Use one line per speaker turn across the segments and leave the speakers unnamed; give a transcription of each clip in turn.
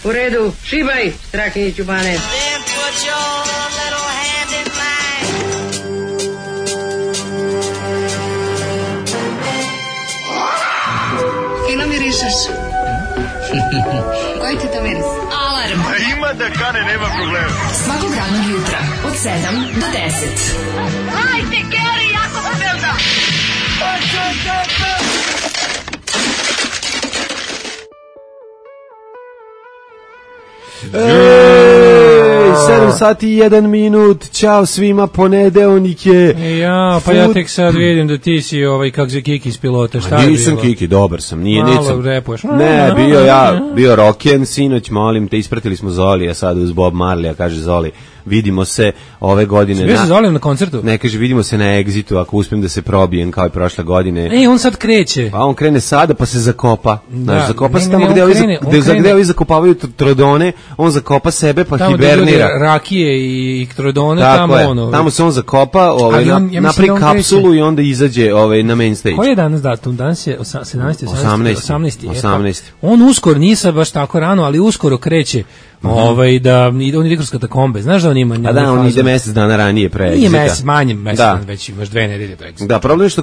U redu, šibaj, Strahinjiću Bane.
Fino mirišeš. Koji ti to miris? Alarm.
Ima da kane, nema problema.
Svakog radnog jutra od 7 do 10.
Hajde, Geri, jako se velda.
Ej, 7 sati i 1 minut, čao svima, ponedeljnik je.
Ja, pa ja tek sad vidim da ti si kak se Kiki iz pilota, šta je bilo?
Nisam Kiki, dobar sam, nije,
malo
nisam.
repuješ.
Ne, bio roken, sinoć, molim te, ispratili smo Zolija sad uz Bob Marley, a kaže Zoli, vidimo se ove godine.
Bio se Zolijem na koncertu?
Ne, kaže, vidimo se na Exitu, ako uspijem da se probijem kao i prošle godine.
On sad kreće.
Pa on krene sada, pa se zakopa. Znaš, zakopa se tamo gde ovi zakopavaju trodone, on zakopa sebe, pa
tamo
hibernira.
Tamo rakije i trodone,
tako tamo se on zakopa, napravi kapsulu i onda izađe na main stage.
Koji je danas datum? Danas je 18. On uskoro, nisam baš tako rano, ali uskoro kreće. On ide kroz katakombe, znaš da on ima...
A da, on ide mesec dana ranije pre Exita.
Nije mesec, manje mesec, već imaš 2 nedelje do Exita.
Da, problem je što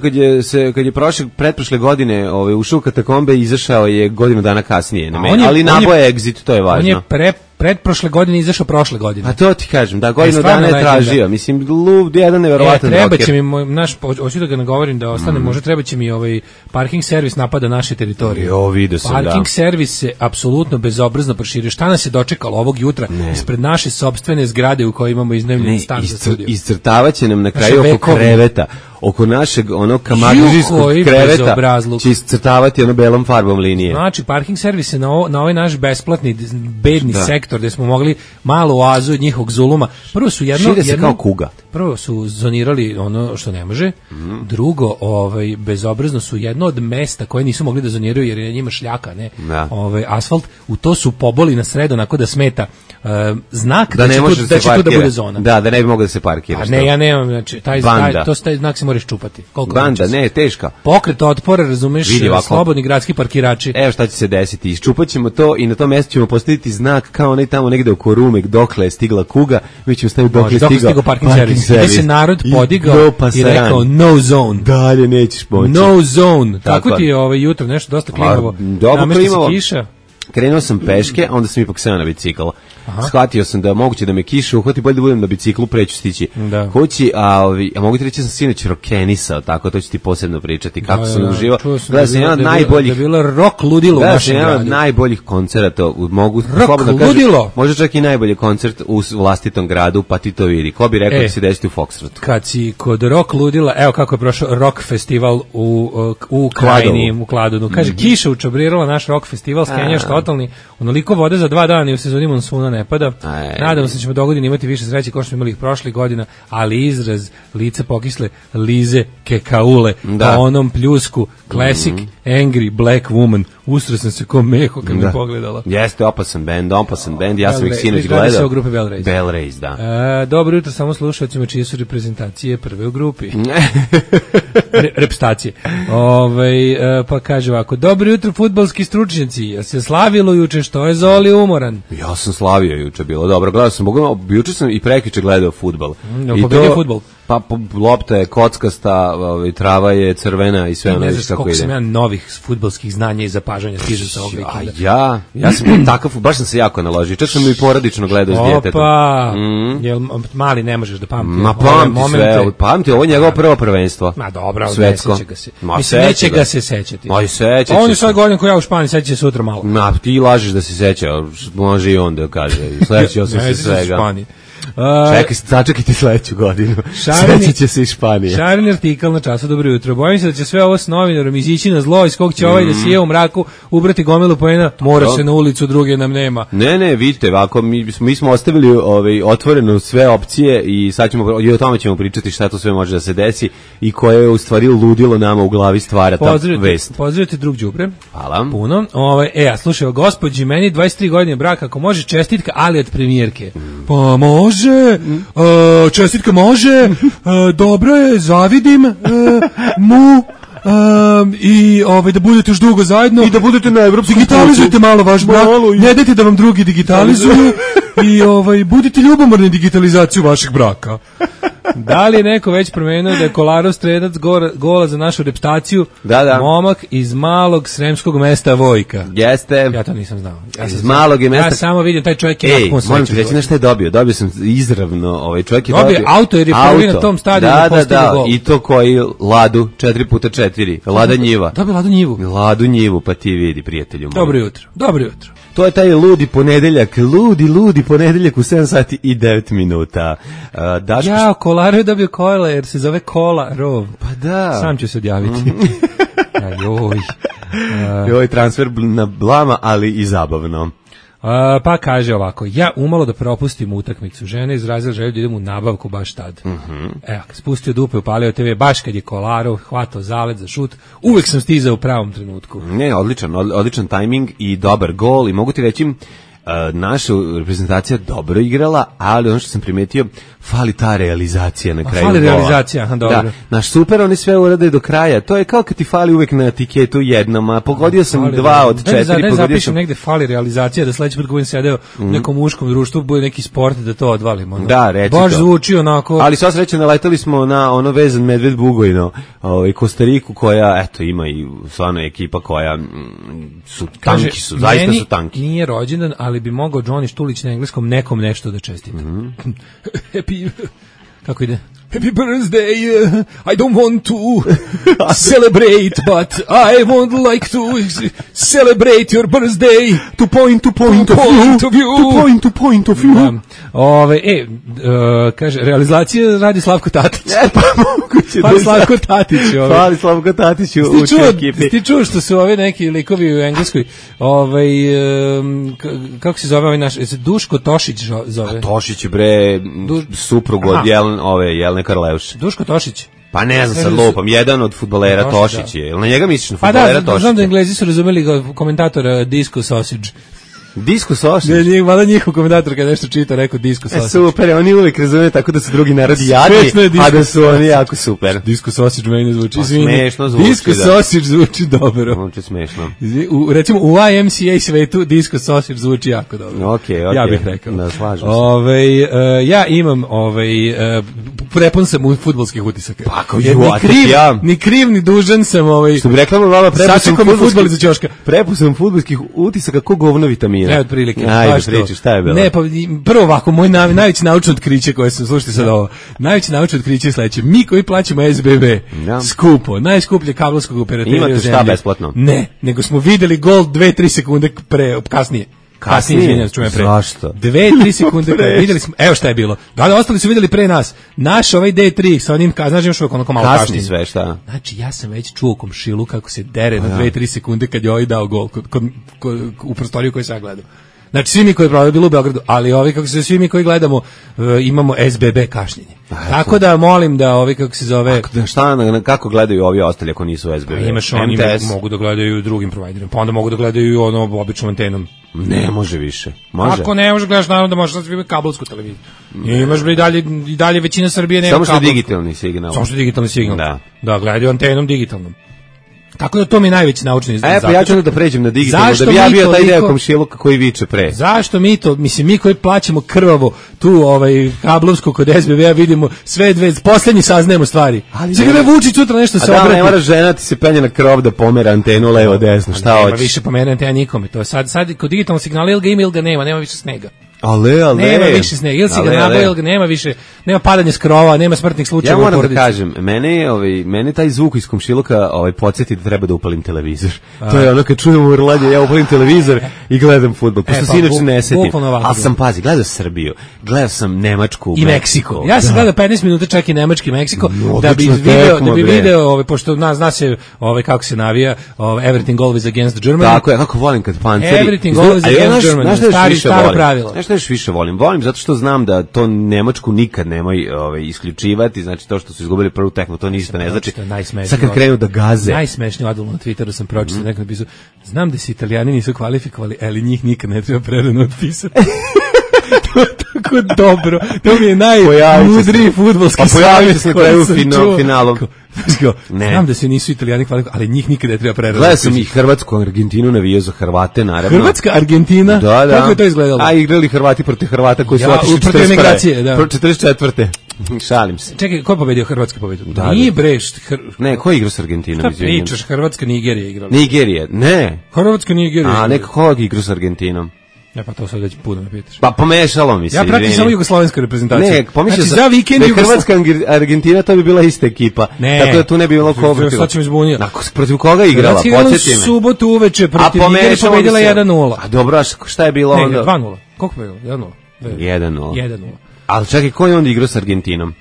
kad je pretprošle godine ušao u katakombe, izašao je godinu dana kasnije, ali naboje Exit, to je važno.
On je pretprošle godine izašao prošle godine.
A to ti kažem, da, godinu dana je tražio. Mislim, jedan neverovatan rocker.
Treba će mi, hoću da ga nagovorim da ostane, možda treba će mi parking servis napada naše teritorije.
Vidio sam,
parking servis se apsolutno bezobrazno proširio. Šta nas je dočekalo ovog jutra ispred naše sopstvene zgrade u kojoj imamo iznajmljen stan za studio?
Iscrtavaće nam na kraju oko kreveta. Oko našeg kamadžijskog kreveta će iscrtavati belom farbom linije.
Znači, parking servis je na ovaj naš besplatni, bedni sektor gde smo mogli malo oazu od njihovog zuluma. Prvo su
šire se kao kuga.
Prvo su zonirali ono što ne može. Drugo, bezobrazno su jedno od mesta koje nisu mogli da zoniraju jer je njima šljaka, ne? Asfalt. U to su poboli na sredo onako da smeta znak da će tu da bude zona.
Da ne bi mogli da se parkiraš.
Ne, ja nemam, znači, taj znak se moraš čupati.
Banda, ne, teška.
Pokret otpora, razumeš, slobodni gradski parkirači.
Evo šta će se desiti, iščupat ćemo to i na tom mjestu ćemo postaviti znak kao onaj tamo negde oko Rume, dokle je stigla kuga, mi ćemo staviti dokle je stigao
parking servis. Gde se narod podigao i rekao no zone.
Dalje nećeš moći.
No zone. Kako ti je jutro nešto dosta klimavo?
Dobro klimavo. Krenuo sam peške, onda sam ipak seo na bicikl. Shvatio sam da moguće da me kiša uhvati, bolje da budem na biciklu, preću stići kući, a mogu ti reći da sam sinoć rokenisao, tako, to ću ti posebno pričati, kako sam uživao. Gledao sam jedan od najboljih...
Da je bilo rock ludilo u našem gradu.
Jedan od najboljih koncerata, mogu
slobodno kažem,
možda čak i najbolji koncert u vlastitom gradu, pa ti to vidi. Ko bi rekao da se desiti u Foxtrotu?
Kad si kod rock ludila, evo kako je prošao rock festival u Krajini, u Kladonu. Kaže, kiša učabrirala naš rock festival, skenjaš totalni, onoliko vode za 2 dana i u sezoni monsuna ne pada. Nadamo se da ćemo dogodine imati više sreće kao što smo imali ih prošlih godina, ali izraz lice pokisle Lize Kekaule po onom pljusku Classic Angry Black Woman. Ustro sam se ko meho kad me pogledala.
Jeste, opasan band, ja sam ih sinoć gledao.
Radi se o grupi Bell Race.
Bell Race, da.
Dobro jutro samo slušalcima čije su reprezentacije prve u grupi. Repstacije. Pa kaže ovako, dobro jutro fudbalski stručnjaci, ja se slavilo juče, što je Zoli umoran?
Ja sam slavio juče, bilo dobro, gledao sam, juče sam i prekiče gledao fudbal.
Pobedio fudbal?
Pa lopta je kockasta, trava je crvena i sve ono
nešto kako ide. Ne znaš koliko sam ja novih fudbalskih znanja i zapažanja stižem sa ovog vikenda.
Ja sam takav, baš sam se jako naložio. Čak sam i porodično gledao s djetetom.
Jel mali ne možeš da pamti?
Ma pamti sve, pamti, ovo je njegovo prvo prvenstvo.
Ma dobro, ne seća ga se. Mislim, neće ga se sećati.
Ma i seća će.
On je sad godin ko ja u Španiji, seća će sutra malo.
Ma, ti lažeš da se seća, može i on da kaže. Sledeći sam se svega. Sačekajte sledeću godinu. Sećat će se iz Španije.
Šarin artikal na Času dobro jutro. Bojim se da će sve ovo s novinarom izići na zlo, iz kog će ovaj da sije u mraku, ubrati gomilu poena, mora se na ulicu, druge nam nema.
Ne, vidite, ovako, mi smo ostavili otvoreno sve opcije i sad ćemo, i o tome ćemo pričati šta to sve može da se desi i koje je u stvari ludilo nama u glavi stvara ta vest.
Pozdravite drug đubre.
Hvala.
Puno. A slušaj, gospođi, meni 23 godine braka, ako može čestitka, ali od premijerke. Pa može. Čestitka može, dobro je, zavidim mu, i da budete još dugo zajedno.
I da budete na evropskom putu.
Digitalizujte malo vaš brak, ne dajte da vam drugi digitalizuju i budite ljubomorni digitalizaciju vašeg braka. Da li je neko već promenio da je Kolarov strelac gola za našu repstaciju?
Da.
Momak iz malog sremskog mesta Vojka.
Jeste.
Ja to nisam znao.
Iz malog je mesta.
Ja samo vidim taj čovjek je nakon sreću.
Moram ti reći nešto je dobio. Dobio sam izravno, čovjek je
dobio auto jer je prvi na tom stadionu postigao gol.
I to koji Ladu 4x4. Lada njiva.
Dobio Ladu njivu.
Ladu njivu, pa ti vidi, prijatelju.
Dobro jutro.
To je taj ludi ponedeljak ponedeljak u 7 sati i 9 minuta.
Kolarov je dobio kola jer se zove Kola Rov.
Pa da.
Sam ću se odjaviti.
Joj, transfer na blama, ali i zabavno.
Pa kaže ovako, ja umalo da propustim utakmicu. Žena izrazila želju da idem u nabavku baš tad. Evo, spustio dupe, upalio TV, baš kad je Kolarov hvatao zalet za šut, uvek sam stizao u pravom trenutku.
Ne, odličan tajming i dobar gol i mogu ti reći, naša reprezentacija dobro igrala, ali ono što sam primetio, fali ta realizacija na kraju gola.
Fali realizacija, dobro.
Da, naš super, oni sve urade do kraja. To je kao kad ti fali uvek na etiketu jednom, a pogodio sam 2 od 4.
Daj zapišem negde fali realizacija, da sledeći put budem sedeo u nekom muškom društvu, bude neki sport da to odvalimo.
Da, reci to.
Baš zvuči onako.
Ali sva sreća, naletali smo na ono vezan medved Bugojno, Kostariku, koja, eto, ima i stvarno ekipa koja su tanki, zaista su tanki.
Nije rođendan, ali bi mogao Johnny Štulić na engleskom nekom nešto da čestita. Happy, kako ide? Happy birthday, I don't want to celebrate, but I would like to celebrate your birthday.
To point of view.
Kaže, realizacija radi Slavko Tatić.
Pa moguće.
Fali Slavko Tatić
u ekipi.
Ti čuo što su ovi neki likovi u Engleskoj, kako se zove ovaj naš, Duško Tošić zove.
Tošić je suprug od Jelene Karleuše.
Duško Tošić.
Pa ne znam, sad lupam, jedan od fudbalera Tošić je. Jel na njega misliš na fudbalera Tošić?
Znam da Englezi su razumeli komentatora Disco Sausage.
Disco Sausage?
Ne, mada njihov komentator kada nešto čita rekao Disco Sausage.
Super, oni uvijek razume tako da su drugi narodi jadni, a da su oni jako super.
Disco Sausage meni zvuči.
Smešno zvuči,
Disco Sausage zvuči dobro.
Zvuči smešno.
Recimo u YMCA svetu Disco Sausage zvuči jako dobro.
Okej.
Ja bih rekao.
Da, slažem se.
Ja imam prepun sam u fudbalskih utisaka.
Pa ako
ni kriv ni dužan sam
što bi rekla mama,
prepun
sam fudbalskih utisaka ko govno vitamina.
Ne, otprilike.
Ajde, priči, šta je bilo?
Ne, pa prvo ovako, moj najveće naučno otkriće koje sam, slušajte sad ovo, najveće naučno otkriće je sledeće. Mi koji plaćamo SBB, skupo, najskuplje kablovskog operatera u zemlji.
Imate šta besplatno?
Ne, nego smo videli gol 2-3 sekunde kasnije. Kasnije,
zašto?
2-3 sekunde videli smo, evo šta je bilo. Da, ostali su videli pre nas. Naš ovaj D3 sa onim, znaš imaš onako malo
kasnije sve, šta?
Znači, ja sam već čuo komšilu kako se dere na 2-3 sekunde kad je ovaj dao gol u prostoriju koju sam ja gledao. Znači, svi mi koji je bilo u Beogradu, ali ovi kako se svi mi koji gledamo imamo SBB kašnjenje. Tako da molim da ovi kako se zove...
Kako gledaju ovi ostali ako nisu SBB?
Imaš oni mogu da gledaju drugim providerima, pa onda mogu da gledaju običnom antenom.
Ne može više. Može.
Ako ne možeš gledaš, naravno da možeš da imati kablovsku televiziju. Imaš i dalje većina Srbije nema kablovsku.
Samo što digitalni signal.
Samo što digitalni signal. Da, gledaju antenom digitalnom. Tako da to mi je najveći naučni izgled.
Pa ja ću da pređem na digitalno, da bi ja bio taj deo komšiluka koji viče pre.
Zašto mi to, mislim, mi koji plaćamo krvavo tu kablovsku kod SBB-a vidimo sve poslednji saznajemo stvari. Sada da Vučić sutra nešto se obrati.
Ne mora žena ti se penje na krov da pomera antenu levo desno, šta hoćeš?
Nema više pomera antena nikome, to je sad kod digitalnog signala ili ga ima ili ga nema više snega.
Ale.
Nema više snega, ili si ga nabao, ili ga nema više, nema padanja s krova, nema smrtnih slučajeva.
Ja moram da kažem, mene taj zvuk iz komšiluka podsjeti da treba da upalim televizor. To je ono kad čujem urlanje, ja upalim televizor i gledam fudbal. Pošto se inače ne setim. Ali sam, pazi, gledao Srbiju, gledao sam Nemačku,
i Meksiko. Ja sam gledao 15 minuta čak i Nemački Meksiko, da bi video, pošto zna se kako se navija, everything always against Germany.
Tako je, kako volim kad panceri.
Everything always against Germany, staro pravilo.
Nešto još više volim zato što znam da to Nemačku nikad nemoj isključivati, znači to što su izgubili prvu tekmu, to ništa ne znači. Sad kad krenu da gaze.
Najsmešniji odgovor na Twitteru sam pročitao, neko napisao, znam da se Italijani nisu kvalifikovali, ali njih nikad ne treba prerano otpisati. Kako dobro. To mi je najmudriji fudbalski savjet.
A pojavit će se na kraju finalu.
Znam da se nisu Italijani hvalili, ali njih nikada ne treba preraziti.
Gledao sam i Hrvatsku, Argentinu navijao za Hrvate, naravno.
Hrvatska, Argentina?
Da.
Kako je to izgledalo?
A igrali Hrvati protiv Hrvata koji su otišli 44. Šalim se.
Čekaj, ko je pobedio? Hrvatska pobedio?
Da,
nije Breš.
Ne, ko je igrao s Argentinom?
Šta pričaš? Hrvatska, Nigerija igrala.
Nigerija, ne.
Hrvatska, Nigerija.
A neko ko je igrao s Argentinom?
Ja pa to sad već puno me pitaš.
Pa pomešalo mi se.
Ja pratim samo jugoslovensku reprezentaciju.
Ne, pomislio
znači, za vikend
Hrvatska Argentina to bi bila ista ekipa. Ne. Tako da tu ne bi bilo ko protiv.
Sad ćemo izbunio.
Protiv koga je igrala? Podsjeti me.
Subotu uveče protiv Nigerije pobedila 1:0.
A dobro, šta je bilo onda?
2:0. Koliko je bilo? 1:0. 1:0.
Ali čekaj, ko je onda igrao s Argentinom?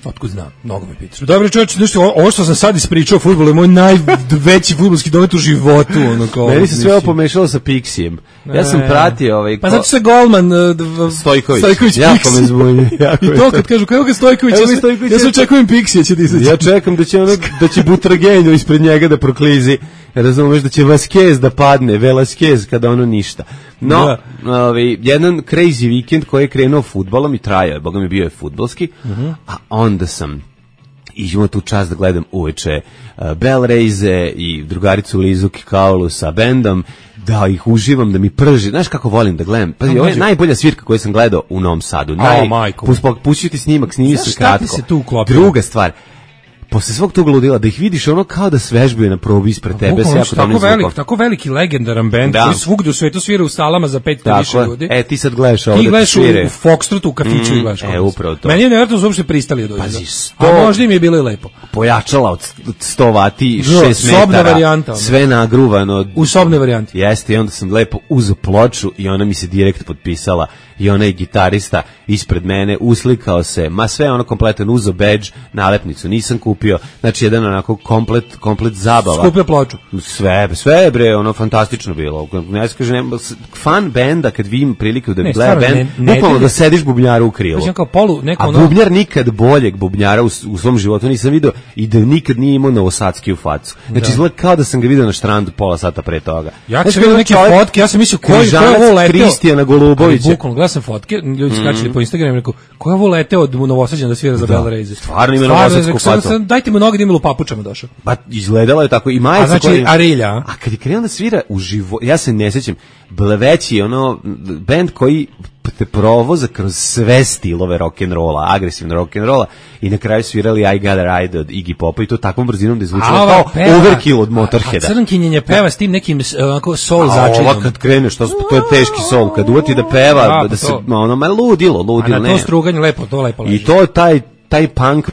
Otkud znam, mnogo me pitaš. Dobro čovječe, nešto, ovo što sam sad ispričao o fudbalu je moj najveći fudbalski domet u životu. Ono, kao,
meni se sve ovo pomešalo sa Pixijem. Ja sam pratio
Pa zato se golman
Stojković jako me zbunio.
I to kad kažu, kako je Stojković, ja se očekujem Pixija će ti izaći.
Ja čekam da će Butragenjo ispred njega da proklizi. Razumeš da će Vasquez da padne, Velasquez kada ono ništa. No, jedan crazy vikend koji je krenuo fudbalom i trajao je, boga mi bio je fudbalski, a onda sam imao tu čast da gledam uveče Bellraize i drugaricu Lizu Kikaulu sa bendom, da ih uživam, da mi prži. Znaš kako volim da gledam? Pazi, ovo je najbolja svirka koju sam gledao u Novom Sadu. Pušću ti snimak, snimi se kratko. Druga stvar, posle svog tog ludila, da ih vidiš ono kao da svežbaju na probi ispred tebe.
Tako veliki legendaran bend koji svugde u svetu svira u salama za 5 više ljudi.
Ti sad gledaš ovo
da ti svire. Ti gledaš u Foxtrotu, u kafiću i gledaš.
Upravo to.
Meni je nevjerojatno da uopšte pristali dođe.
Pazi,
a možda im je bilo i lepo.
Pojačala od 100 vati, 6 metara.
Sobna varijanta.
Sve nagruvano.
U sobnoj varijanti.
Jeste, i onda sam lepo uzeo ploču i ona mi se direkt potpisala. I onaj gitarista ispred mene uslikao se, sve ono kompletan, uzo badge, nalepnicu nisam kupio, znači jedan onako komplet zabava.
Skupio ploču.
Sve bre, ono fantastično bilo. Ne skažem, fan benda kad vidim priliku da gleda bend, bukvalno da sediš bubnjaru u krilo. A bubnjar nikad boljeg bubnjara u svom životu nisam vidio i da nikad nije imao novosadski u facu. Znači izgleda kao da sam ga vidio na štrandu pola sata pre toga.
Ja sam vidio neke fotke, ja sam mislio ko je ovo leteo.
Kristijana Golubovića.
Gledao sam fotke, ljudi skačili po Instagramu i rekao, ko je ovo leteo od Novosađana da svira za Bellraize?
Stvarno ima novosadsku facu.
Dajte mu noge da ima u papučama došao.
Pa izgledalo je tako i majica.
Znači Arilja.
A kad je krenuo da svira u životu, ja se ne sjećam, veći ono bend koji te provoza kroz sve stilove rock'n'rolla, agresivno rock'n'rolla i na kraju svirali I Got a Ride od Iggy Popa i to takvom brzinom da je zvučalo kao Overkill od Motorheada.
A Crnkinjenje peva s tim nekim onako soul začinjom.
Ova kad kreneš, to je teški soul, kad uvati da peva, da se, ono, ludilo.
A na to struganje lepo, to lepo leži.
I to taj punk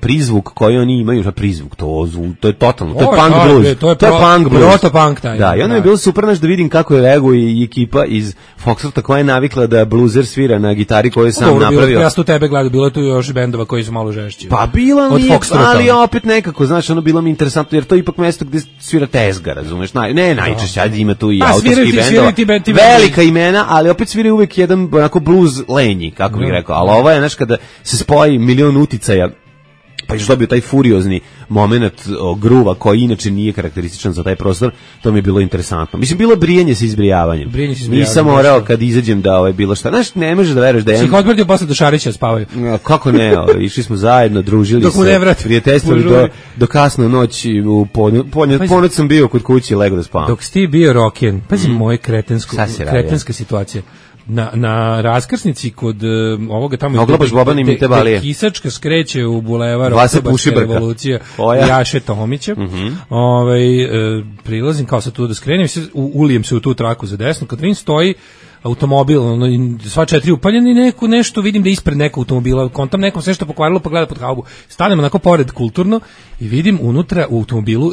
prizvuk koji oni imaju, prizvuk, to je totalno, to je punk blues. To je punk blues.
Protopunk taj.
Da, i onda je bilo super da vidim kako je reaguje i ekipa iz Foxtrota koja je navikla da bluzer svira na gitari koju je sam napravio.
Ja sam tu tebe gledao, bilo je tu još bendova koji su malo žešći.
Pa bila nije, ali opet nekako, znaš, ono bilo mi interesantno, jer to je ipak mesto gde svira tezga, razumeš? Najčešće, ajde ima tu i autorski bendova. Velika imena, ali opet svira uvek jedan onako blues lenji, kako bih rekao. Ali ovo je, znaš, kada se spoji milion uticaja, pa još dobio taj furiozni moment gruva koji inače nije karakterističan za taj prostor, to mi je bilo interesantno. Mislim, bilo brijanje sa izbrijavanjem. Nisam morao kad izađem da bilo šta. Znaš, ne možeš da veruješ da je...
Si ih odmrdio posle do Šarića spavaju.
Kako ne, išli smo zajedno, družili se, prijateljstvali do kasno noći, ponoć sam bio kod kući i lego da spavam.
Dok si ti bio roken, pazi moje kretenska situacija. Na raskrsnici kod ovoga tamo gde Kisačka skreće u bulevar Oktobarska revolucija Jaše Tomića, prilazim kao sad tu da skrenem, ulijem se u tu traku za desno, kad vidim stoji automobil, sva 4 upaljeni i nešto vidim da ispred nekog automobila, kontam nekom sve što pokvarilo pa gleda pod haubu. Stanem onako pored kulturno i vidim unutra u automobilu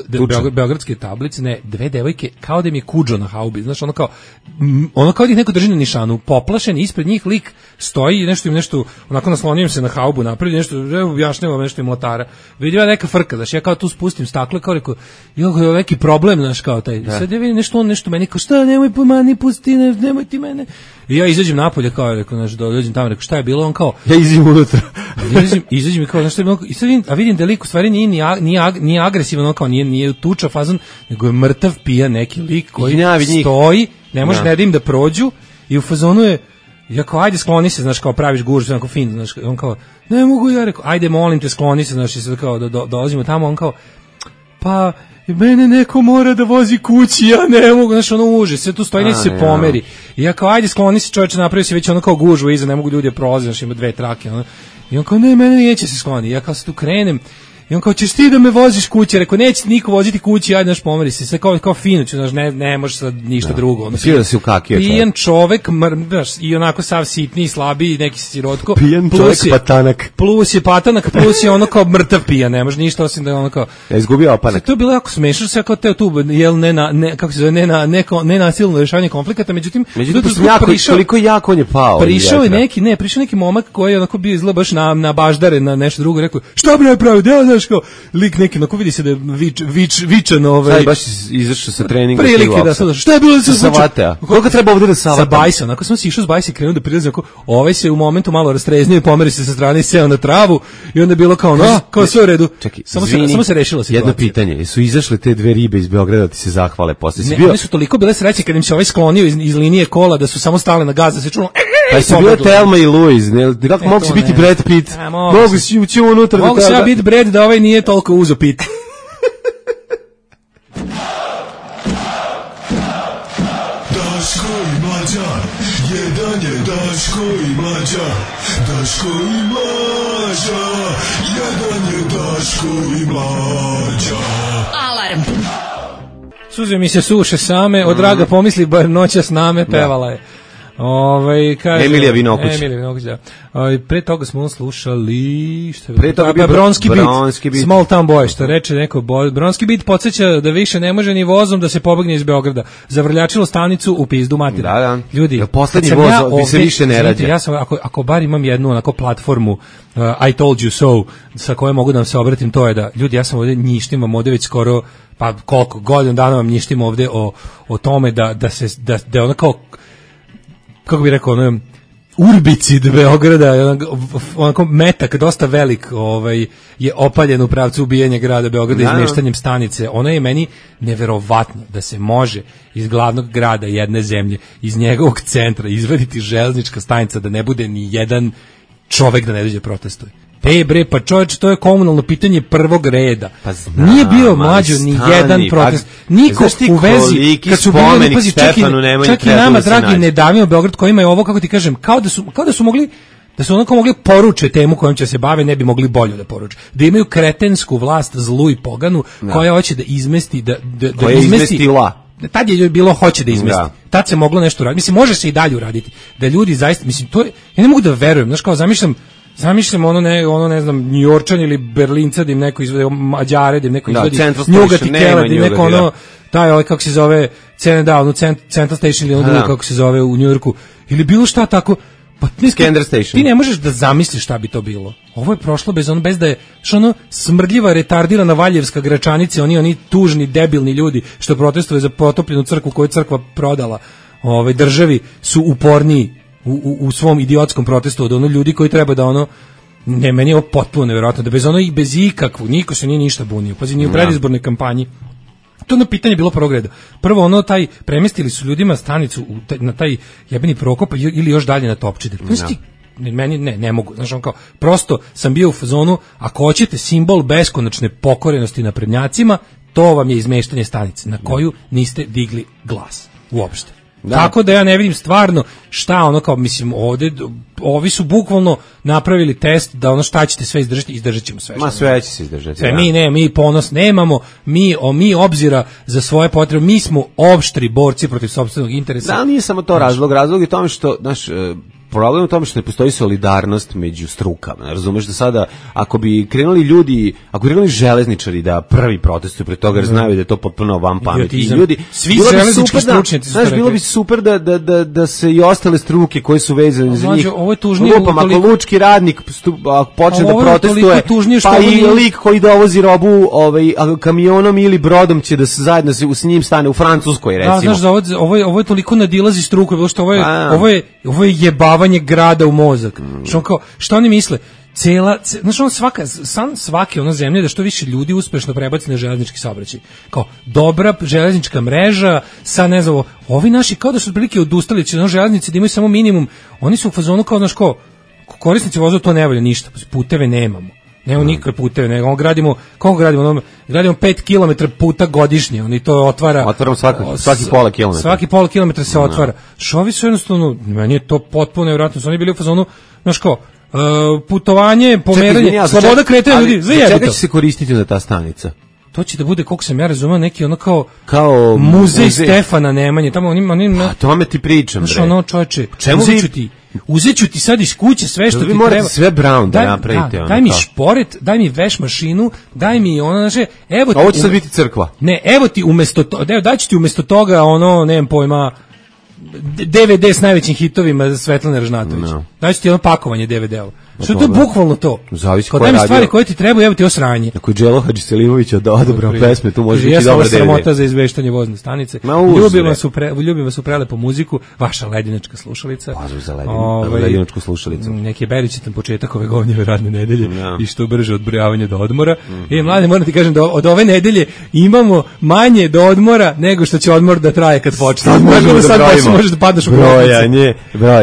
beogradske tablice, dve devojke, kao da im je kuđo na haubi, znaš, ono kao da ih neko drži na nišanu, poplašen, ispred njih lik stoji i nešto, onako naslonijem se na haubu, napravi nešto, objašnjavam nešto im mlatara. Vidim ja neka frka, znaš, ja kao tu spustim stakle, kao rekao, je neki problem, znaš, kao taj. Sad ja vidim nešto meni, kao šta, nemoj pomani, pusti, nemoj ti mene. I ja izađem napolje, kao rekao, znaš, dođem tamo, rekao, šta je bilo, on kao...
Ja izađem unutra.
Izađem i kao, znaš, šta je bilo, i sad vidim da lik u stvari nije agresivan, on kao nije tuča fazon, nego je mrtav pija neki lik koji stoji, ne može da im da prođu i u fazonu je, Ja kao, ajde skloni se, znaš, kao praviš gužu, onako fin, znaš, on kao, ne mogu, ja rekao, ajde molim te skloni se, znaš, i sad kao dolazimo tamo, on kao, pa mene neko mora da vozi kući, ja ne mogu, znaš, ono uže, sve tu stoji, neće se pomeri. I ja kao, ajde skloni se, čovječe, napravi se već ono kao gužu iza, ne mogu ljudi da prolaze, znaš, ima 2 trake, ono. I on kao, ne, mene neće se skloni. Ja kao se tu krenem, i on kao, ćeš ti da me voziš kući? Rekao, neće niko voziti kući, ajde, naš pomeri se. Sve kao fino, znaš, ne može sad ništa drugo. Ono,
da si ukakio čovjek.
Pijan čovek, i onako sav sitni, slabiji, neki sirotko.
Pijan čovjek patanak.
Plus je patanak, plus je ono kao mrtav pijan, ne može ništa osim da je ono kao...
Ja izgubio opanak.
To je bilo jako smešno, sve kao teo tu, jel, kako se zove, nenasilno rešavanje konflikata, međutim
koliko jako on je pao.
Prišao neki momak koji je onako bio izgleda baš na baždare, na nešto drugo, rekao, šta bi napravio, znaš, kao, lik neki, onako vidi se da je vičan,
Sad baš izašao sa treninga.
Prilike da sad, šta je bilo da se
savatea? Koliko treba ovde da savata?
Sa bajsa, onako sam si išao s bajsa i krenuo da prilazi, onako, ovaj se u momentu malo rastreznio i pomeri se sa strane i seo na travu i onda je bilo kao, kao sve u redu.
Čekaj,
samo se rešila situacija.
Jedno pitanje, su izašle te 2 ribe iz Beograda ti se zahvale posle?
Ne, one su toliko bile sreće kad im se ovaj sklonio iz linije kola da su samo stale na gaz, da se čulo.
Pa su bile Thelma i Louise, ne? Kako mogu si biti Brad Pitt? Mogu si ući unutra.
Mogu si ja biti Brad da ovaj nije toliko uzo pit.
Daško i Mlađa, jedan je Daško i Mlađa, Daško i Mlađa, jedan je Daško i Mlađa.
Alarm.
Suze mi se suše same, od draga pomisli bar noća s name, pevala je. Kaže
Emilija Vinokuć.
Da. Pre toga smo slušali šta
pre toga bio
Bronski beat. Small Town Boy, što reče neko Bronski beat podsjeća da više ne može ni vozom da se pobegne iz Beograda. Zavrljačilo stanicu u pizdu materiju.
Da.
Ljudi,
poslednji voz se više ne rađa.
Ja sam ako bar imam jednu onako platformu I told you so sa kojom mogu da vam se obratim, to je da ljudi, ja sam ovde njištim ovde već skoro pa koliko godina dana vam njištim ovde o tome da ona kao kako bi rekao, ono, urbicid Beograda, onako metak, dosta velik, je opaljen u pravcu ubijanja grada Beograda izmeštanjem stanice. Ono je meni neverovatno da se može iz glavnog grada jedne zemlje, iz njegovog centra, izvaditi železnička stanica da ne bude ni jedan čovek da ne dođe protestuje. Bre, pa čovječe, to je komunalno pitanje prvog reda.
Pa znam,
nije bio mlađo ni jedan protest. Niko u vezi, kad su bili, pazi, čak i nama, dragi, ne davimo Beograd koji imaju ovo, kako ti kažem, kao da su mogli, da su onako mogli poruče temu kojom će se bave, ne bi mogli bolje da poruče. Da imaju kretensku vlast, zlu i poganu, koja hoće da izmesti, da
izmestila.
Tad je bilo hoće da izmesti. Tad se moglo nešto uraditi. Mislim, može se i dalje uraditi. Da ljudi zaista, mislim, to je, ja ne mogu da verujem, znaš, kao zamišljam ono ne znam, Njujorčan ili Berlinca da im neko izvede, Mađare da im neko izvedi, Njugati Kela da im neko ono, taj kako se zove, Central Station ili ono drugo kako se zove u Njujorku, ili bilo šta tako, pa ti ne možeš da zamisliš šta bi to bilo. Ovo je prošlo bez da je ono smrdljiva, retardirana Valjevska Gračanica, oni tužni, debilni ljudi što protestuju za potopljenu crkvu koju crkva prodala državi su uporniji u svom idiotskom protestu od ono ljudi koji treba da ono, ne, meni je ovo potpuno nevjerojatno, da bez ono i bez ikakvu, niko se nije ništa bunio, pazi, nije u predizbornoj kampanji. To na pitanje bilo prvog reda. Prvo ono, premestili su ljudima stanicu na taj jebeni Prokop ili još dalje na Topčider. Meni ne mogu, znaš, on kao, prosto sam bio u fazonu, ako hoćete simbol beskonačne pokorenosti naprednjacima, to vam je izmeštanje stanice na koju niste digli glas uopšte. Tako da ja ne vidim stvarno šta ono kao, mislim, ovde ovi su bukvalno napravili test da ono šta ćete sve izdržati, izdržat ćemo sve.
Ma sve će se izdržati.
Sve, mi ponos nemamo, mi obzira za svoje potrebe, mi smo opštri borci protiv sopstvenog interesa.
Da, nije samo to razlog je tome što, znaš, problem u tome što ne postoji solidarnost među strukama. Razumeš da sada, ako bi krenuli železničari da prvi protestuju pred toga, jer znaju da je to potpuno van pameti. I ljudi,
svi železnički stručnjaci su
bilo bi super da se i ostale struke koje su vezane za njih.
Ovo je tužnije.
Ako lučki radnik počne da protestuje, pa i lik koji dovozi robu kamionom ili brodom će da se zajedno s njim stane u Francuskoj, recimo.
Znaš, ovo je toliko nadilazi struku, što ovo je jebavanje grada u mozak. Što oni misle? znaš, ono svake ono zemlje da što više ljudi uspešno prebaci na železnički saobraćaj. Kao dobra železnička mreža, sa ne znam, ovi naši kao da su otprilike odustali, će na železnici da imaju samo minimum, oni su u fazonu kao, znaš, ko korisnici vozova to ne valja ništa, puteve nemamo. Nemamo nikakve puteve, nego gradimo 5 km puta godišnje, oni to otvaramo
svaki pola kilometra.
Svaki pola kilometra se otvara. Šovi su jednostavno, meni je to potpuno nevjerojatno, su oni bili u fazonu, znaš ko, putovanje, pomeranje, sloboda kretanja ljudi, sve jebito.
Čega će se koristiti za ta stanica?
To će da bude, koliko sam ja razumeo, neki ono kao muzej Stefana Nemanje, tamo oni
a tome ti pričam,
bre. Znaš, ono, čoveče, uzet ću ti sad iz kuće sve što ti treba. Vi morate
sve Brown da napravite.
Daj mi šporet, daj mi veš mašinu, daj mi ono, znaš, evo ti...
Ovo će sad biti crkva.
Ne, evo ti umjesto toga, daću ti umjesto toga, ono, nemam pojma, DVD s najvećim hitovima Svetlane Ražnatović. No. Daću ti jedno pakovanje DVD-ova. Što je to bukvalno to?
Zavisi
ko je radio. Stvari koje ti treba, evo ti osranje.
Ako je Đelo Hadžiselimović odabrao pesme, tu može biti dobra DVD.
Sramota za izveštanje vozne stanice. Ljubim vas u prelepu muziku, vaša ledinačka slušalica.
Pozdrav za ledinačku slušalicu.
Neki je beričitan početak ove govnjeve radne nedelje i što brže odbrojavanje do odmora. Mlade, moram ti kažem da od ove nedelje imamo manje do odmora nego što će odmor da traje kad počne. Možeš da padneš u
brojanje.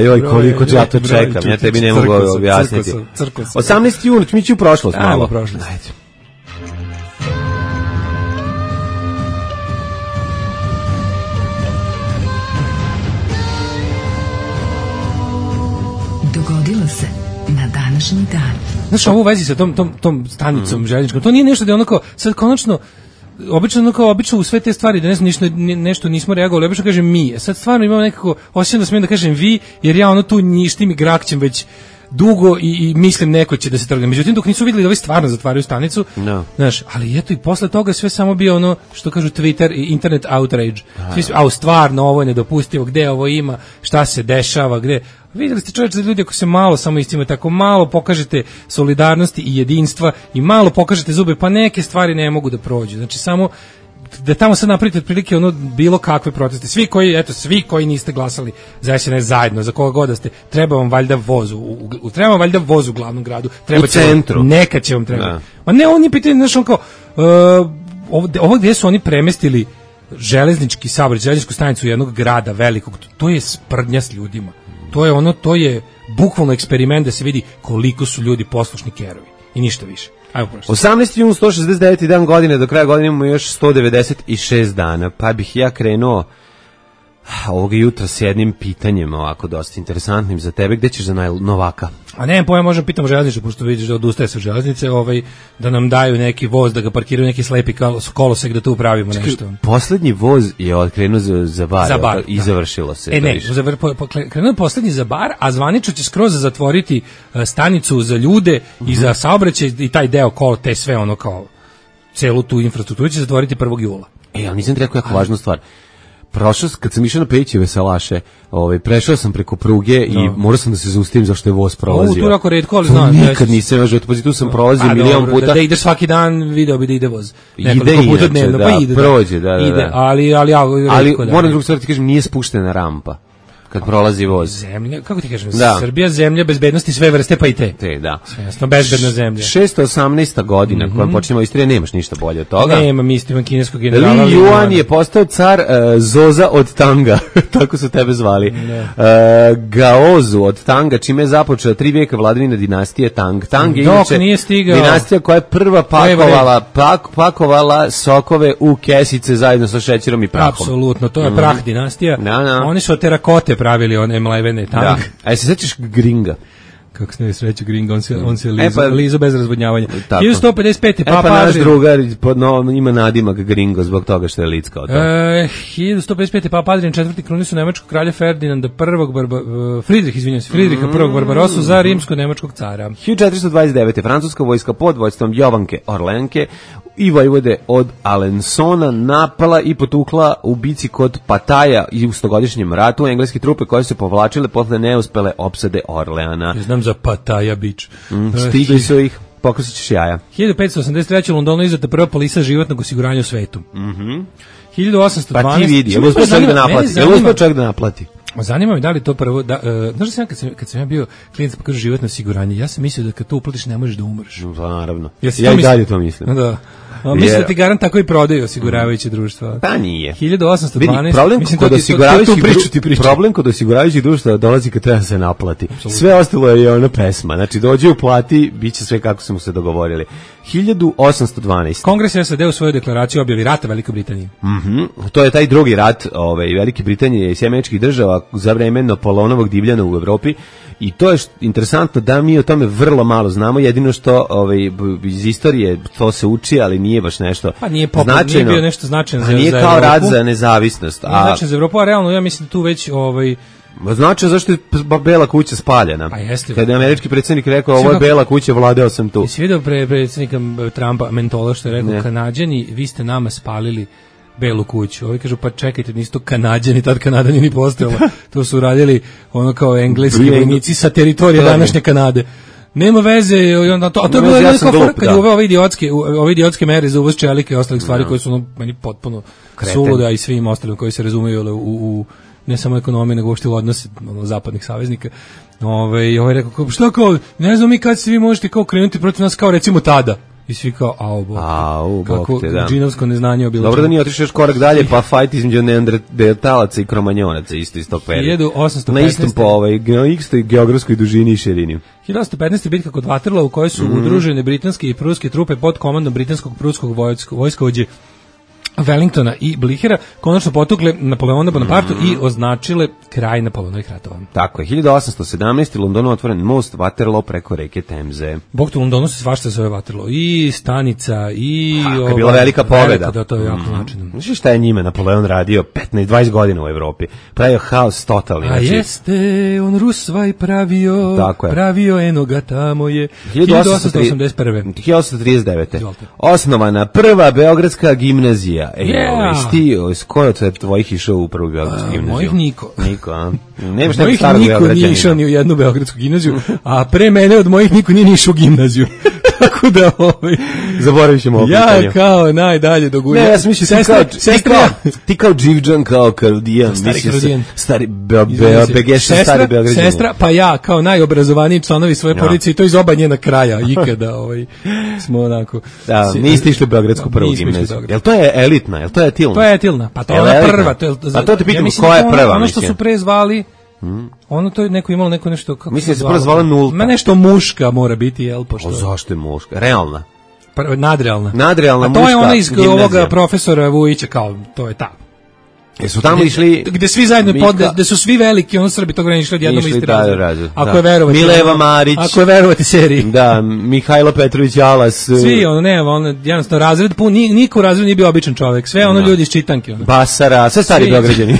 Joj, koliko ja to čekam. Ja tebi ne mogu objasniti. 18. jun, mi ću u prošlost malo.
Prošlost.
Dogodilo se na današnji dan.
Znaš, ovo u vezi sa tom stanicom željezničkom, to nije nešto da je onako, sad konačno, obično u sve te stvari da nešto nismo reagovali, obično kažem mi. Sad stvarno imam nekako osjećam da smijem da kažem vi, jer ja ono tu njištim i grakćem već dugo i mislim neko će da se trgne. Međutim, dok nisu vidjeli da ovi stvarno zatvaraju stanicu, znaš, ali eto i posle toga sve samo bio ono što kažu Twitter i internet outrage. Stvarno, ovo je nedopustivo, gde ovo ima, šta se dešava, gde... Vidjeli ste čovječe da ljudi ako se malo samo istima, tako malo pokažete solidarnosti i jedinstva i malo pokažete zube, pa neke stvari ne mogu da prođu. Znači samo da tamo sad napravite otprilike ono bilo kakve proteste. Svi koji niste glasali za SNS zajedno, za koga god da ste, treba vam valjda voz u glavnom gradu, treba
u centru.
Neka će vam treba. Ma ne, oni pitaju, znaš, on kao ovo gdje su oni premestili železnički saobraćaj, železničku stanicu jednog grada velikog, to je sprdnja s ljudima. To je bukvalno eksperiment da se vidi koliko su ljudi poslušni kerovi i ništa više.
18. jun, 169. dan godine, do kraja godine imamo još 196 dana, pa bih ja krenuo ovoga jutra s jednim pitanjem ovako dosta interesantnim za tebe. Gde ćeš za Novaka?
A ne, možem pitamo železnicu, pošto vidiš da odustaje sa železnice, da nam daju neki voz, da ga parkiraju neki slepi kolosek, da tu upravimo nešto.
Poslednji voz je odkrenuo za bar i završilo se.
Krenuo je poslednji za bar, a zvanično će skroz zatvoriti stanicu za ljude i za saobraćaj i taj deo te sve ono kao celu tu infrastrukturu će zatvoriti 1. jula.
Ali nisam ti rekao jako važnu stvar. Prošao, kad sam išao na Pejićeve salaše, prešao sam preko pruge i morao sam da se zaustavim zašto je voz prolazio.
Tu je jako retko, ali znam.
Nikad nisam još, tu sam prolazio milion puta.
Da ideš svaki dan, video bi da ide voz.
Ide inače, prođe, da.
Ali
moram drugu stvar ti kažem, nije spuštena rampa kad prolazi voz.
Zemlja, kako ti kažem, Srbija zemlja bezbednosti sve vrste, pa i te.
Da.
Jasno, bezbedna zemlja.
618. godina, kojom počinjemo istorije, nemaš ništa bolje od toga.
Nema, mislim, kineskog generala.
Li Yuan je postao car Zoza od Tanga, tako su tebe zvali. Gaozu od Tanga, čime je započela 3 vijeka vladavina dinastije Tang. Tang je inače dinastija koja je prva pakovala sokove u kesice zajedno sa šećerom i prahom.
Apsolutno, to je prah dinastija. Oni su od terakote pravili one mlevene Tang.
A se sećaš Gringa?
Kako se ne sreću Gringa, on se lizo bez razvodnjavanja. 1155.
Pa naš drugar ima nadimak Gringo zbog toga što je lickao to.
1155. Papa Adrian IV. krunisu nemačkog kralja Ferdinanda I. Fridriha I. Barbarosu za rimsko-nemačkog cara.
1429. francuska vojska pod vojstvom Jovanke Orlenke i vojvode od Alensona napala i potukla u bici kod Pataja i u stogodišnjem ratu engleske trupe koje su povlačile posle neuspele opsade Orleana.
Ja znam za Pataja bić.
Stigli su ih, pokusit ćeš jaja.
1583. u Londonu izdata prva polisa životnog osiguranja u svetu. 1812.
Pa ti vidi, je li uspio čovjek da naplati?
Zanima me da li to prvo, znaš da sam kad sam ja bio klijent pa kažu životno osiguranje, ja sam mislio da kad to uplatiš ne možeš da umreš.
No, naravno.
Ja
i dalje to mislim.
Da. Mislim da ti garant tako i prodaju osiguravajuće društva.
Pa nije.
1812.
Problem kod osiguravajućih društva dolazi kad treba se naplati. Sve ostalo je ona pesma. Znači dođe uplati, biće sve kako smo se dogovorili. 1812.
Kongres SAD u svojoj deklaraciji objavi rata Velikoj Britaniji.
To je taj drugi rat Velike Britanije i Sjemeničkih država za vreme Napoleonovog divljana u Evropi. I to je interesantno da mi o tome vrlo malo znamo, jedino što iz istorije to se uči, ali nije baš nešto značajno.
Nije bio nešto značajno za
Nije kao rat za nezavisnost.
Nije značajno za Evropu, a realno ja mislim da tu već
znači zašto je Bela kuća spaljena?
Pa jeste.
Kada je američki predsjednik rekao ovo je Bela kuća, vladao sam tu.
Jesi vidio predsjednika Trumpa Mentola što je rekao Kanađani, vi ste nama spalili Belu kuću. Ovi kažu pa čekajte, nisu to Kanađani, tad Kanada nije ni postojala. To su radili ono kao engleski vojnici sa teritorije današnje Kanade. Nema veze, a to je bilo jedno kad je ove idiotske mere za uvoz čelike i ostalih stvari koje su meni potpuno suluda i svim ostalim koji se razumeju u ne samo ekonomiju, nego uopšte u odnose zapadnih saveznika. Ovaj rekao, šta kao, ne znam mi kad se vi možete kao krenuti protiv nas kao recimo tada. I svi kao, kako džinovsko neznanje o bilo čemu.
Dobro da nije otišao još korak dalje, pa fajt između neandertalaca i kromanjonaca isto iz tog perioda.
1815.
Na istom na istoj geografskoj dužini i širini.
1815. bitka kod Waterloo u kojoj su udružene britanske i pruske trupe pod komandom britanskog pruskog vojskovođe Wellingtona i Blihera konačno potukle Napoleona Bonapartu i označile kraj Napoleonovih ratova.
Tako je, 1817. u Londonu otvoren most Waterloo preko reke Temze.
Bog tu u Londonu se svašta zove Waterloo. I stanica, i...
je bila velika pobjeda.
Da, to je jako značajno.
Znaš šta je njime Napoleon radio 15-20 godina u Evropi? Pravio haos totalni.
A jeste, on Rusvaj pravio enoga tamo je. 1881.
1839. Osnovana prva beogradska gimnazija. Ko je od tvojih išao u prvu beogradsku gimnaziju?
Mojih niko.
Nemaš
mojih niko nije išao ni u jednu beogradsku gimnaziju, a pre mene od mojih niko nije išao u gimnaziju. Tako da
zaboravit ćemo ovo pitanje.
Ja kao najdalje do gulja.
Ne, ja sam mislio ti kao Dživđan, kao Karudijan. Stari Begešan, stari Beograđan.
Sestra, pa ja kao najobrazovaniji članovi svoje porodice i to iz oba njena kraja ikada smo onako.
Da, niste išli u beogradsku prvu gimnaziju. Jel to je elitna, jel to je etilna?
To je etilna, pa to je ona prva.
Pa to te pitam, koja je prva?
Ono što su pre zvali, ono to je neko imalo neko nešto kako
mislim se prvo zvala nulta.
Ma nešto muška mora biti, jel pošto.
Zašto je muška? Realna.
Nadrealna.
Nadrealna muška.
A to je ona iz ovoga profesora Vujića, kao to je ta.
Jesu tamo išli
gde svi zajedno gde su svi veliki, ono Srbi tog graničili odjednom isti razred. Ako je verovati
Mileva Marić.
Ako je verovati seriji.
Da, Mihajlo Petrović Alas.
Svi jednostavno razred pun, niko u razredu nije bio običan čovjek. Sve ljudi iz čitanke.
Basara, sve stari Beograđani.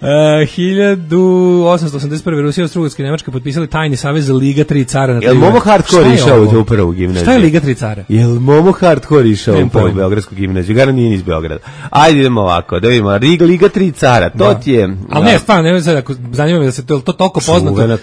1881. Rusija i Austro-Ugarska i Nemačka potpisali tajni savez za Liga 3 cara.
Jel Momo Hardcore išao u prvu gimnaziju?
Šta je Liga 3 cara?
Jel Momo Hardcore išao u prvu beogradsku gimnaziju? Gara nije iz Beograda. Ajde idemo ovako, da vidimo. Liga 3 cara, to ti je...
Ali ne, stvarno, ne sad, ako zanima me da se to toliko poznato. Je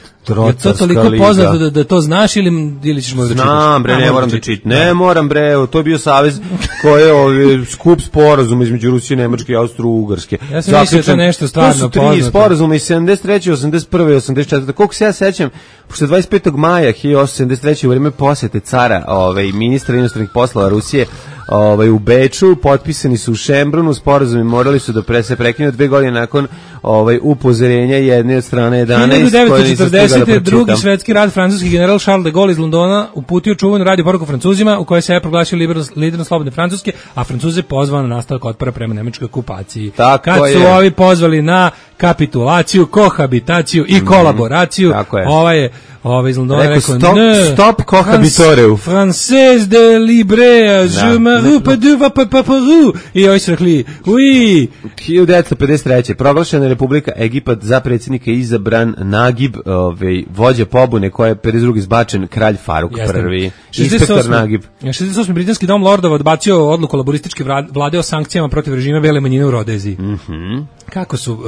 to toliko poznato da to znaš ili ćeš možda čitaš?
Znam bre, ne moram da čitam. Ne moram bre, to je bio savez koji je skup sporazum između Rusije, Nemačke i Austro-Ugarske.
Ja sam mislio da je nešto stvarno
tri sporazuma iz 73. 81. i 84. Koliko se ja sećam, pošto 25. maja 1873. u vreme posete cara, ministra inostranih poslova Rusije, u Beču, potpisani su u Šembrunu, sporazumi morali su da se prekinu 2 godine nakon upozorenja jedne od strane 11.
1940. drugi svetski rat, francuski general Charles de Gaulle iz Londona uputio čuvenu radio poruku Francuzima u kojoj se je proglasio liderom slobodne Francuske, a Francuze pozvao na nastavak otpora prema nemačkoj okupaciji. Kad su ovi pozvali na kapitulaciju, kohabitaciju i kolaboraciju, iz Londona rekao
stop kohabitoreu.
Français de libre, je me rupe de vapaparu. I ovi su rekli, oui.
1953. Proglašena je Republika Egipat, za predsjednika izabran Nagib, vođa pobune koja je 52. izbačen kralj Faruk I. Inspektor Nagib.
68. britanski dom lordova odbacio odluku laborističke vlade o sankcijama protiv režima bele manjine u Rodeziji. kako su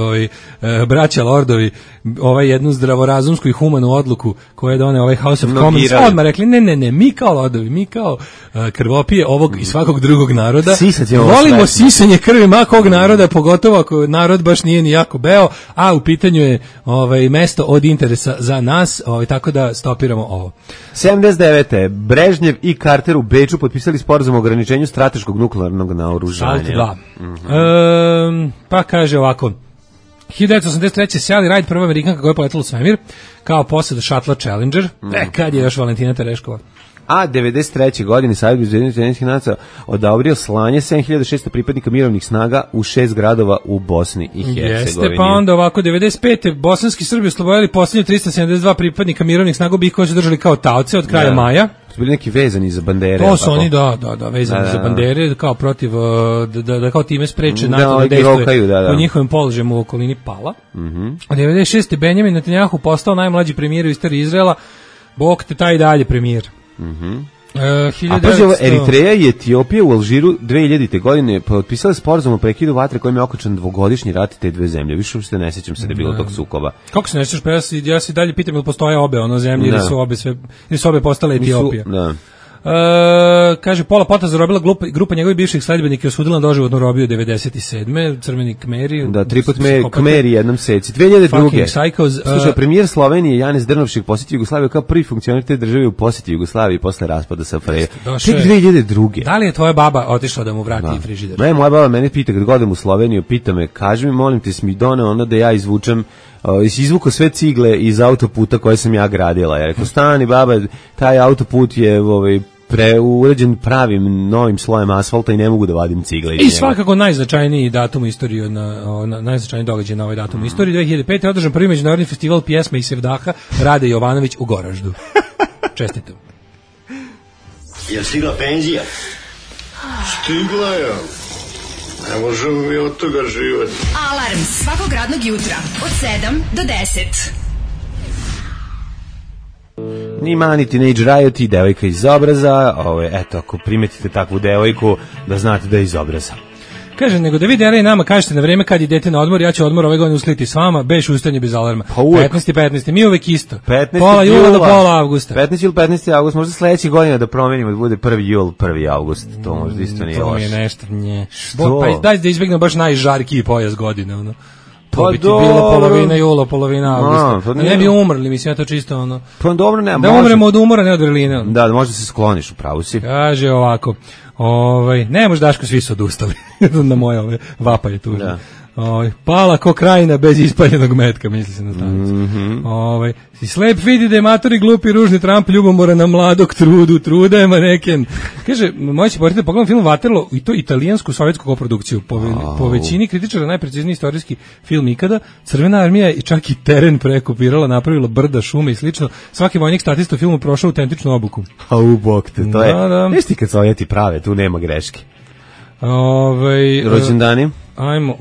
braća lordovi jednu zdravorazumsku i humanu odluku koju je doneo House of Commons odmah rekli ne, mi kao lordovi, mi kao krvopije ovog i svakog drugog naroda volimo sisanje krvi makog naroda, pogotovo ako narod baš nije ni jako beo, a u pitanju je mesto od interesa za nas, tako da stopiramo ovo.
79. Brežnjev i Carter u Beču potpisali sporazum o ograničenju strateškog nuklearnog naoružanja.
SALT 2. Pa kaže ovako, 1983. Sally Ride, prva Amerikanka koja je poletala u svemir, kao posada šatla Challenger, kad je još Valentina Tereškova.
A 93. godine Savjet bezbednosnih nacija odobrio slanje 7600 pripadnika mirovnih snaga u 6 gradova u Bosni i Hercegovini.
Jeste, pa onda ovako 95. bosanski Srbi oslobodili posljednje 372 pripadnika mirovnih snaga bih koji su držali kao taoce od kraja maja.
Su bili neki vezani za bandere.
To su oni, da, vezani za bandere, kao protiv, da kao time spreče NATO da dejstvuje po njihovim položajima u okolini Pala. A 96. Benjamin Netanjahu postao najmlađi premijer u istoriji Izraela, Bog te taj dalje premijer.
A pazi ovo, Eritreja i Etiopija u Alžiru 2000. godine potpisali sporazum o prekidu vatre kojim je okončan dvogodišnji rat te dve zemlje. Više uopšte ne sećam se da je bilo tog sukoba.
Kako se ne sećaš? Pa ja se dalje pitam ili postoje obe zemlje ili su obe postale Etiopija. Kaže, Pola Pota zarobila grupa njegovih bivših sledbenika i osudila na doživotnu robiju 97. Crveni Kmeri.
Da, triput Kmeri jednom seci. 2002. Slušaj, premijer Slovenije Janez Drnovšek posjetio Jugoslaviju kao prvi funkcioner te države u posjeti Jugoslaviji posle raspada SFRJ. Tek 2002.
Da li je tvoja baba otišla da mu vrati frižider?
Ne, moja baba mene pita kad godem u Sloveniju, pita me, kaži mi, molim te, mi doneo ono da ja izvučem izvuko sve cigle iz autoputa koje sam ja gradila. Ja rekao, stani baba, taj autoput je uređen pravim novim slojem asfalta i ne mogu da vadim cigle.
I svakako najznačajniji datum u istoriji, najznačajniji događaj na ovaj datum u istoriji. 2005. je održan prvi međunarodni festival pjesme i sevdaha Rade Jovanović u Goraždu. Čestitam.
Je stigla penzija?
Stigla je. Ne možemo mi od toga živati.
Alarm svakog radnog jutra od 7 do 10.
Ni mani Teenage Riot i devojka iz obraza. Eto, ako primetite takvu devojku, da znate da je iz obraza.
Kaže, nego da vi dele i nama kažete na vreme kad idete na odmor, ja ću odmor ove godine usliti s vama, beš ustaње bez alarma. 15. Mi uvek isto. Pola jula do pola avgusta.
15. ili 15. avgust, možda sledeće godine da promenimo da bude 1. jul, 1. avgust. To možda isto nije loše.
To mi je nešto, nje. Pa daj da izbjegnemo baš najžarkiji pojas godine, ono. To bi ti bilo polovina jula, polovina avgusta. Ne bi umrli, mislim, ja to čisto ono.
Pa dobro, nema.
Da umremo od umora, ne od vrline.
Da, možda se skloniš, u pravu si.
Kaže ovako, ne može Daško, svi su odustali na moje vapaje tužne. Da. Pala ko krajina bez ispaljenog metka, misli se na stanicu. Si slep vidi da je matori glupi ružni Trump ljubomora na mladog truda je maneken. Kaže, moći porite pogledam film Waterloo i to italijansku sovjetsku koprodukciju. Po većini kritičara najprecizniji istorijski film ikada. Crvena armija i čak i teren prekopirala, napravila brda, šume i slično. Svaki vojnik statista u filmu prošao autentičnu obuku.
A u bok te, to je. Viš ti kad Sovjeti prave, tu nema greške. Rođendani?
Ajmo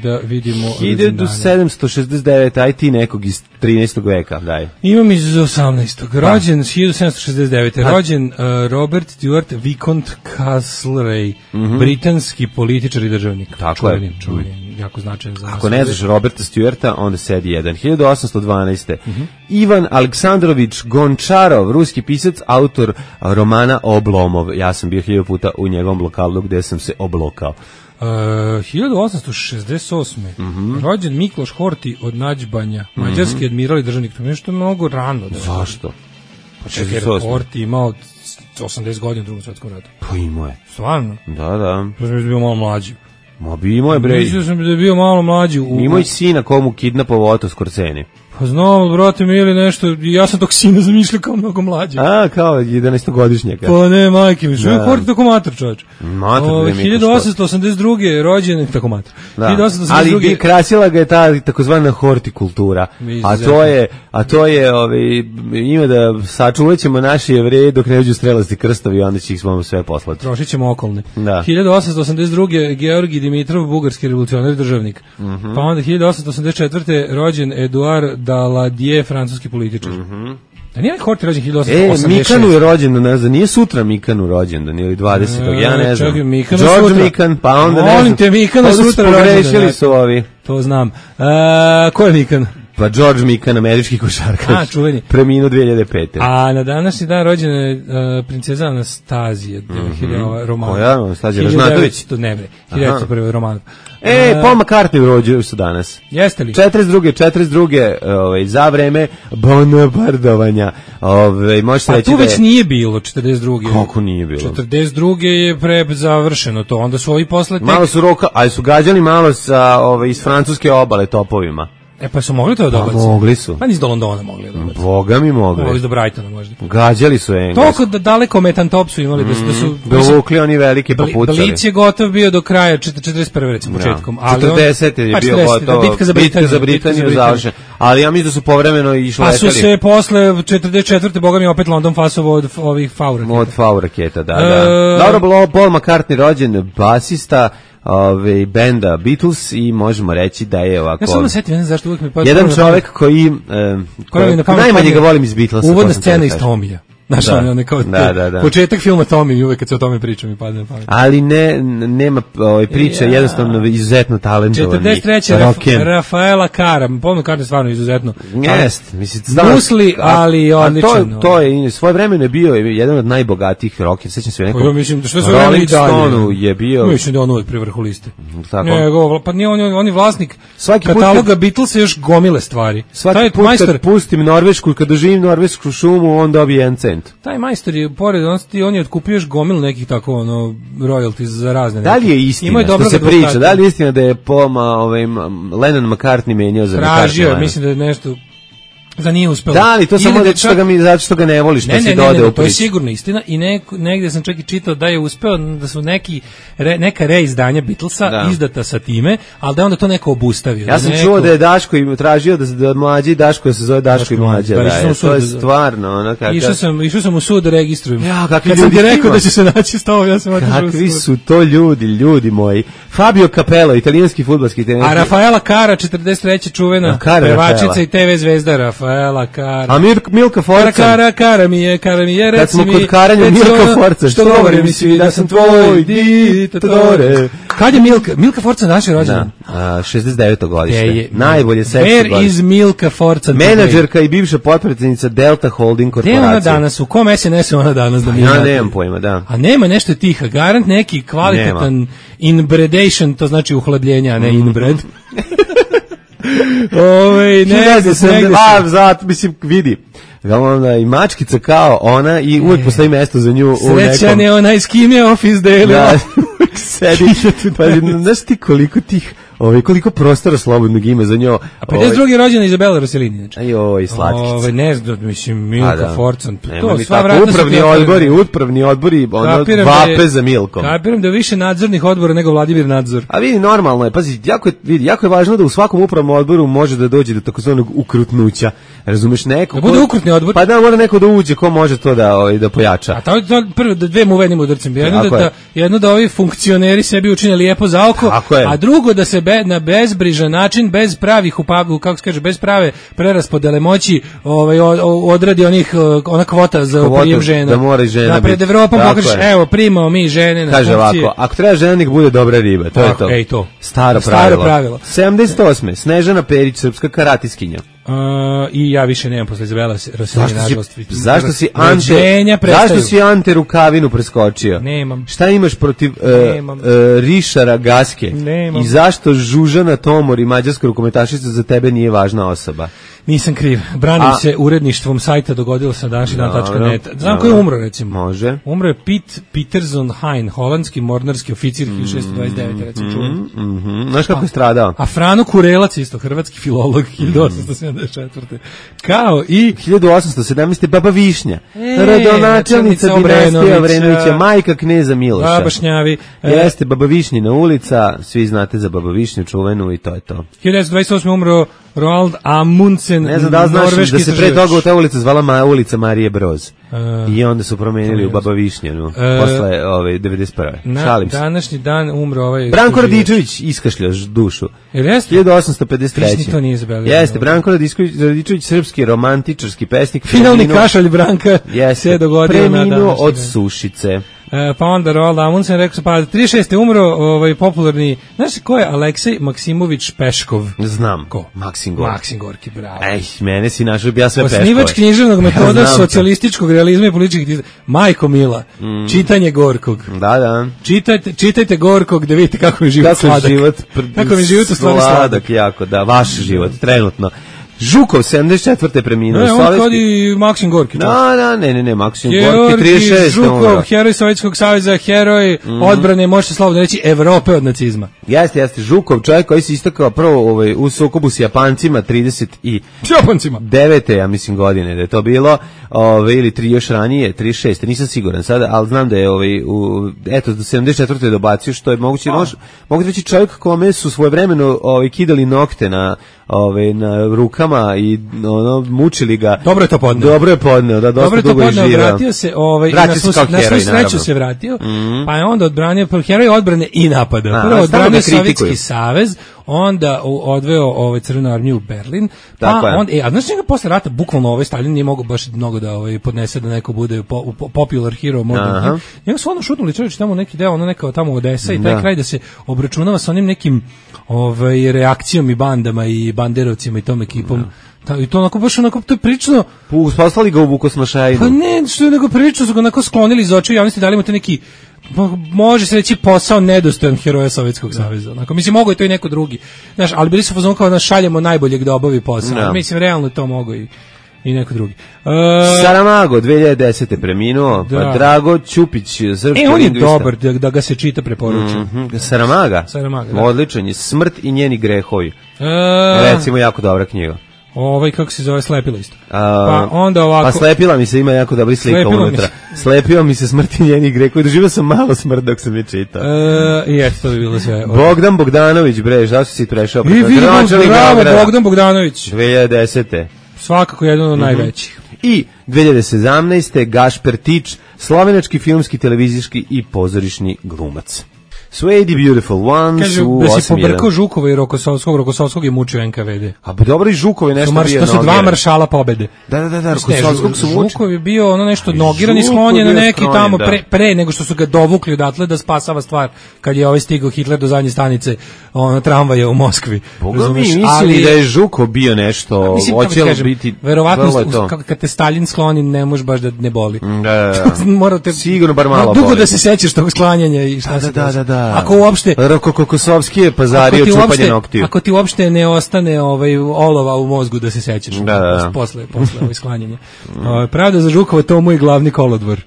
da vidimo
1769, aj ti nekog iz 13. veka, daj.
Imam iz 18. Rođen 1769. Rođen Robert Stuart Viscount Castlereagh, britanski političar i državnik.
Tako je.
Jako značajan za nas.
Ako ne znaš Roberta Stuarta, onda sedi jedan. 1812. Ivan Aleksandrović Gončarov, ruski pisac, autor romana Oblomov. Ja sam bio 1000 puta u njegovom lokalu gde sam se oblokao.
1868. Rođen Mikloš Horthy od Nađbanja, mađarski admiral i državnik. To je nešto mnogo rano.
Zašto?
Horthy imao 80 godina u Drugom svjetskom ratu.
Pa imao je.
Stvarno?
Da.
To sam bio malo mlađi.
Ma bi imao je, bre.
Mislio sam da je bio malo mlađi.
Imao je sina komu kidnapovao Otto Skorseni.
Pa znam, brate mi, ili nešto, ja sam tog sina zamišljao kao mnogo mlađe.
A, kao 11-godišnjaka.
Pa ne, majke mi, što je Horthy tako mater, čovječ.
Mater,
1882. rođen, tako mater.
Da. Ali krasila ga je ta takozvana hortikultura. A to je ima da sačuvat ćemo naše Jevreje dok ne uđu strelasti krstovi, onda će ih smo sve poslati.
Trošit ćemo okolne.
Da.
1882. Georgij Dimitrov, bugarski revolucionar državnik. Pa onda 1884. rođen Eduard Daladier, francuski političar. Da nije Horthy rođen 1886.
Mikanu je rođendan, ne znam, nije sutra Mikanu rođendan, ili 20. Ja ne znam.
Čekaj,
George Mikan, pa onda ne znam.
Molim te, Mikana sutra rođendan.
Pogrešili su ovi.
To znam. Ko je Mikan?
Pa George Mikan, američki košarkaš.
Čuveni.
Preminuo 2005.
A na današnji dan rođena je princeza Anastazija, Romanov.
Koja? Anastazija Ražnatović?
Ne bre, 1901. Romanov.
Paul McCartney rođio su danas.
Jeste li?
42. Za vreme bombardovanja. Možete reći
tu već nije bilo 42.
Kako nije bilo?
42. je završeno to, onda su ovi posle
malo su roka, ali su gađali malo sa iz francuske obale topovima.
Pa su mogli to dobaci?
Mogli su.
Pa niz do Londona mogli dobaci.
Boga mi mogli.
Mogli do Brightona možda.
Gađali su Engleski.
Toliko daleko Metantop su imali da su...
Dovukli oni velike papucali.
Blic je gotov bio do kraja 41. recimo početkom.
40. je bio gotov. Bitka za Britaniju završena. Ali ja mislim da su povremeno išli letali.
Pa su se posle 44. Boga mi opet London fasovo od ovih FAU raketa.
Od FAU raketa, da. Dobro, Paul McCartney rođen, basista benda Beatles i možemo reći da je ovako...
Ja samo setim, ne znam zašto uvijek mi...
Jedan čovjek koji najmanje ga volim iz Beatlesa.
Uvodna scena iz Tomija. Znaš, on kao početak filma Tommy, uvek kad se o tome pričam i padne na pamet.
Ali nema priče, jednostavno izuzetno talentovani.
43. Rafaela Cara, pomno Cara je stvarno izuzetno.
Jest, mislim,
Musli, ali odličan.
To je, svoje vremene bio jedan od najbogatijih rockera, sećam se nekog.
Ja mislim da što se
Rolling Stone je bio.
Mislim da on uvek pri vrhu liste.
Tako.
Pa nije on je vlasnik kataloga Beatlesa još gomile stvari.
Svaki put kad pustim Norvešku, kad doživim norvešku šumu, on dobije 1 cent.
Taj majstor je, pored on je otkupio još gomilu nekih tako, royalties za razne.
Da li je istina što se priča? Da li je istina da je Lennon McCartney menjao za McCartney?
Tražio, mislim da je nešto... Da nije uspelo.
Da li, to samo zato što ga ne voliš, pa si dodao u priču.
To je sigurno istina i negde sam čak i čitao da je uspeo, da su neka reizdanja Beatlesa izdata sa time, ali da je onda to neko obustavio.
Ja sam čuo da je Daško im tražio da mlađi Daško da se zove Daško i mlađa. To je stvarno.
Išao sam u sud da registrujem.
Kad sam ti rekao
da će se naći s tobom, ja sam otišao u sud.
Kakvi su to ljudi moji. Fabio Capello, italijanski fudbalski trener.
A Rafaela Cara, 43. čuvena pevačica i TV zvezda Rafaela Cara.
A Milka Forca.
Cara mi je, reci mi.
Kad smo kod karanja Milka Forca.
Što govori mi svi da sam tvoj dittatore. Kad je Milka Forca naša rođena?
69. godište. Najbolje seksi godište.
Where is Milka Forca?
Menadžerka i bivša potpredsjednica Delta Holding korporacije.
Gde ona danas? U kom SNS-u ona danas?
Ja nemam pojma, da.
A nema nešto tiha, garant neki kvalitetan inbredation, to znači uhlabljenja, a ne inbred.
Zato, mislim, vidi. Ona i mačkica kao ona i uvijek postoji mesto za nju u nekom...
Srećan je onaj s kim je office delio.
Da, sedi. Pa, znaš ti koliko prostora slobodnog ima za njo.
A 52. rođena Izabela Rossellini. Znači.
Ajoj, slatkica.
Ne znam, mislim, Milka Forcan.
To sva vratna upravni odbori, vape za Milkom.
Kapiram da je više nadzornih odbora nego Vladimir Nadzor.
A vidi, normalno je, pazi, jako je važno da u svakom upravnom odboru može da dođe do takozvanog ukrutnuća. Razumeš, neko...
Da bude ukrutni odbor?
Pa da, mora neko da uđe, ko može to da pojača.
A to prvo, da dve mu uvedimo udrcem. Jedno da ovi funkcioneri sebi učine lijepo za oko, a drugo da se na bezbrižan način, bez pravih kako se kaže, bez prave preraspodele moći odradi ona kvota za prijem žena.
Da mora i žena
biti. Pred Evropom pokažeš, evo, primamo mi žene na
funkcije. Kaže ovako, ako treba žena, nek bude dobra riba, to je to.
Ej, to.
Staro pravilo. 78. Snežana Perić, srpska karatiskinja.
I ja više nemam posle Izabela Rossellini, nažalost.
Zašto si Ante Rukavinu preskočio?
Nemam.
Šta imaš protiv Rišara Gaske?
Nemam.
I zašto Žužana Tomor i mađarska rukometašica za tebe nije važna osoba?
Nisam kriv. Branim se uredništvom sajta dogodilo sa današnji.net. Znam ko je umro, recimo.
Može.
Umro je Piet Pieterson Hein, holandski mornarski oficir 1629. recimo čuvan.
Znaš kako je stradao?
A Frano Kurelac, isto hrvatski filolog, 1874. Kao i
1817. Baba Višnja, rodonačelnica dinastije Obrenovića, majka kneza Miloša.
Baba Šnjavi.
Jeste Baba Višnjina ulica, svi znate za Baba Višnju čuvenu i to je to.
1928. umro Roald Amundsen,
ne znam da znaš da se pre toga ta ulica zvala ulica Marije Broz. I onda su promenili u Baba Višnjanu posle 91. Šalim se.
Današnji dan umro ovaj...
Branko Radičević iskašlja dušu. 1853.
To nije zabelio.
Jeste, Branko Radičević, srpski romantičarski pesnik.
Finalni kašalj Branka se dogodio na
preminuo od sušice.
Pa onda Roald Amundsen rekao, pa 36. umro popularni, znaš ko je Aleksej Maksimović Peškov?
Znam.
Ko?
Maksim Gorki.
Maksim Gorki, bravo.
Mene si našao, ja sve Peškove.
Osnivač književnog metoda socijalističkog realizma i političkih Majko Mila, čitanje Gorkog.
Da.
Čitajte Gorkog da vidite kako je život sladak. Kako je život u stvari sladak.
Jako, da, vaš život, trenutno. Žukov, 74. preminuo.
On kodi Maksim Gorki.
Ne, Maksim Gorki, 36.
Žukov, heroj Sovjetskog saveza, heroj odbrane, možete slobodno reći, Evrope od nacizma.
Jeste, Žukov, čovjek koji se istakao prvo u sukobu s Japancima, 39. ja mislim godine da je to bilo, ili još ranije, 36. Nisam siguran sada, ali znam da je do 74. dobacio, što je moguće, mogu reći čovjek kome su svojevremeno kidali nokte na rukama i mučili ga.
Dobro je podneo,
da, dosta dugo je živao.
Vratio se, na svu sreću se vratio, pa je onda odbranio heroj odbrane i napada. Prvo odbranio Sovjetski savez, onda odveo Crvenu armiju u Berlin, a znaš njega posle rata, bukvalno Stalin nije mogao baš mnogo da podnese da neko bude popular hero, možda. Njega su ono šutnuli čovječ tamo neki deo, neka tamo Odesa i taj kraj da se obračunava sa onim nekim reakcijom i bandama i banderovcima i tom ekipom. I to onako baš to je prično.
Poslali ga u Vukosmašajinu.
Pa ne, što je nego prično, su ga onako sklonili iz očiju javnosti, dali mu te neki, može se reći, posao nedostojan heroja Sovjetskog saveza. Onako, mislim, mogo je to i neko drugi. Znaš, ali bili su fazon kao da šaljemo najboljeg da obavi posao. Mislim, realno to mogo i neko drugi.
Saramago, 2010. preminuo, pa Drago Ćupić, srpski lingvista.
On je dobar, da ga se čita, preporučujem.
Saramaga,
da.
Odličan je, Smrt i njeni grehovi. Recimo, jako dobra knjiga.
Kako se zove, Slepilo isto. Pa onda ovako...
Pa Slepila mi se, ima jako dobri slika unutra. Slepio mi se Smrt i njeni grehovi. Doživio sam malo smrt dok sam je čitao.
I eto, to bi bilo sve.
Bogdan Bogdanović, zašto si prešao?
Bravo, Bogdan Bogdanović.
2010.
Svakako jedan od najvećih.
I 2017. Gašper Tič, slovenački filmski, televizijski i pozorišni glumac. Swady Beautiful Ones.
Kaže, da si pobrkao Žukova i Rokosovskog je mučio NKVD.
A dobro, i Žukov je nešto bio.
To su dva maršala pobede.
Da, Rokosovskog su mučili.
Žukov je bio nešto nogiran i sklonjen na neki tamo pre nego što su ga dovukli odatle da spasava stvar kad je stigao Hitler do zadnje stanice tramvaja u Moskvi.
Boga mi mislili da je Žukov bio nešto, hoće li biti...
Verovatno, kad te Stalin skloni, ne može baš da ne boli.
Sigurno bar malo boli.
Dugo da se sećaš tog sklanjanja i šta se
da.
Ako uopšte
Kokosovski je pazario čupanje noktiju.
Ako ti uopšte ne ostane olova u mozgu da se sećaš posle sklanjanja. Pravda za Žukova, to mu je glavni kolodvor.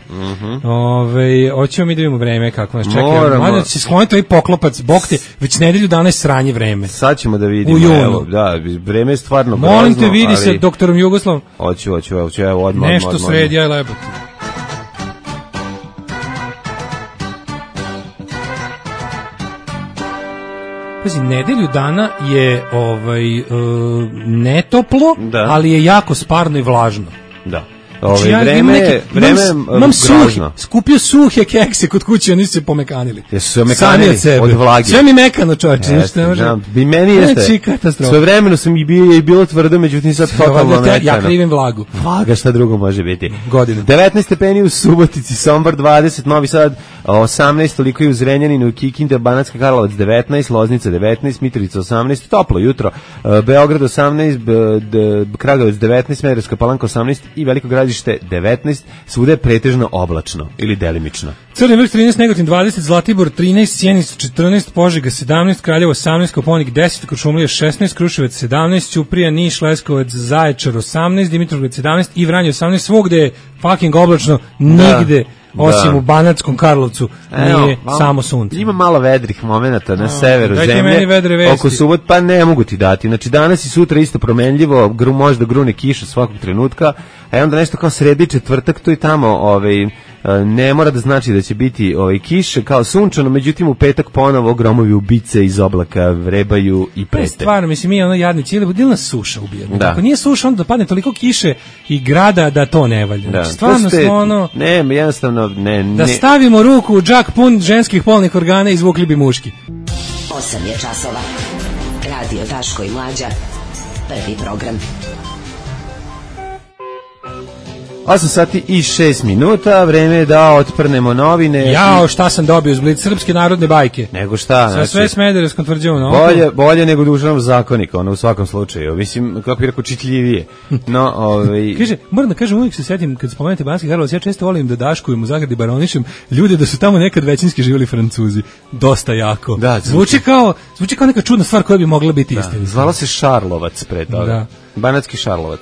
Hoćemo mi da vidimo vreme kako nas čeka. Mada će skloniti ovaj poklopac, bog te, već nedelju dana je sranje vreme.
Sad ćemo da vidimo.
U junu.
Vreme je stvarno grozno.
Molim te, vidi se doktorom Jugoslavom.
Hoću, evo odmah.
Nešto sredi, aj lebo. Pazi, nedelju dana je netoplo, ali je jako sparno i vlažno.
Da. Vreme grozno.
Skupio suhe kekse kod kuće, oni su se pomekanili.
Jesu se omekanili od vlage.
Sve mi mekano, čovječe, ništa ne može.
I meni jeste. Sve vremeno sam i bilo tvrdo, međutim sad totalno mekano.
Ja krivim vlagu.
Vlaga, šta drugo može biti?
Godine.
19 stepeni u Subotici, Sombor 20, Novi Sad 18, toliko i u Zrenjaninu, Kikinda, Banatska Karlovac 19, Loznica 19, Mitrovica 18, toplo jutro, Beograd 18, Kragujevac 19, Smederevska Palanka 18 i Veliko Gradište 19, svuda je pretežno oblačno ili delimično.
Crni vrh 13, Negotin 20, Zlatibor 13, Sjenica 14, Požega 17, Kraljevo 18, Koponik 10, Kuršumlija 16, Kruševac 17, Ćuprija, Niš, Leskovac, Zaječar 18, Dimitrovgrad 17 i Vranje 18, svugde je fucking oblačno, nigde osim u Banatskom Karlovcu nije samo sunce.
Ima malo vedrih momenata na severu zemlje, oko subot, pa ne mogu ti dati. Znači danas i sutra isto promenljivo, možda grune kiša svakog trenutka, a onda nešto kao sredi četvrtak, tu i tamo ne mora da znači da će biti kiše kao sunčano, međutim u petak ponovo gromovi ubice iz oblaka vrebaju i prete.
Stvarno, mislim, mi jadnici, ili nas suša ubija. Ako nije suša, onda padne toliko kiše i grada da to ne valja.
Da.
Stvarno smo
Ne, jednostavno, ne.
Da stavimo ruku u džak pun ženskih polnih organa i izvukli bi muški.
8 je časova. Radio Daško i Mlađa. Prvi program.
8 sati i 6 minuta, vreme je da otprnemo novine.
Jao, šta sam dobio iz Blic, srpske narodne bajke.
Nego šta?
Sve Smederevskom tvrđavom.
Bolje nego Dušanov zakonik, ono u svakom slučaju. Mislim, kako bih rekao, čitljivije. No,
Kaže, moram da kažem, uvijek se setim, kad spomenete Banski Karlovac, ja često volim da daškujem u Zagradi baronišem ljude da su tamo nekad većinski živjeli Francuzi. Dosta jako.
Da,
zvuči kao neka čudna stvar koja bi mogla biti istina.
Zvala se Šarlovac pre toga. Da. Banatski Šarlovac.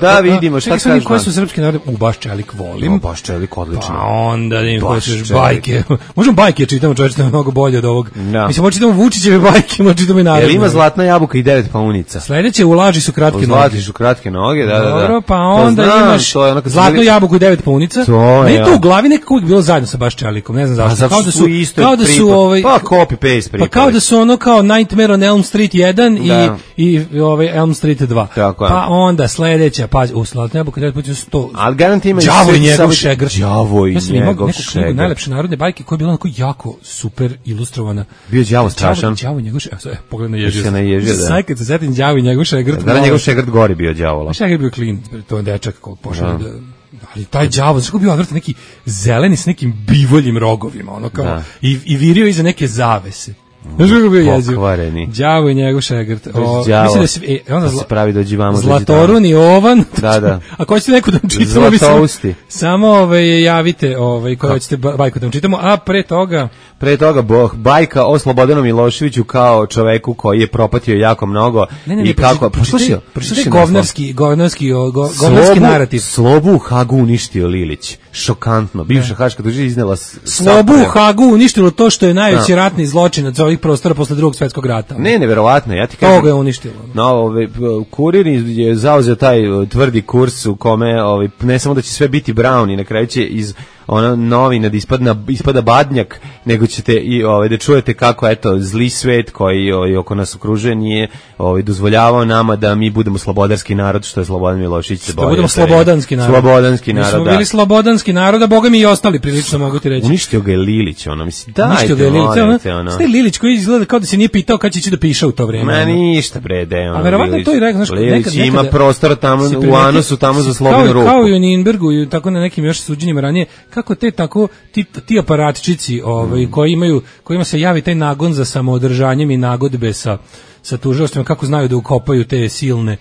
Da vidimo šta kažeš.
Koje su srpski narodi? Baš Čelik volim.
Baš Čelik odlično.
Pa onda da im hoćeš bajke. Možemo bajke čitamo, čovječe, mnogo bolje od ovog. Mislim, možemo čitamo Vučićeve bajke, možemo čitamo i narodne.
Jel ima Zlatna jabuka i 9 paunica?
Sledeće, u laži su kratke noge.
Zlati su kratke noge, da.
Dobro, pa onda imaš Zlatnu jabuku i 9 paunica. Ne, to u glavi nekako uvijek bilo zajedno sa Baš Čelikom, ne znam zašto. Kao da su
pa copy paste pripali.
Pa kao da su ono kao Nightmare on Elm Street 1 i Elm Street 2. Pa onda sledeća, pazi, u Zlatnu jabuku 9 paunica 100.
Al garanti ima
Đavo i njegov šegrt.
Đavo i njegov šegrt.
Najlepše narodne bajke koja je bila onako jako super ilustrovana.
Bio Đavo strašan.
Đavo i njegov šegrt. Pogled na ježio.
Sad
kad se setim Đavo i njegov šegrt.
Da, njegov šegrt gori bio Đavola.
Šegrt bio klin, to je dečak kog pošao da... Ali taj đavo, znači bio odvratan neki zeleni s nekim bivoljim rogovima, ono kao, i virio iza neke zavese. Znaš kako bio jeziv? Đavo i njegov šegrt. Mislim da
onda se pravi dođi vamo.
Zlatorun i Ovan.
Da.
Ako hoćete neku da vam čitamo, samo javite koje hoćete bajku da vam čitamo, a pre toga
bajka o Slobodanu Miloševiću kao čoveku koji je propatio jako mnogo.
I kako pročitaj govnarski narativ.
Slobu u Hagu uništio Lilić. Šokantno. Bivša haška tužilac iznela
Slobu u Hagu uništilo to što je najveći ratni zločinac ovih prostora posle Drugog svjetskog rata.
Ne, neverovatno, ja ti kažem.
Toga je uništilo.
No, Kurir je zauzeo taj tvrdi kurs u kome ne samo da će sve biti brown i na kraju će iz novina da ispada badnjak, nego ćete i da čujete kako zli svet koji oko nas okružuje nije dozvoljavao nama da mi budemo slobodarski narod, što je Slobodan Milošević se borio. Da budemo
slobodanski narod.
Slobodanski narod, da.
Mi smo bili slobodanski narod, a boga mi i ostali prilično, mogu ti reći.
Uništio ga je Lilić, mislim, dajte.
Uništio ga je Lilić, Ste Lilić koji izgleda kao da se nije pitao kad će ići da piše u to vrijeme.
Ma ništa bre,
a verovatno to i rekao, znaš,
Lilić ima prostora tamo u Anosu, tamo za slobodnu ruku.
Kao i u Ninbergu i tako na nekim još suđenjima ranije, kako te tako ti aparatčici kojima se javi taj nagon za samoodržanjem i nagodbe sa tužilaštvima, kako znaju da ukopaju te silne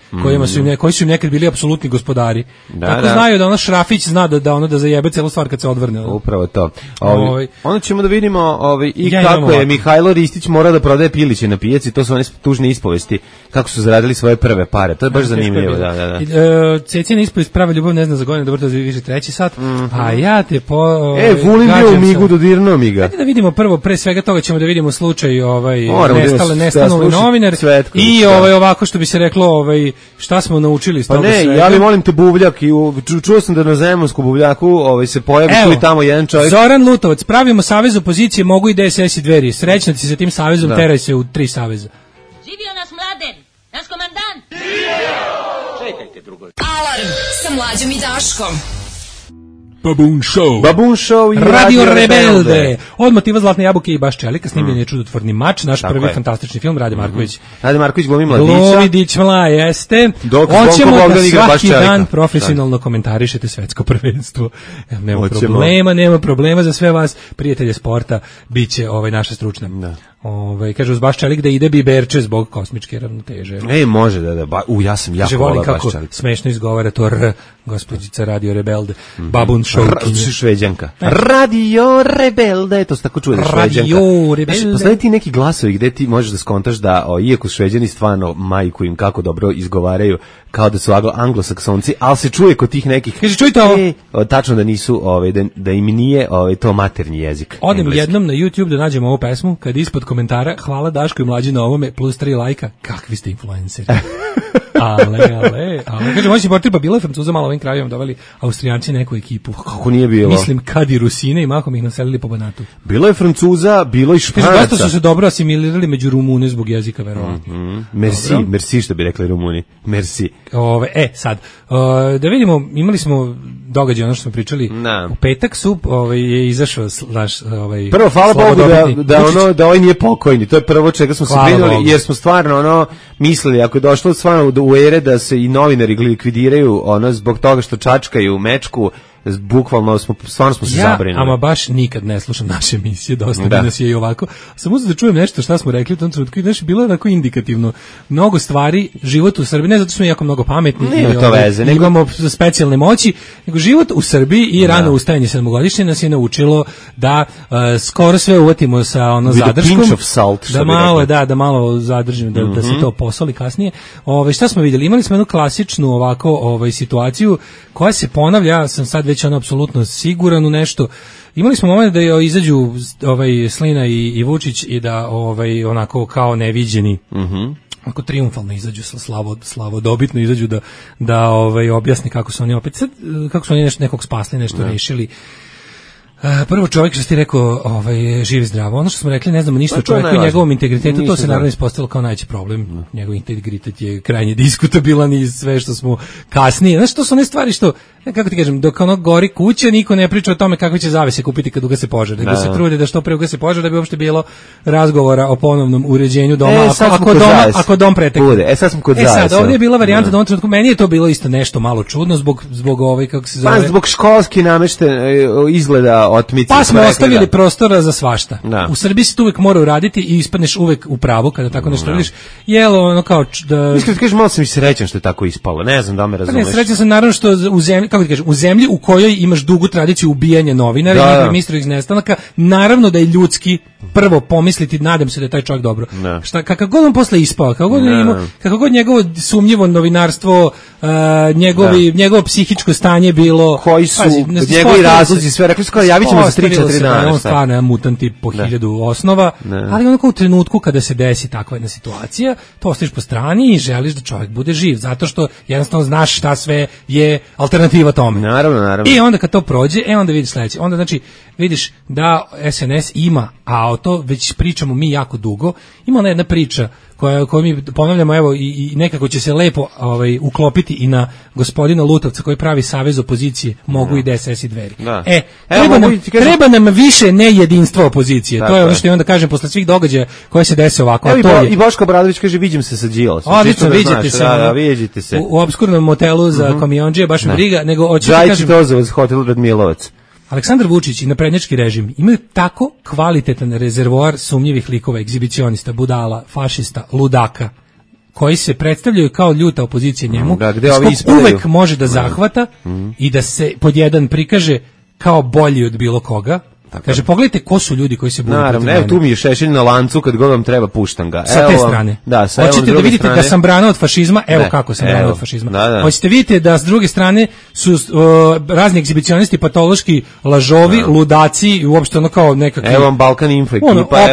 koji su im nekad bili apsolutni gospodari. Kako znaju da ono Šrafić zna da zajebe celu stvar kad se odvrne.
Upravo to. Onda ćemo da vidimo kako je Mihajlo Ristić morao da prodaje piliće na pijaci, to su one tužne ispovesti, kako su zaradili svoje prve pare. To je baš zanimljivo.
Cecijana ispovest Prava ljubav ne zna za godinu, dobro to više 3. sat. A ja te
Vulin bio u migu, dodirnuo mi ga.
Hajde da vidimo prvo, pre svega toga ćemo da vidimo slučaj nestanuli novinar. I ovako što bi se reklo, šta smo naučili iz toga svega.
Ja li molim te buvljak i čuo sam da na Zemunsku buvljaku se pojavi tu i tamo jedan čovjek.
Zoran Lutovac, pravimo savez opozicije, mogu i DSS i Dveri. Srećna ti sa tim savezom, teraj se u 3 saveza.
Živio nas Mladen, naš komandant.
Čekajte drugo. Alarm sa Mlađom i Daškom.
Babun Show i
Radio Rebelde. Od motiva Zlatne jabuke i Baš Čelika snimljen je Čudotvorni mač, naš prvi fantastični film. Rade Marković.
Rade Marković glumi mladića.
Glumi dičmla, jeste. Hoćemo da svaki dan profesionalno komentarišete svetsko prvenstvo. Nema problema za sve vas, prijatelje sporta, biće naša stručna. Kaže uz Baš Čelik da ide biberče zbog kosmičke ravnoteže.
Može da. Ja sam jako volim
kako smešno izgovara to R, gospođica Radio Rebelde. Babun Show.
Šveđanka. Radio Rebelde, to se tako čuje, Šveđanka.
Radio Rebelde.
Postoje ti neki glasovi gde ti možeš da skontaš da, iako Šveđani stvarno majku im kako dobro izgovaraju, kao da su anglosaksonci, ali se čuje kod tih nekih.
Kaže, čujte ovo.
Tačno da nisu, da im nije to maternji jezik.
Odem jednom na YouTube da nađem ovu pesmu, kad ispod komentara, hvala Daško i Mlađi na ovome, plus 3 lajka, kakvi ste influenceri. Ale. je, ali kaže moći portir, pa bilo je Francuza malo ovim krajevima doveli Austrijanci neku ekipu.
Kako nije bilo?
Mislim kad i Rusine i mahom ih naselili po Banatu.
Bilo je Francuza, bilo i Španaca.
Dosta su se dobro asimilirali među Rumune zbog jezika, verovatno.
Merci što bi rekli Rumuni. Merci.
Sad, da vidimo, imali smo događaj, ono što smo pričali. U petak je izašao
prvo, hvala Bogu da ovaj nije pokojni. To je prvo čega smo se brinuli, jer smo stvarno mislili, ako je došlo stvarno u ere da se i novinari likvidiraju zbog toga što čačkaju mečku, bukvalno smo se zabrinuli.
Ama baš nikad ne slušam naše emisije, dosta nas je i ovako. Sam uzeo da čujem nešto šta smo rekli u tom trenutku i nešto bilo onako indikativno. Mnogo stvari, život u Srbiji, ne zato što smo jako mnogo pametni i imamo specijalne moći, nego život u Srbiji i rano ustajanje 7-godišnje nas je naučilo da skoro sve uvatimo sa zadrškom. Da malo zadržimo, da se to posoli kasnije. Šta smo vidjeli? Imali smo jednu klasičnu ovako situaciju koja se ponavlja, ja sam sad već apsolutno siguran u nešto. Imali smo moment da izađu Slina i Vučić i da onako kao neviđeni onako triumfalno izađu, slavodobitno izađu da objasni kako su oni opet kako su oni nekog spasli, nešto rešili. Prvo čovjek što ste rekao živi zdravo. Ono što smo rekli, ne znamo ništa o čovjeku i njegovom integritetu, to se naravno ispostavilo kao najveći problem. Njegov integritet je krajnje diskutabilan i sve što smo kasnije. Znaš, to su one stvari što, kako ti kažem, dok gori kuća, niko ne priča o tome kakve će zavese kupiti kad ugase požar. Nego se trude da što pre ugase požar, da bi uopšte bilo razgovora o ponovnom uređenju doma, ako dom pretekne.
Sad smo kod zavese.
Sad, ovdje je bila varijanta da u ovom trenutku, meni je to bilo isto nešto malo čudno zbog kako se zove.
Zbog školski izgleda otmice.
Pa smo ostavili prostora za svašta. U Srbiji se to uvek mora uraditi i ispadneš uvek u pravu kada tako nešto vidiš. Jelo kao da
iskreno kažem, malo sam i srećan što je tako ispalo. Ne znam da me razumeš.
Ne, srećan sam naravno što u zemlji, kako ti kažem, u zemlji u kojoj imaš dugu tradiciju ubijanja novinara i njihovih misternih nestanaka, naravno da je ljudski prvo pomisliti, nadam se da je taj čovjek dobro. Kakav god on posle ispao, kako god njegovo sumnjivo novinarstvo, njegovo psihičko stanje bilo,
koji su njegovi razlozi, sve rekli su kao javit ćemo za 3-4 dana.
On stvarno je mutant tip po 1000 osnova, ali onako u trenutku kada se desi takva jedna situacija, to ostaviš po strani i želiš da čovjek bude živ, zato što jednostavno znaš šta sve je alternativa tome.
Naravno.
I onda kad to prođe, onda vidiš sledeće. Onda znači vidiš da SNS ima, a o to već pričamo mi jako dugo, ima ona jedna priča koju mi ponavljamo, evo, i nekako će se lepo uklopiti i na gospodina Lutovca koji pravi savez opozicije, mogu i DSS i Dveri. Treba nam više nejedinstva opozicije. To je ono što i onda kažem posle svih događaja koje se dese ovako.
I Boško Obradović kaže viđem se sa Đilasom.
Vidite se u obskurnom motelu za kamiondžije, baš me briga, nego hoću
da kažem Ozovac, hotel Radmilovac.
Aleksandar Vučić i naprednjački režim imaju tako kvalitetan rezervoar sumnjivih likova, egzibicionista, budala, fašista, ludaka, koji se predstavljaju kao ljuta opozicija njemu, uvek može da zahvata i da se pod jedan prikaže kao bolji od bilo koga. Kaže, pogledajte ko su ljudi koji se bune protiv mene.
Evo, tu mi je Šešelj na lancu, kad god vam treba puštam ga.
Sa te strane. Hoćete da vidite da sam brana od fašizma? Evo kako sam brana od fašizma. Hoćete vidite da s druge strane su razni egzibicionisti, patološki lažovi, ludaci i uopšte ono kao nekakvi...
Evo vam Balkan Info ekipa,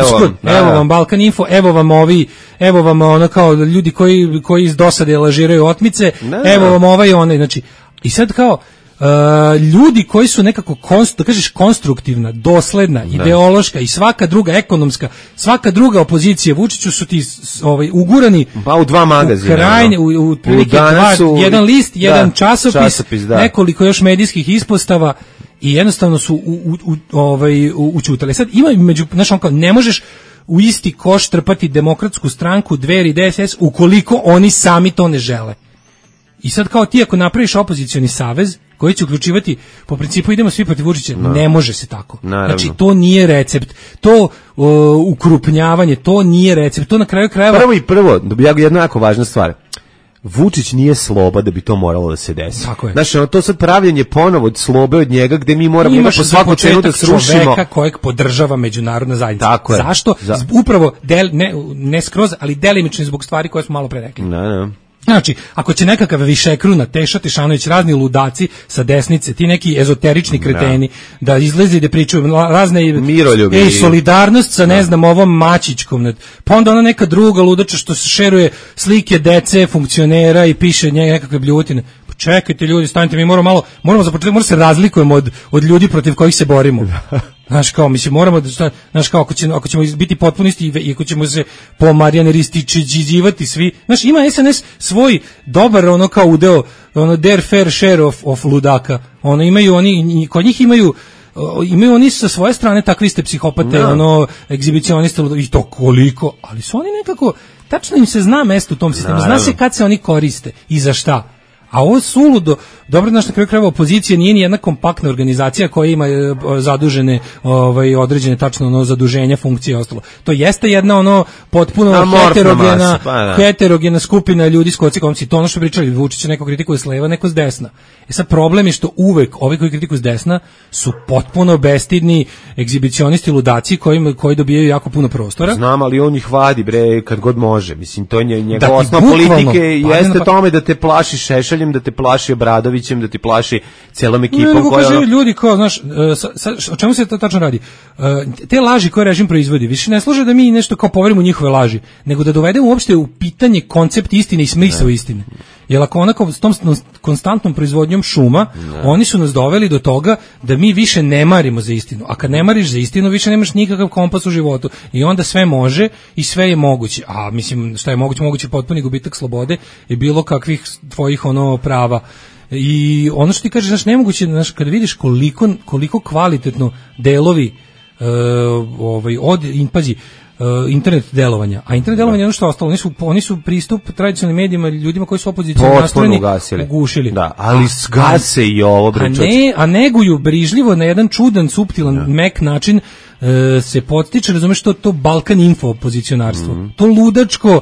evo vam Balkan Info, evo vam ono kao ljudi koji iz dosade lažiraju otmice, evo vam onaj, znači, i sad kao... ljudi koji su nekako da kažeš konstruktivna, dosledna, ideološka i svaka druga ekonomska, svaka druga opozicija Vučiću su ti ugurani
u dva magazina,
u prilike jedan list, jedan časopis, nekoliko još medijskih ispostava i jednostavno su učutali. Sad ima ne možeš u isti koš trpati Demokratsku stranku, Dveri, DSS ukoliko oni sami to ne žele. I sad kao ti ako napraviš opozicioni savez koji će uključivati po principu idemo svi protiv Vučića, ne može se tako. Znači to nije recept. To ukrupnjavanje, to nije recept. To na kraju krajeva...
Prvo, jedna jako važna stvar. Vučić nije sloba da bi to moralo da se desi. Znači, to sad pravljenje ponovo od slobe od njega gde mi moramo po svaku cenu da srušimo.
Čoveka kojeg podržava međunarodna zajednica.
Tako je.
Zašto? Upravo, ne skroz, ali delimično zbog stvari koje smo malo pre rekli. Znači, ako će nekakav višekruna Teša Tešanović, razni ludaci sa desnice, ti neki ezoterični kreteni, da izleze i da pričaju razne
miroljubi,
solidarnost sa ne znam ovom Mačićkom, pa onda ona neka druga ludača što se šeruje slike dece, funkcionera i piše nekakve bljutine. Pa čekajte ljudi, stanite, mi moramo za početak moramo se razlikujemo od ljudi protiv kojih se borimo. Znaš kao, mislim, moramo da, znaš kao, ako ćemo biti potpunisti i ako ćemo se po Marijanerističeđivati svi, znaš, ima SNS svoj dobar, ono kao udeo, ono, their fair share of ludaka, ono, imaju oni, kod njih imaju oni sa svoje strane takvi ste psihopate, ono, egzibicioniste, i to koliko, ali su oni nekako, tačno im se zna mesto u tom sistemu, zna se kad se oni koriste i za šta. A ovo suludo, dobro, znaš, na kraju krajeva opozicija nije ni jedna kompaktna organizacija koja ima zadužene, određene tačno ono zaduženja, funkcije i ostalo. To jeste jedna ono potpuno heterogena skupina ljudi s kocikomci. To ono što pričali, Vučić neko kritikuje s leva, neko s desna. Sad problem je što uvek ovi koji kritikuju s desna su potpuno bestidni egzibicionisti, ludaci koji dobijaju jako puno prostora.
Znam, ali on ih vadi, bre, kad god može. Mislim, to je njegova osnova politike, jeste tome da te plaši Šešeljem, da te plaši Obradovićem, da ti plaši celom ekipom koja
kaže ljudi kao, znaš, o čemu se to tačno radi? Te laži koje režim proizvodi, više ne služe da mi nešto kao poverimo njihove laži, nego da dovedemo uopšte u pitanje koncept istine i smisao istine. Jer ako onako s tom konstantnom proizvodnjom šuma, oni su nas doveli do toga da mi više ne marimo za istinu. A kad ne mariš za istinu, više nemaš nikakav kompas u životu. I onda sve može i sve je moguće. A mislim, šta je moguće? Moguće potpuni gubitak slobode i bilo kakvih tvojih ono prava. I ono što ti kažeš, znaš, nemoguće, znaš, kada vidiš koliko kvalitetno delovi internet delovanja, a internet delovanje je ono što je ostalo, oni su pristup tradicionalnim medijima, ljudima koji su opozicijski nastrojeni ugušili.
Da, ali gase i ovo,
a neguju brižljivo na jedan čudan, suptilan, mek način se podstiče, razumeš, to Balkan info opozicionarstvo, to ludačko,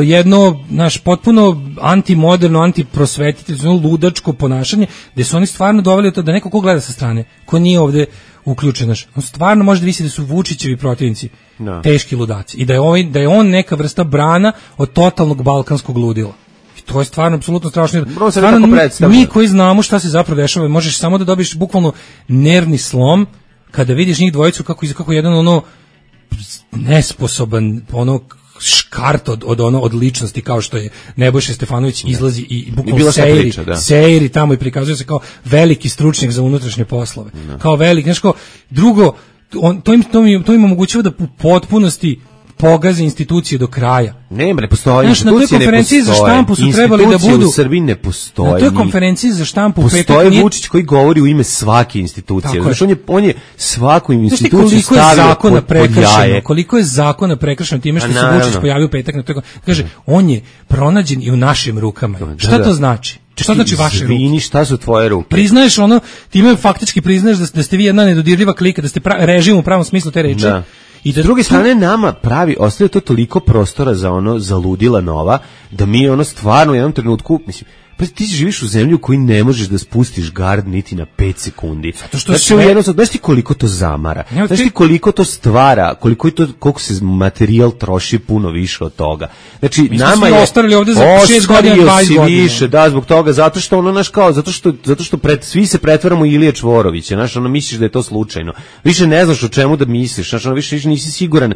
jedno, naš, potpuno antimoderno, antiprosvetiteljno, ludačko ponašanje, gde su oni stvarno doveli to da neko ko gleda sa strane, ko nije ovde uključen, naš, on stvarno može da visi da su Vučićevi protivnici teški ludaci i da je on neka vrsta brana od totalnog balkanskog ludila. I to je stvarno apsolutno strašno. Stvarno, mi koji znamo šta se zapravo dešava, možeš samo da dobiješ bukvalno nervni slom kada vidiš njih dvojicu kako jedan ono nesposoban, ono škart od ličnosti kao što je Nebojša Stefanović izlazi i bukvalno sejri tamo i prikazuje se kao veliki stručnjak za unutrašnje poslove. Kao veliki, znaš, kao drugo, to im omogućava da u potpunosti pogaze institucije do kraja.
Ne postoji, institucije ne postoje.
Na toj konferenciji za štampu su trebali da budu...
u Srbiji ne postoji.
Na toj konferenciji za štampu...
Postoji Vučić koji govori u ime svake institucije. Znači, on je svaku instituciju stavio pod jaje.
Koliko je zakona prekršeno time što se Vučić pojavio u petak na toj... Kaže, on je pronađen i u našim rukama. Šta to znači? Šta znači vaše ruke?
Šta su tvoje ruke?
Priznaješ ono, time faktički priznaješ da ste vi jedna nedodirljiva klika, da ste režim u pravom smislu te reči.
I s druge strane nama ostaje to toliko prostora za ludila nova, da mi stvarno u jednom trenutku, mislim, pa ti živiš u zemlju u kojoj ne možeš da spustiš gard niti na 5 sekundi. Znaš ti koliko to zamara, znaš ti koliko to stvara, koliko se materijal troši puno više od toga. Znači, nama je
ostarili ovde za 6 godina, 20 godina.
Više, da, zbog toga, zato što svi se pretvaramo Ilije Čvorovića, znaš, misliš da je to slučajno. Više ne znaš o čemu da misliš, znaš, više nisi siguran,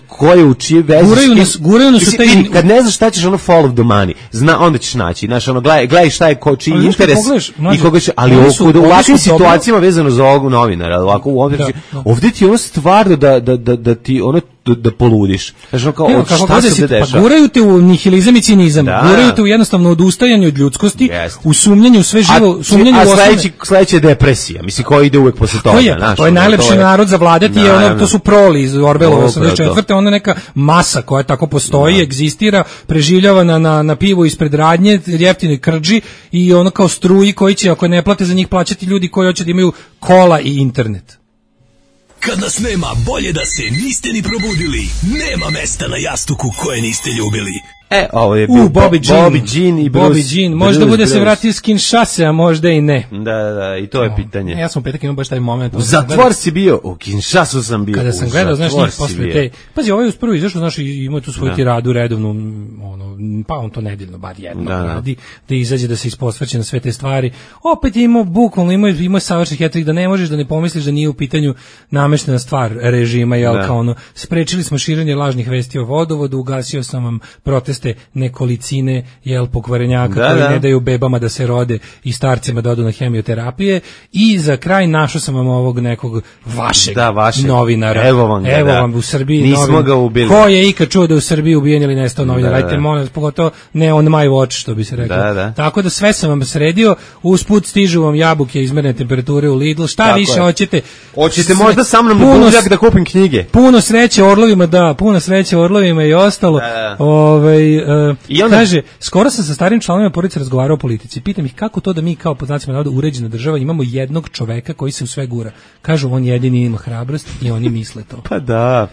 ko je u čije veze.
Guraju nas u taj...
Kad ne znaš šta ćeš, follow the money, onda ćeš naći, znaš, gledaj šta je čiji interes i koga će, ali u ovakvim situacijama vezano za ovog novinara, ovdje ti stvarno da ti da poludiš. Znači, šta se dešava?
Pa guraju te u nihilizam i cinizam, guraju te u jednostavno odustajanju od ljudskosti, u sumnjanju sve živo, sumnjanju u osnovne.
A sledeća je depresija, misli, koji ide uvek posle toga.
To je najlepši narod za vladati, to su proli iz Orwellove 84. Ona neka masa koja tako postoji, egzistira, preživljava na pivu ispred radnje, jeftinoj krđi i ono kao struji koji će, ako ne plate za njih, plaćati ljudi koji hoće da imaju kola i internet.
Kad nas nema, bolje da se niste ni probudili. Nema mesta na jastuku koje niste ljubili.
Ovo je bio Bobby Jean i Bruce.
Bobby Jean, možda bude se vratio s Kinshase, a možda i ne.
Da, i to je pitanje.
Ja sam petak imao baš taj moment.
U zatvor si bio, u Kinshasu sam bio.
Kada sam gledao, znaš, njih posle te... Pazi, ovaj uz prvo izašao, znaš, ima tu svoju tiradu redovnu, pa on to nedeljno, bar jedno radi, da izađe, da se isposveće na sve te stvari. Opet je imao, bukvalno, imao savršen hetrik, da ne možeš da ne pomisliš da nije u pitanju nameštena stvar režima, jel, kao ono, sprečili smo širenje lažnih vesti o vodovodu, ugasio sam vam proteste nekolicine, jel, pokvarenjaka koji ne daju bebama da se rode i starcima da odu na hemioterapije, i za kraj našao sam vam ovog nekog vašeg novinara.
Evo vam
u Srbiji.
Nismo ga ubili.
Ko je ikad čuo da je u Srbiji ubijen ili nestao novinar? Ajte, molim vas, pogotovo ne on my watch, što bi se reklo. Tako da sve sam vam sredio, usput stižu vam jabuke izmerne temperature u Lidl, šta tako više hoćete?
Hoćete možda sa mnom na Buzjak da kupim knjige?
Puno sreće Orlovima i ostalo. I onda kaže, skoro sam sa starim članovima porodice razgovarao o politici. Pitam ih kako to da mi kao pod znacima navoda uređena država imamo jednog čoveka koji se u sve gura. Kažu, on jedini ima hrabrost i oni misle to.
Pa da.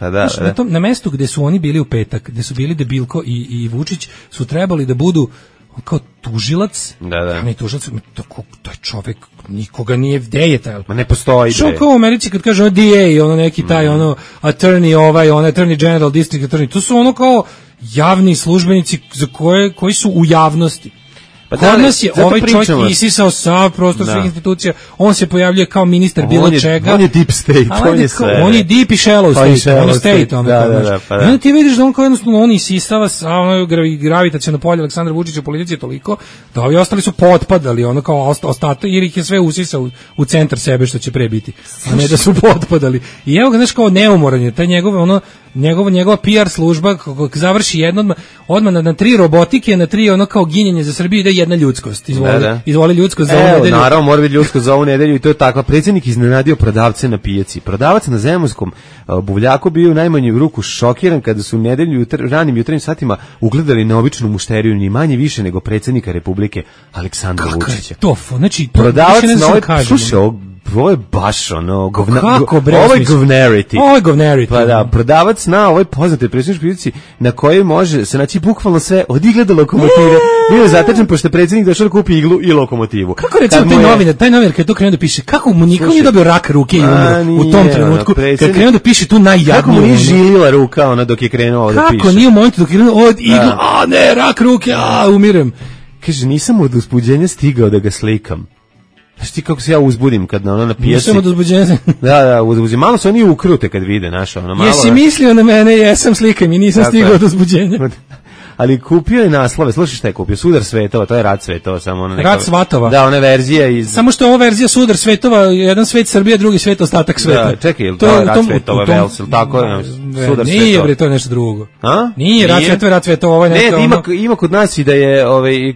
Na mestu gde su oni bili u petak, gde su bili Debilko i Vučić, su trebali da budu kao tužilac. Ne tužilac, to je čovek, nikoga nije, gde je taj?
Ma ne postoji.
Što kao u Americi kad kaže DA, ono neki taj, attorney, attorney general, district attorney, to su ono kao javni službenici za koji su u javnosti. Pa kod nas je ovaj čovjek isisao sav prostor svih institucija, on se pojavljuje kao ministar bilo čega.
On je deep state,
on je deep i shallow state, on je state. I onda ti vidiš da on kao jednostavno on isisava samo gravitaciono polje Aleksandra Vučića u politici je toliko, da ovi ostali su potpadali, ono kao ostatak, jer ih je sve usisao u centar sebe što će pre biti, a ne da su potpadali. I evo ga, znaš, kao neumoran je, taj njegova PR služba završi jedno odmah na 3 robotike, na 3 ono kao ginjenje za Srbiju, ide jedna ljudskost. Izvoli ljudskost za ovu nedelju.
Naravno, mora biti ljudskost za ovu nedelju i to je takva. Predsjednik iznenadio prodavce na pijaci. Prodavac na Zemunskom buvljaku bio u najmanju ruku šokiran kada su u nedelju ranim jutarnjim satima ugledali na običnu mušteriju, ni manje više nego predsjednika Republike Aleksandra Vučića.
Znači,
prodavac na ovaj, slušaj, ovo je baš ono ovo je govnarity. Pa da, prodavac na ovoj poznatoj predsjedničkoj pijaci na kojoj može se naći bukvalno sve od igle do lokomotive. Bio je zatečen pošto je predsjednik došao da kupi iglu i lokomotivu.
Kako recimo taj novinar kad je to krenuo da piše, kako mu niko nije dobio rak ruke i umro u tom trenutku, kad krenuo da piše tu najjadnije.
Kako mu nije žilila ruka ona dok je krenuo da piše.
Kako nije u momentu dok je krenuo od igla, ne, rak ruke, umirem.
Kaže, nisam od uzbuđenja stigao da ga slikam. Znaš ti kako se ja uzbudim kad na pijesi.
Nisam od uzbuđenja.
Da, uzbuđenja. Malo se oni ukrute kad vide, znaš, malo.
Jesi mislio na mene, jesam slikam i nisam stigao od uzbuđenja.
Ali kupio je naslove, slušaj šta je kupio, Sudar svetova, to je Rat svetova, samo ona neka...
Rat svatova.
Da, ona verzija iz...
Samo što je ova verzija Sudar svetova, jedan svet Srbija, drugi svet ostatak sveta.
Da, čekaj, ili to je Rat svetova, Velsil, tako je, Sudar svetova.
Nije, bre, to je nešto drugo.
A?
Nije, Rat svetova, ovo je nešto...
Ne, ima kod nas i da je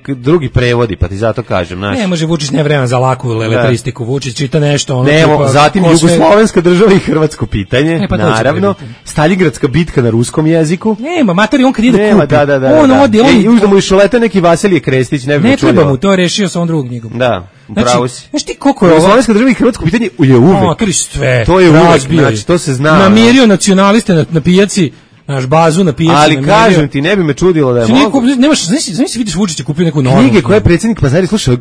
drugi prevodi, pa ti zato kažem, znaš.
Ne, može Vučić, ne vremena za laku letristiku, Vučić čita nešto, ono...
Nemo, zatim Jugoslovenska država i hrvatsko pitanje, naravno, Staljingradska bitka na ruskom jeziku.
Nema, materi, on kad ide kupi.
Uzda mu išoleta neki Vasilije Krestić,
ne treba mu, to je rešio sa on drugom knjigom.
Da, upravo si.
Znaš ti koliko je ovo?
Slovenska država i hrvatsko pitanje je uvek. To je uvek, znači, to se zna.
Namirio nacionaliste na pijaci, naš bazu na pijaci.
Ali kažem ti, ne bi me čudilo da je mogu.
Nemaš, znaš vidiš Vučića kupio neku novu.
Knjige koje je predsjednik Pazari, slušaj,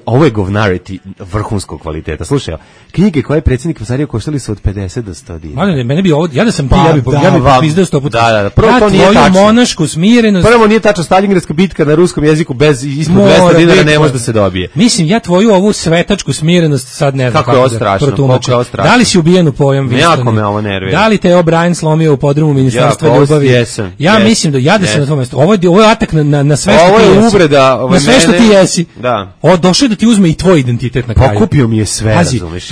ovo je govnarity vrhunskog kvaliteta. Slušaj, knjige koje je predsjednik Pazari koštali su od 50 do 100 dinara.
Mene bi ovo, ja da sam ti, ja bi popizdao 100 puta.
Da. Prvo to nije tačno.
Monašku smirenost.
Prvo nije tačno, Staljingradska bitka na ruskom jeziku bez ispod 200 dinara ne može da se dobije.
Mislim, ja tvoju ovu svetačku smirenost sad ne znam
kako da protumačim.
Da li si ubijen u pojam Winston?
Jako me ovo nervira.
Da li te je O'Brien slomio u podrumu Ministarstva ljubavi? Ja mislim da ja sam na tom mjestu. Ovo je atak na sve što ti jesi.
Ovo je uvreda.
Na sve što ti jesi.
Da.
Došao je da ti uzme i tvoj identitet na kraju.
Pokupio mi je sve, razumeš?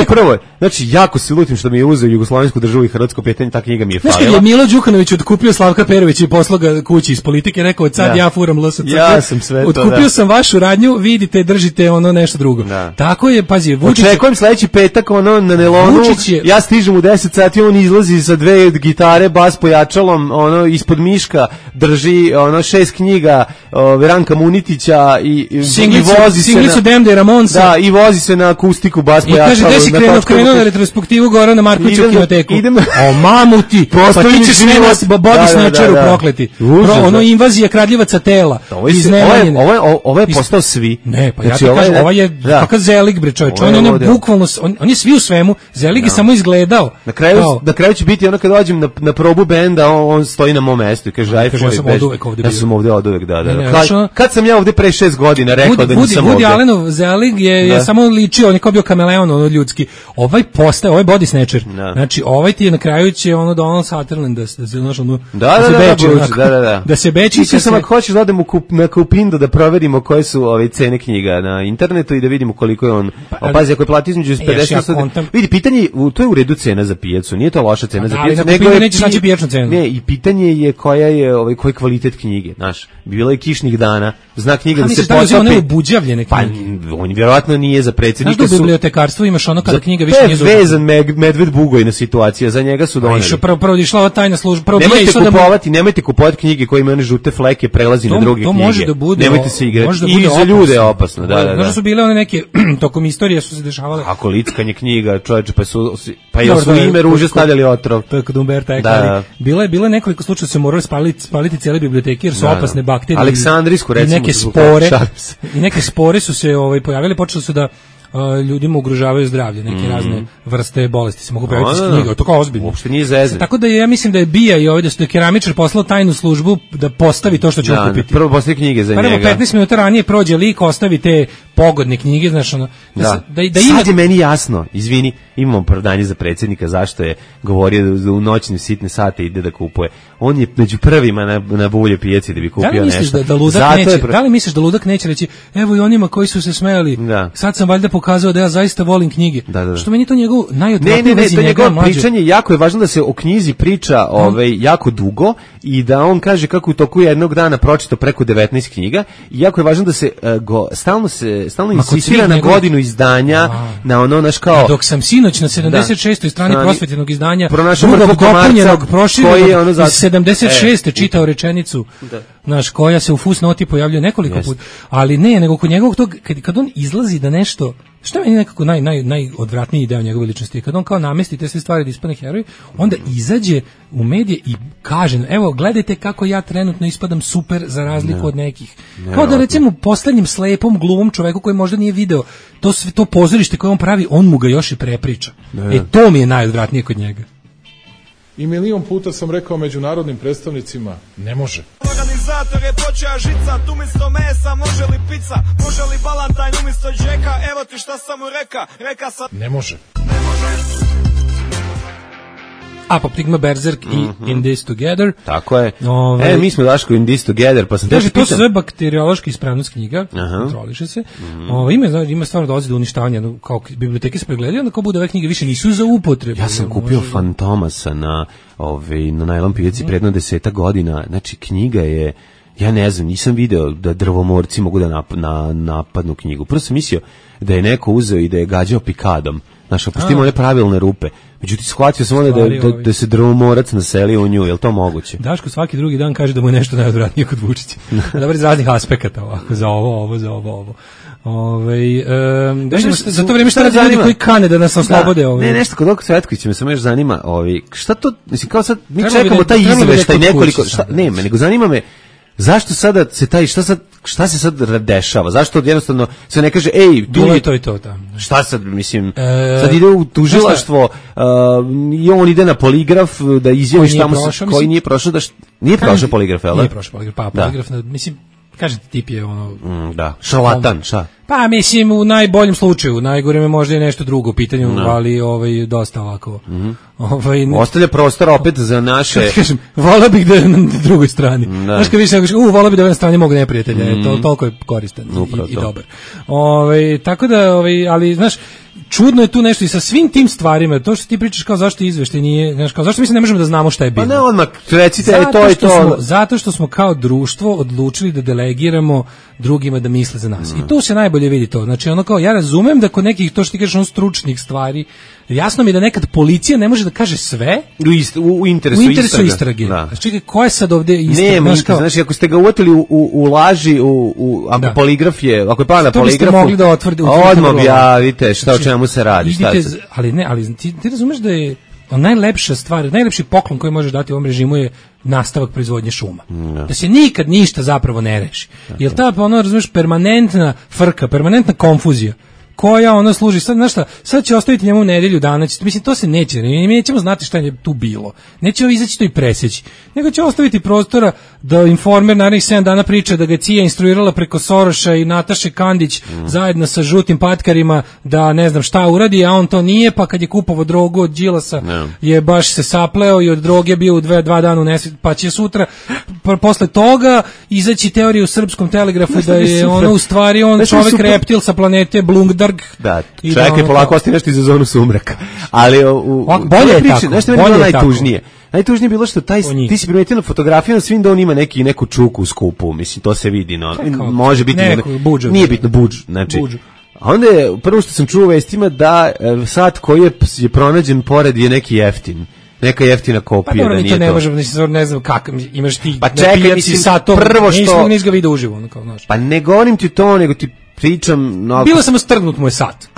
Prvo, znači, jako se lutim što mi je uzeo Jugoslovensku državu i hrvatsko pitanje, ta knjiga mi je falila.
Znaš kad je Milo Đukanović otkupio Slavka Perovića i poslao ga kući iz politike, rekao od sad ja furam LSC.
Ja sam sve to,
otkupio sam vašu radnju, vidite, držite ono nešto drugo. Tako je, pazi, Vučić...
Očekujem sledeći petak, ono, na nelonu, ja stižem u 10 sati, on izlazi sa 2 gitare, bas pojačalom, ono ispod miška drži ono 6 knjiga Ranka Munitića i vozi se
Singlicu Demde Ramonsa.
Da, i vozi se na akustiku bas pojačalo.
I kaže, gde si krenuo na retrospektivu Gorana Markovića u kinoteku. O mamuti, pa ti ćeš sve nas body snatcheru prokleti. Ono invazija kradljivaca tela.
Ovo je postao svi.
Ne, pa ja ti kažem, ovo je kakav Zelig, bre čovječ. On je bukvalno, on je svi u svemu. Zelig je samo izgledao.
Na kraju će biti ono kad dođem na probu benda, on stoji na mom mestu i kaže, ja sam ovdje od uvek, da. Kad sam ja ovdje pre 6 godina rekao da nisam ovdje.
Woody Allenov Zelig je samo ličio, on je kao bio kameleon, ono ljudski. Ovaj je body snatcher. Znači, ovaj ti je na kraju će ono Donald Sutherland da se da se beči.
Mislim sam ako hoćeš da odem na Kupindo da proverimo koje su ove cene knjiga na internetu i da vidimo koliko je on. Pazi, ako je plati između 50 vidi, pitanje, to je u redu cena za pijacu, nije to loša cena za pijacu,
nego je nećeš naći pijačnu cenu.
Ne, i pitanje je koja je koji kvalitet knjige, znaš. Bilo je kišnih dana, zna knjiga da se potopi.
One obuđavljene knjige.
Pa on vjerovatno nije za predsjednika.
Znaš da u bibliotekarstvu imaš ono kada knjiga više nije
vezan medved bugojna situacija, za njega su doneli.
Prvo išla ova tajna služba.
Nemojte kupovati knjige koje imaju one žute fleke, prelazi na druge knjige.
To može da bude.
Nemojte se igrati. I za ljude je opasno.
Znaš su bile one neke tokom istorije su se dešavale.
Ako lickanje knjiga, čoveče, pa je su ime ruže stavljali otrov.
To je kod Umberta Eco. Bilo je nekoliko slučajeva se morali spaliti cijele biblioteke jer su opasne bakterije.
Aleksandrijsku recimo.
I neke spore su se pojavile, počeli su da ljudima ugrožavaju zdravlje, neke razne vrste bolesti se mogu pojaviti iz knjiga, to kao ozbiljno.
Uopšte nije zezanje.
Tako da ja mislim da je Bija i ovdje što je keramičar poslao tajnu službu da postavi to što će okupiti.
Prvo postavi knjige za njega.
Prvo 15 minuta ranije prođe lik, ostavi te pogodne knjige, znaš ono.
Sad je meni jasno, izvini, imamo opravdanje za predsjednika zašto je govorio da u noćne sitne sate ide da kupuje. On je među prvima na bulje pijaci da bi kupio nešto.
Da li misliš da ludak neće reći, evo i onima koji su se smejali, sad sam valjda pokazao da ja zaista volim knjige. Što meni to njegov najodvratnije vezi njega mlađe.
Pričanje, jako je važno da se o knjizi priča jako dugo i da on kaže kako u toku jednog dana pročitao preko 19 knjiga i jako je važno da se stalno insistira na godinu izdanja, na ono naš kao...
Dok sam sinoć na 76. strani prosvetljenog izdanja
drugog
dopunjenog proširenog iz 76. čitao rečenicu, naš koja se u fusnoti pojavljuje nekoliko puta, ali ne, nego kod njegovog tog, kad on izlazi da nešto, što je meni nekako najodvratniji deo njegove ličnosti, kad on kao namesti te sve stvari da ispadne heroj, onda izađe u medije i kaže, evo gledajte kako ja trenutno ispadam super za razliku od nekih. Kao da recimo poslednjem slepom gluvom čoveku koji možda nije video to pozorište koje on pravi, on mu ga još i prepriča. To mi je najodvratnije kod njega.
I milion puta sam rekao međunarodnim predstavnicima, ne može.
Organizator je počeo žicat, umjesto mesa može li pizza, može li balantajn umjesto džeka, evo ti šta sam mu reka sam...
Ne može.
Apoptigma, Berserk i In This Together.
Tako je. Mi smo Daško In This Together, pa sam
te pitam. To se zove bakteriološka ispravnost knjiga, kontroliše se. Ima stvarno dolazi do uništavanja, kao biblioteke se pregledaju, onda kao bude ove knjige više nisu za upotrebu.
Ja sam kupio Fantomasa na najlon pijaci predno 10 godina, znači knjiga je, ja ne znam, nisam video da drvomorci mogu da napadnu knjigu. Prvo sam mislio da je neko uzeo i da je gađao pikadom. Znaš, opustimo one pravilne rupe. Međutim, shvatio sam onda da se drvomorac naselio u nju, je li to moguće?
Daško svaki drugi dan kaže da mu je nešto najodvratnije kod Vučića. Dobar iz raznih aspekata ovako, za ovo. Za to vrijeme šta radi ljudi koji kane da nas oslobode?
Ne, nešto kod Oko Cvetkovića me samo još zanima, šta to, mislim, kao sad, mi čekamo taj izveštaj nekoliko, nego zanima me, zašto sada se šta se sad dešava? Zašto jednostavno se ne kaže,
to.
Šta sad, mislim, sad ide u tužilaštvo i on ide na poligraf da izjavi šta mu se, koji nije prošao, nije prošao poligraf, jel?
Nije prošao poligraf, poligraf, mislim, kažete, tip je ono...
šarlatan, šta?
Pa mislim u najboljem slučaju, najgore možda je nešto drugo u pitanju, ali dosta ovako.
Ostavlja prostor opet za naše...
Kažem, volao bih da je na drugoj strani. Znaš kad više kažeš, volao bih da je na strani mog neprijatelja, toliko je koristan i dobar. Tako da, ali znaš, čudno je tu nešto i sa svim tim stvarima, to što ti pričaš kao zašto izveštaj nije, znaš, kao zašto mi se ne možemo da znamo šta je bilo.
Pa ne, odmah recite, to je to.
Zato što smo kao društvo odlučili da delegiramo drugima da misle za nas. I tu se najbolje vidi to. Znači, ono kao, ja razumem da kod nekih, to što ti kažeš, ono stručnih stvari, jasno mi je da nekad policija ne može da kaže sve
u interesu
istrage.
Da.
Znači, čekaj, ko je sad ovde istraga?
Znači, ako ste ga uvatili u laži, ako poligraf je, ako je pala na poligrafu,
mogli da
odmah objavite šta o čemu se radi.
Ali ti razumeš da je najlepša stvar, najlepši poklon koji možeš dati ovom režimu je nastavak proizvodnje šuma. Da se nikad ništa zapravo ne reši. Jer ta, razumeš, permanentna frka, permanentna konfuzija, koja ono služi, sad će ostaviti njemu nedelju dana, mislim, to se neće, mi nećemo znati šta je tu bilo, nećemo izaći to i preseći, nego će ostaviti prostora da Informer narednih 7 dana priča da ga CIA instruirala preko Soroša i Nataše Kandić zajedno sa žutim patkarima da ne znam šta uradi, a on to nije, pa kad je kupovao drogu od Đilasa je baš se sapleo i od droge bio u 2 dana u nesvit, pa će sutra posle toga izaći teorija u Srpskom telegrafu da je ono u stvari on čovek reptil sa planete Blungdarg.
Da, čovjek je polako ostaje nešto iz zonu sumraka. Ali
bolje je tako.
Nešto je bilo najtužnije. Najtužnije je bilo što ti si primetio na fotografiju na svim da on ima neku čuku u skupu. Mislim, to se vidi. No. Može biti... Nije bitno, budž. Znači, a onda je, prvo što sam čuo u vestima da sat koji je pronađen pored je neki jeftin. Neka jeftina kopija, da nije to.
Ne možemo, ne znam kako, imaš ti
pa čekaj, mislim,
satom,
prvo što...
Nismo ga vidio uživo, ono kao, znaš.
Pa ne govorim ti to, nego ti pričam... No,
bilo sam strgnut moj sat.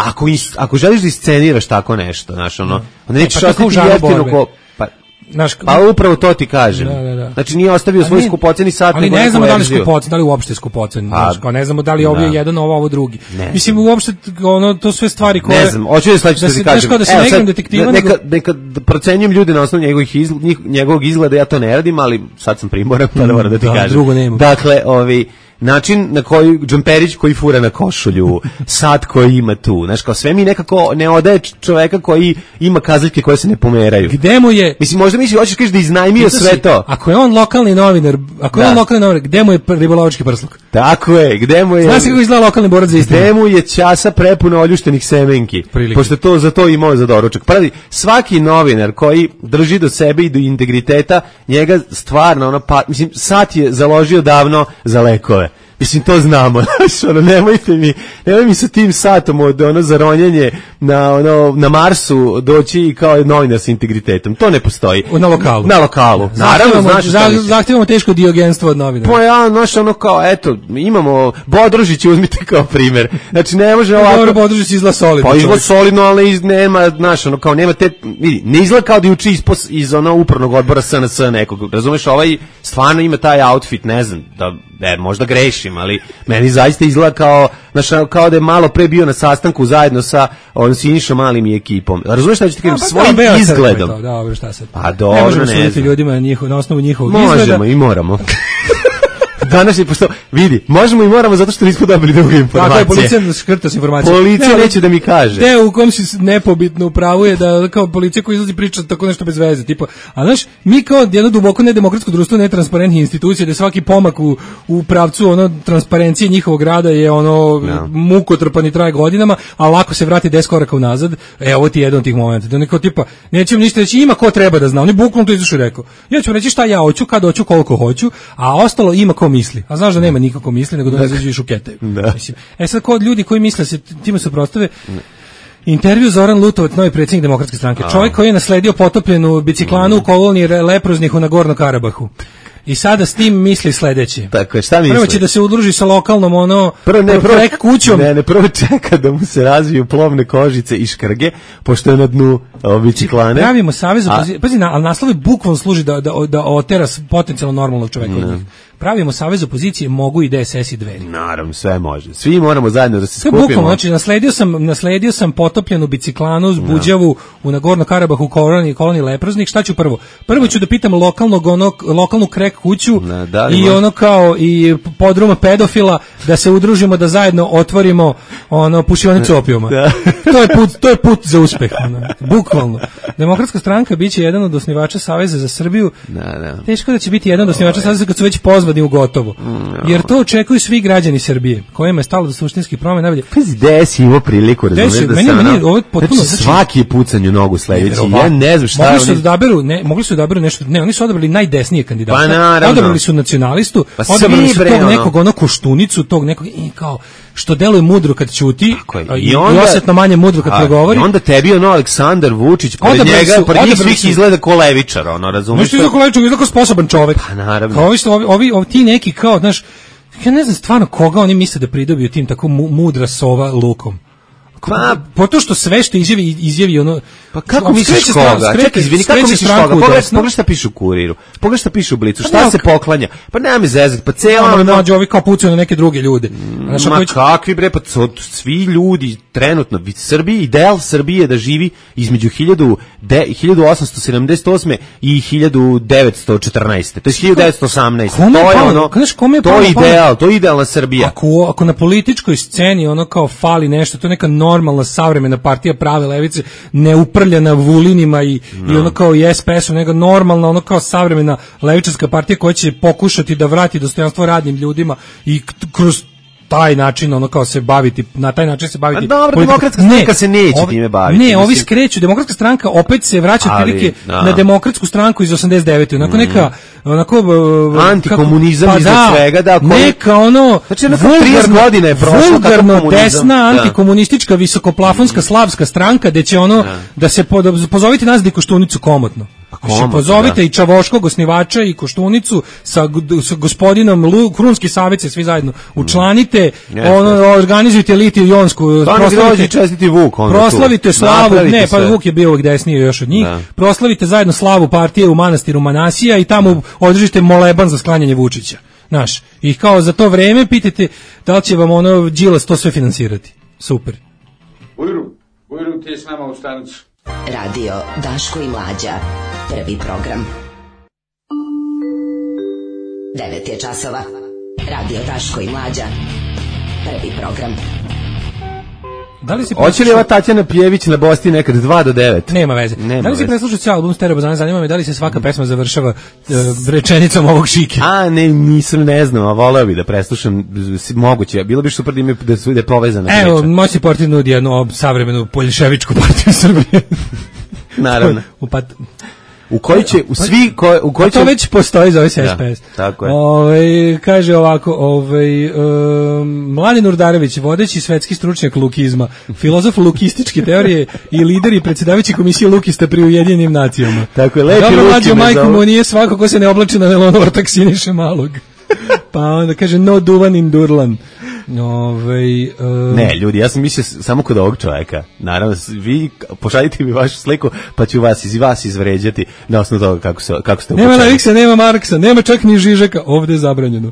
Ako želiš da isceniraš tako nešto, znaš, ono, onda nećeš ostati jeftino ko... Pa upravo to ti kažem.
Da.
Znači nije ostavio svoj skupoceni sat.
Ali ne znamo da li skupocen, da li uopšte skupocen. Ne znamo da li ovo je jedan, ovo drugi. Mislim, uopšte ono, to sve stvari koje...
Ne znam, hoću da sledeće što ti kažem.
Da se negram detektiva...
Neka procenjujem ljude na osnovu njegovog izgleda, ja to ne radim, ali sad sam primoran, pa da moram da ti kažem.
Drugo nema.
Dakle, način na koji džemperić koji fura na košulju, sat koji ima tu, znaš, kao sve mi nekako ne odaje čoveka koji ima kazaljke koje se ne pomeraju.
Gde mu je?
Mislim, možda hoćeš kažeš da iznajmio sve to.
Ako je on lokalni novinar, gde mu je ribolovački prsluk?
Tako je, gde mu je...
Znaš kako izgleda lokalni borac za istinu?
Gde mu je časa prepuna oljuštenih semenki, pošto to za to imao za doručak. Pravi, svaki novinar koji drži do sebe i do integriteta, njega stvarno, mislim, sat je založio davno za lekove. Mislim, to znamo, znači, nemoj mi sa tim satom od za ronjenje na Marsu doći kao novinar sa integritetom. To ne postoji.
Na lokalu.
Na lokalu. Naravno, znaš šta mislim.
Zahtevamo teško diogenstvo od novinara.
Pa ja, znaš, kao, eto, imamo Bodružić, uzmite kao primjer. Znači, ne može ovako...
Dobro, Bodružić izgleda solidno.
Pa izgleda solidno, ali nema, znaš, kao, nema te... Vidi, ne izgleda kao da uči iz upravnog odbora SNS nekog. Razumeš, ovaj stvarno ima taj outfit, ne znam, možda grešim, ali meni zaista izgleda kao da je malo pre bio na sastanku zajedno sa Sinišom Malim i ekipom. Razumeš šta ću ti kažem? Svojim izgledom.
Dobro, šta sad?
Pa dobro,
ne možemo suditi ljudima na osnovu njihovog izgleda.
Možemo i moramo. Danas je, pošto, vidi, možemo i moramo zato što nismo dobili druge informacije.
Tako je, policija škrta s informacije.
Policija neće da mi kaže.
U kom si nepobitno upravo je da kao policija koja izlazi priča tako nešto bez veze. Tipa, a znaš, mi kao jedno duboko nedemokratsko društvo netransparentnih institucija, da svaki pomak u pravcu transparencije njihovog rada je mukotrpan i traje godinama, a lako se vrati 10 koraka unazad. Ovo ti je jedan od tih momenta. Da neko tipa, nećemo ništa reći, ima ko treba da zna. Oni bukvalno to izašao i rekao. Ja ću reći šta ja hoću, kad hoću, koliko hoću, a ostalo ima ko misli. A znaš da nema nikako misli, nego da ne izađu i šuketaju. Mislim, sad kod ljudi koji misle se time suprotstave, intervju Zoran Lutovac, novi predsjednik Demokratske stranke, čovjek koji je nasledio potopljenu biciklanu u koloniji leproznih u Nagorno Karabahu. I sada s tim misli sledeće.
Tako je, šta misli?
Prvo će da se udruži sa lokalnom kućom.
Prvo čeka da mu se razviju plovne kožice i škrge, pošto je na dnu biciklane.
Pravimo savez opozicije. Pazi, ali naslov je bukvalno služi da otera potencijalno normalnog čoveka od njih. Pravimo savez opozicije, mogu i DSS i Dveri.
Naravno, sve može. Svi moramo zajedno da se skupimo.
Bukvalno, znači nasledio sam potopljenu biciklanu s Buđavu u Nagorno Karabahu u koloniji leproznih. Šta ću prvo? Prvo ću da pitam lokalnu krek kuću i podruma pedofila da se udružimo da zajedno otvorimo pušionicu opijuma. To je put za uspeh. bukvalno. Demokratska stranka biće jedan od osnivača Saveza za Srbiju.
Da.
Teško da će biti jedan od osnivača Saveza kad su već pozvani u gotovo. Jer to očekuju svi građani Srbije, kojima je stalo do suštinskih promena.
Gde si imao priliku, razumiješ da se znači svaki je pucanju nogu sledeći, ja ne znam šta
mogli su odaberu nešto, ne, oni su odabrali najdesnije kandidata,
pa
odabrali su nacionalistu, odabrali su tog nekog Koštunicu, tog nekog kao što deluje mudro kad ćuti i osetno manje mudro kad progovori.
I onda tebi Aleksandar Vučić, pored njih svih izgleda ko levičar, razumiješ?
Nešto izgleda ko levičar, izgleda ko sposoban čovek.
Pa naravno.
Kao ovi ti neki kao, znaš, ja ne znam stvarno koga oni misle da pridobiju tim tako mudra sova lukom. Po to što sve što izjavi ono...
Pa kako misliš koga? Čekaj, izvini, kako misliš koga? Pogledaj šta piše u Kuriru, pogledaj šta piše u Blicu, šta se poklanja? Pa nema mi zezati, pa cijela...
Mlađe, ovi kao pucaju na neke druge ljude.
Ma kakvi bre, pa svi ljudi trenutno, Srbiji, ideal Srbije da živi između 1878. i 1914. To je 1918. To je idealna Srbija.
Ako na političkoj sceni ono kao fali nešto, to je neka normalna savremena partija prave levice, ne uprljana Vulinima i ono kao i SPS-om, nego normalna ono kao savremena levičarska partija koja će pokušati da vrati dostojanstvo radnim ljudima i kroz taj način ono kao se baviti, na taj način se baviti.
Dobro, demokratska stranka se neće time baviti.
Ne, ovi skreću, demokratska stranka opet se vraća otprilike na demokratsku stranku iz 89. Onako neka
antikomunizam iz svega, da.
Neka ono,
znači 30 godina je prošlo
vulgarno desna antikomunistička visokoplafonska slavska stranka gde će ono da se pozovite nas da Koštunicu komotno. Pozovite i Čavoškog osnivača i Koštunicu sa gospodinom Krunski savjet se svi zajedno učlanite, organizujte Litiju Jonsku, proslavite slavu, ne, pa Vuk je bio uvijek desniji još od njih, proslavite zajedno slavu partije u manastiru Manasija i tamo održite moleban za sklanjanje Vučića. Znaš, i kao za to vreme pitajte da li će vam ono Đilas to sve finansirati. Super.
Ujru ti je s nama u stanicu.
Radio Daško i Mlađa. Prvi program. 9 je časova. Radio Daško i Mlađa. Prvi program.
Hoće li ova Tatjana Pjević na Bosti nekad 2 do 9?
Nema veze. Da li si preslušao cijel album Stereo Bazane? Zanima me da li se svaka pesma završava rečenicom ovog Šike?
Ne znam, a voleo bi da preslušam, moguće. Bilo bi super da je povezana priča.
Evo, moći portir nudi jednu savremenu poljševičku partiju Srbije.
Naravno. U koji će
to već postoji, zove se SPS.
Tako je.
Kaže ovako, Mladen Urdarević, vodeći svetski stručnjak lukizma, filozof lukističke teorije i lider i predsjedavajući komisije lukista pri Ujedinjenim nacijama.
Tako je, lepi
Dobro,
Luki
majko mu nije svako ko se ne oblači na nelon ortak Siniše Malog. Pa onda kaže no duvan in Durlan.
Ne, ljudi, ja sam mislio samo kod ovog čovjeka. Naravno, vi pošaljite mi vašu sliku, pa ću vas izvređati na osnovu toga kako ste
Nema Leviksa, nema Marksa, nema čak ni Žižeka, ovdje je zabranjeno.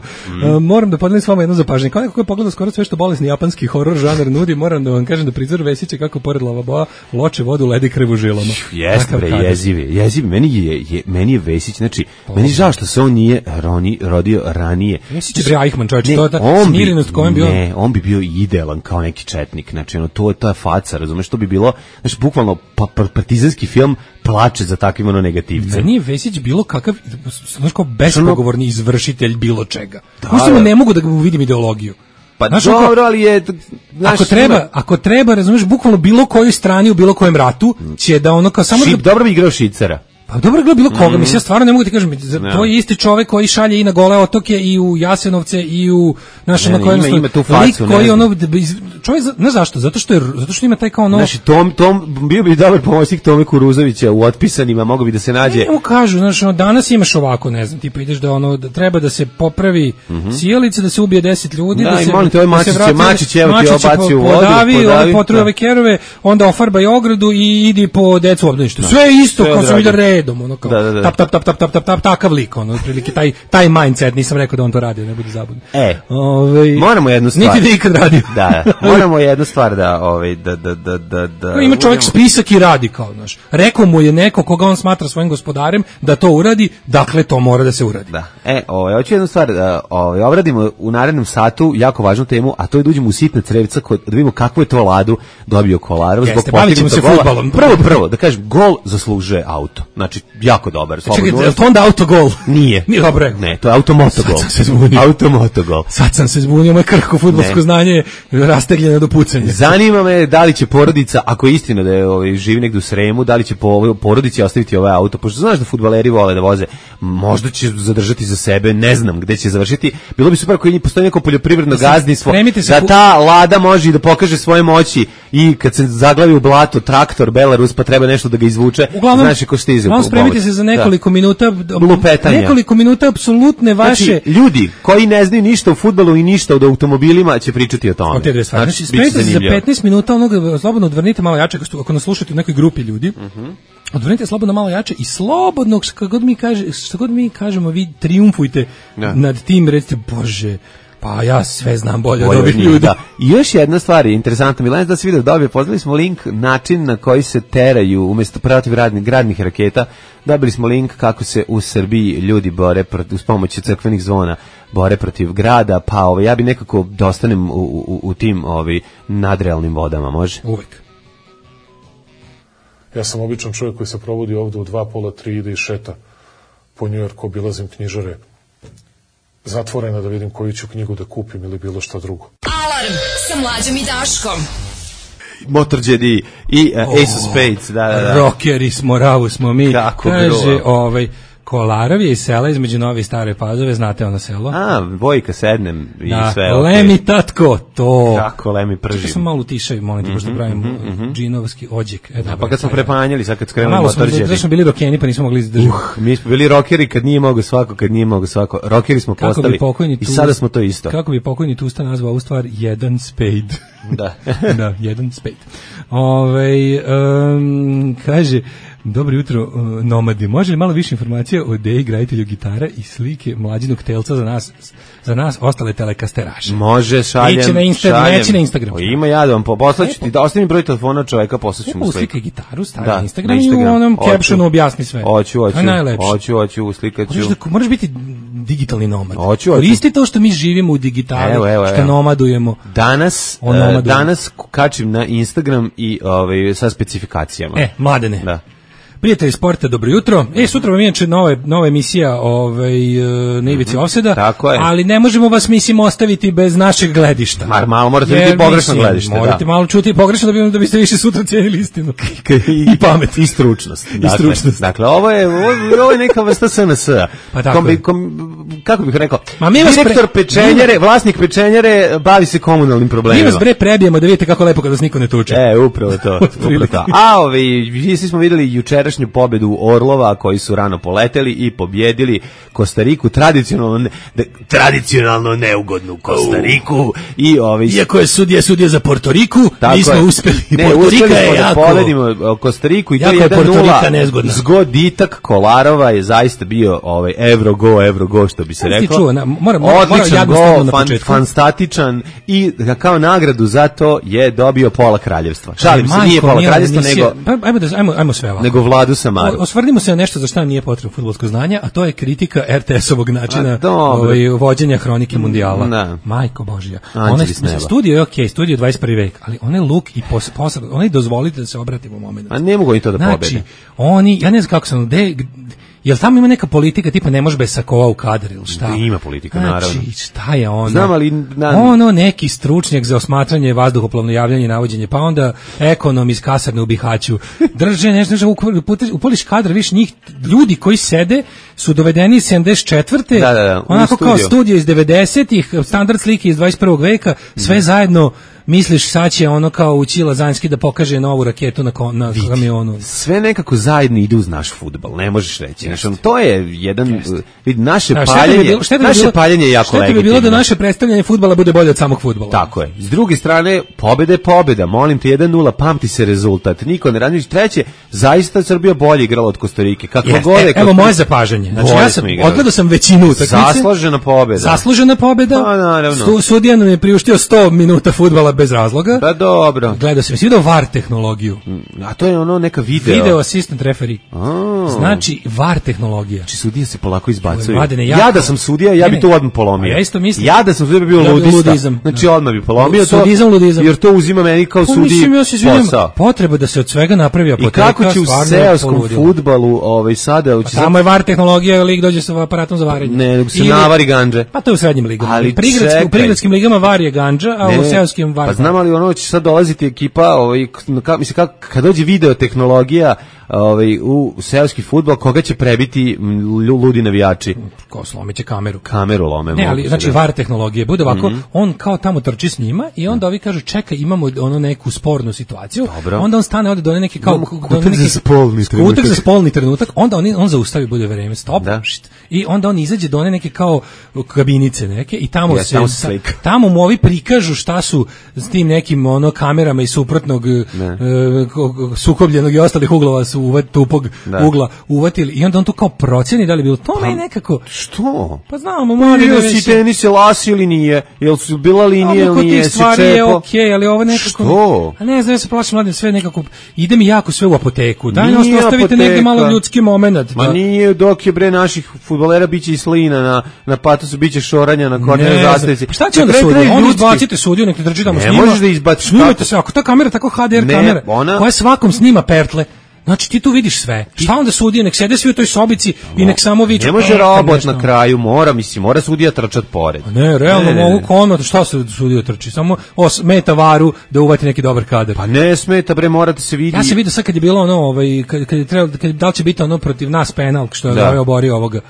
Moram da podelim s vama jedno zapažanje. Kao neko ko je pogledao skoro sve što bolesni japanski horor žanar nudi, moram da vam kažem da prizor Vesića kako pored lavaboa loče vodu, ledi krv u žilama.
Jeste bre, jezivi. Meni je Vesić, znači, meni žao što se on nije rodio ranije.
Vesić je bre Eichmann, čovječe, to je ta smirenost kojom bi
Ne, on bi bio idealan kao neki četnik. Znači, to je ta faca, razumeš, to bi bilo, znači, bukvalno partizanski film plače za takvim negativcem.
Meni je Vesić bilo kakav, znači, kao bespogovorni izvršitelj bilo čega. Uistinu ne mogu da vidim ideologiju.
Pa dobro, ali je...
Ako treba, razumeš, bukvalno bilo kojoj strani u bilo kojem ratu će da ono kao samo...
Dobro bi igrao Šicera.
Pa dobro gleda bilo koga, mislim, ja stvarno ne mogu ti kažem, to je isti čovjek koji šalje i na Gole otoke i u Jasenovce i u naše na kojem
ima tu facu,
koji ono čovjek, ne zašto, zato što ima taj kao ono.
Znači Tom bio bi dobar pomoćnik Tome Kuruzovića u Otpisanima, mogao bi da se nađe.
Ne kažu, znači danas imaš ovako, ne znam, tipa ideš da ono da treba da se popravi sijalica, da se ubije 10 ljudi,
da se Mačić evo ti obaci u vodu,
podavi, potruje ove kerove, onda ofarbaj ogradu i idi po decu u obdaništu. Sve isto kao sam vidio red. redom, ono kao tap, takav lik, ono, otprilike taj mindset, nisam rekao da on to radi, ne bude zabudno.
Moramo jednu stvar.
Niti da ikad radio.
Da, moramo jednu stvar da
ima čovjek spisak i radi kao, znaš. Rekao mu je neko koga on smatra svojim gospodarem da to uradi, dakle to mora da se uradi.
Da. Hoću jednu stvar da obradimo u narednom satu jako važnu temu, a to je da uđemo u sitna crevca da vidimo kakvu je to Ladu dobio Kolarov zbog postignutog gola.
Fudbalom.
Prvo, da kažem, gol zaslužuje auto. Znači, jako dobar.
Čekaj, je to onda autogol?
Nije.
Nije dobro.
Ne, to je automotogol.
Sad sam se zbunio.
Automotogol.
Sad sam se zbunio, moje krhko fudbalsko znanje rastegljeno do pucanja.
Zanima me da li će porodica, ako je istina da je živi negdje u Sremu, da li će porodici ostaviti ovaj auto, pošto znaš da fudbaleri vole da voze, možda će zadržati za sebe, ne znam gde će završiti. Bilo bi super ako postoji neko poljoprivredno gazdinstvo, da ta Lada može i da pokaže svoje moći i kad se zaglavi u blato traktor Belarus pa treba nešto da ga izvuče, znaš ko stiže.
Uglavnom spremite se za nekoliko minuta
lupetanja.
Nekoliko minuta apsolutne vaše.
Znači, ljudi koji ne znaju ništa o fudbalu i ništa o automobilima će pričati o tome.
Znači, spremite se za 15 minuta onoga, slobodno odvrnite malo jače ako nas slušate u nekoj grupi ljudi. Odvrnite slobodno malo jače i slobodno, što god mi kažemo, vi trijumfujte nad tim, recite, Bože, pa ja sve znam bolje od ovih ljudi.
Da. I još jedna stvar je interesantna, Milan, da se video dobio, pozdravili smo link, način na koji se teraju umjesto protiv gradnih raketa, dobili smo link kako se u Srbiji ljudi bore uz pomoć crkvenih zvona, bore protiv grada, pa ja bi nekako da ostanem u tim nadrealnim vodama, može?
Uvijek.
Ja sam običan čovjek koji se provodi ovdje u 2, pola, 3, ide i šeta po Njujorku, obilazim knjižare zatvorena da vidim koju ću knjigu da kupim ili bilo šta drugo.
Alarm sa Mlađom i Daškom.
Motorđedi i Ace of Spades. Da.
Rockeri smo, ravu smo mi.
Kako
kaže, Kolarov je iz sela između Nove i Stare Pazove, znate ono selo?
Vojka sednem i sve.
Lemi tatko, to.
Kako Lemi pržim.
Čekaj sam malo utišaju, molim te, pošto pravim džinovski ođek.
Pa kad smo prepanjali, sad kad skrenuli motorđedi.
Malo smo bili rokeni, pa nismo mogli izdržati.
Mi smo bili rokeri kad nije mogo svako, Rokeri smo postali i sada smo to isto.
Kako bi pokojni Tusta nazvao ovu stvar? Jedan spade.
Da.
Da, jedan spade. Kaže, dobro jutro, nomadi. Može li malo više informacija o ideji graditelju gitara i slike Mlađinog telca za nas ostale telekasteraše?
Može, šaljem.
Neće na Instagram.
Ima ja da vam poslaću ti, da ostavim broj telefona čoveka, poslaću mu sliku.
Uslika gitaru, stavi na Instagram i u onom captionu objasni sve.
Hoću, uslikaću.
Moraš biti digitalni nomad.
Hoću.
Koristi to što mi živimo u digitali, što nomadujemo.
Danas kačim na Instagram i sa specifikacijama.
Mladene.
Da.
Prijatelji sporta, dobro jutro. Sutra vam inače nova emisija na ivici ofseda, ali ne možemo vas, mislim, ostaviti bez našeg gledišta.
Malo morate biti pogrešno gledište.
Morate malo čuti pogrešno da biste više sutra cijenili istinu.
I pamet. I stručnost. Dakle, ovo je neka vrsta SNS-a.
Pa tako je.
Kako bih rekao? Direktor pečenjare, vlasnik pečenjare, bavi se komunalnim problemima.
Mi vas prebijemo da vidite kako lepo kada vas niko ne tuče.
Upravo to. A svi smo videli jučerašnju pobedu Orlova koji su rano poleteli i pobjedili Kostariku, tradicionalno neugodnu Kostariku.
Iako je sudija za Portoriku, mi smo uspeli.
Portorika je jako. Da pobedimo Kostariku i to je 1-0. Zgoditak Kolarova je zaista bio Euro go, što bi se rekao. Odličan gol, fantastičan i kao nagradu za to je dobio pola kraljevstva. Šalim se, nije pola kraljevstva, nego...
Ajmo sve ovako.
Nego Vladu Samaru.
Osvrnimo se na nešto za što nam nije potrebno fudbalsko znanje, a to je kritika RTS-ovog načina vođenja hronike mundijala. Majko Božja. Studio je okej, studio je 21. vek, ali onaj luk i posad, onaj dozvolite da se obratimo u momentu.
A ne mogu i to da pobede.
Znači, ja ne znam kako sam, jel tamo ima neka politika tipa ne može bez sakova u kadar ili šta?
Ima politika, naravno.
Znači, šta je ono?
Znam, ali...
neki stručnjak za osmatranje vazduhoplovno javljanje i navođenje, pa onda ekonom iz kasarne u Bihaću. Drže nešto, upoliš kadar, viš njih, ljudi koji sede su dovedeni iz 74. Onako kao studio iz 90-ih, standard slike iz 21. veka, sve zajedno misliš sad će ono kao ući Lazanski da pokaže novu raketu na kamionu.
Sve nekako zajedno ide uz naš fudbal, ne možeš reći. Znači, to je jedan, naše paljenje je jako legitimno. Šta bi bilo da naše predstavljanje fudbala bude bolje od samog fudbala? Tako je. S druge strane, pobeda je pobeda, molim te 1-0, pamti se rezultat. Niko ne radi. Treće, zaista Srbija bolje igrala od Kostarike.
Evo moje zapažanje. Znači, odgledao sam većinu utakmice. Zaslužena pobeda.
Pa, naravno.
Sudija nam je priuštio 100 minuta fudbala bez razloga.
Da, dobro.
Gledao sam, vidio VAR tehnologiju.
A to je ono neka
Video assistant referee. Znači, VAR tehnologija.
Znači, sudije se polako izbacuju. Ja da sam sudija, ja bi to odmah polomio.
Ja isto mislim.
Ja da sam sudija bi bio ludizam. Znači, odmah bi polomio to.
Ludizam.
Jer to uzima meni kao sudiji posao.
Potreba da se od svega napravi apoteka.
I kako će u seoskom fudbalu sada...
Tamo je VAR tehnologija, lig dođe sa aparatom za varenje.
Ne, nego se navari gandže.
Pa to je u srednjim ligama. U prigradskim ligama VAR je gandža, a u seoskim VAR.
Pa znam ali ono će sad dolaziti ekipa, mislim kad dođe video tehnologija u seoski fudbal, koga će prebiti ludi navijači?
Ko slomiće kameru.
Kameru lome.
Ne, ali znači VAR tehnologije bude ovako, on kao tamo trči s njima i onda ovi kažu čekaj, imamo ono neku spornu situaciju.
Dobro.
Onda on stane ovde do neki kao
kutak za
spolni trenutak, onda on zaustavi bude vreme, stop. I onda on izađe do one neke kao kabinice neke i tamo tamo mu ovi prikažu šta su s tim nekim ono kamerama iz suprotnog sukobljenog i ostalih uglova su tupog ugla uvatili i onda on to kao proceni da li bilo to meni nekako.
Što?
Pa znamo, mali
da si tenis lasi ili nije, jel su bila linija ili nije, si čepo.
Je okej, ali ovo nekako...
Što?
A ne znam, ja se plašim mladim, sve nekako, ide mi jako sve u apoteku. Daj nas ostavite negdje malo ljudski moment.
Ma nije, dok je bre naših fudbalera biće i slina, na patosu biće šoranja, na kornere zastavici.
Pa šta će onda sudiju? Onda izbacite sudiju, nek ne drži tamo snima.
Ne možeš da izbaciš.
Snimajte se, ako ta kamera tako HDR kamera, koja svakom snima pertle, znači ti tu vidiš sve. Šta onda sudije, nek sede svi u toj sobici i nek samo viču.
Ne može robot na kraju, mora sudija trčat pored.
Ne, realno mogu kono, šta se sudija trči? Samo smeta VAR-u da uvati neki dobar kadar.
Pa ne smeta, bre, morate se vidjeti.
Ja se vidio sad kad je bilo ono, kad je trebalo, da li će biti ono protiv nas penal, što je oborio ovoga.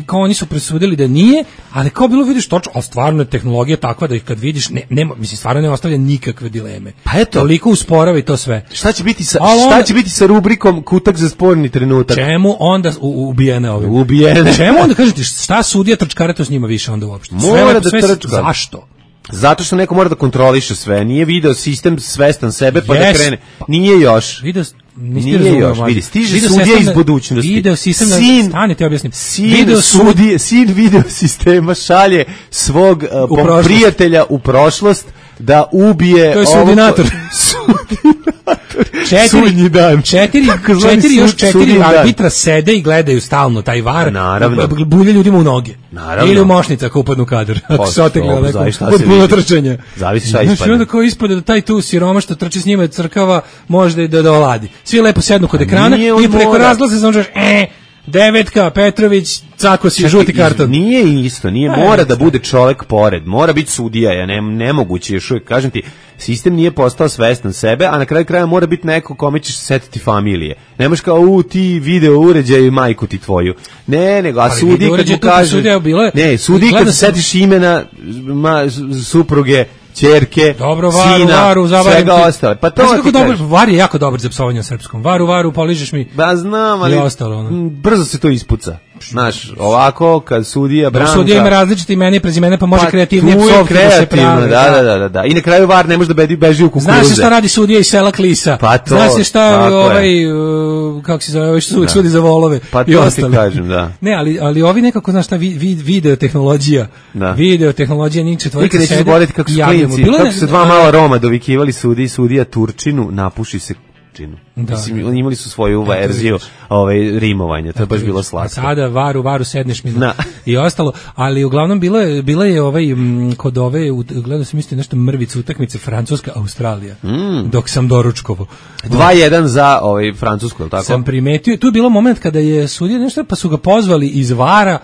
Kao oni su presudili da nije, ali kao bilo vidiš točno, ali stvarno je tehnologija takva da ih kad vidiš, mislim, stvarno ne ostavlja nikakve dileme.
Pa eto.
Toliko usporava i to sve.
Šta će biti sa rubrikom kutak za sporni trenutak?
Čemu onda ubijene ove?
Ubijene.
Čemu onda kažete šta sudija trčkare to s njima više onda uopšte?
Mora da trčka.
Zašto?
Zato što neko mora da kontroliše sve. Nije video sistem svestan sebe pa da krene. Nije još. Nije još. Vidi, stiže sudija iz budućnosti.
Video sistem, stani te objasnim.
Sin video sistema šalje svog prijatelja u prošlost da ubije...
To je sudinator. Četiri arbitra sede i gledaju stalno taj VAR.
Naravno.
Bulje ljudima u noge.
Naravno.
Ili u mošnica ako upadnu u kadar. Ako se otegli od puno trčanja.
Zavisi šta ispadne.
Znači onda kao ispada da taj tu siroma što trči s njima i crkava možda i da oladi. Svi lepo sednu kod ekrana i preko razglaza se možeš Devetka, Petrović, cako si žuti karton.
Nije isto, mora da bude čovjek pored, mora biti sudija, nemoguće još uvijek, kažem ti, sistem nije postao svestan sebe, a na kraju kraja mora biti neko kome ćeš setiti familije. Ne možeš kao, ti video uređaj majku ti tvoju. Ne, nego, a sudi kad mu kaže... Sudi kad se setiš imena supruge, ćerke, sina, svega ostale. Pa to ti kažeš.
VAR je jako dobar za psovanje na srpskom. Varu, poližeš mi.
Ba znam, ali brzo se to ispuca. Znaš, ovako, kad sudija Branka...
Sudija ima različite imena i prezimena, pa može kreativnije psovke da se pravi.
Da. I na kraju VAR ne može da beži u kukuruze.
Znaš se šta radi sudija iz sela Klisa.
Pa to,
znaš se šta kako se zove, sudi za volove.
Pa to ti kažem, da.
Ne, ali ovi nekako, znaš šta, video tehnologija. Njih četvorika
nikad nećeš zaboraviti kako su klinci, kako su dva mala Roma dovikivali sudija Turčinu, napuši se Turčinu. Mislim, oni imali su svoju verziju rimovanja, to je baš bilo slatko.
Sada varu sedneš mi i ostalo, ali uglavnom bila je kod ove, gledao sam isto nešto mrvicu utakmice Francuska-Australija, dok sam doručkovo.
2-1 za Francusku, je li tako?
Sam primetio, tu je bilo moment kada je sudija nešto, pa su ga pozvali iz VAR-a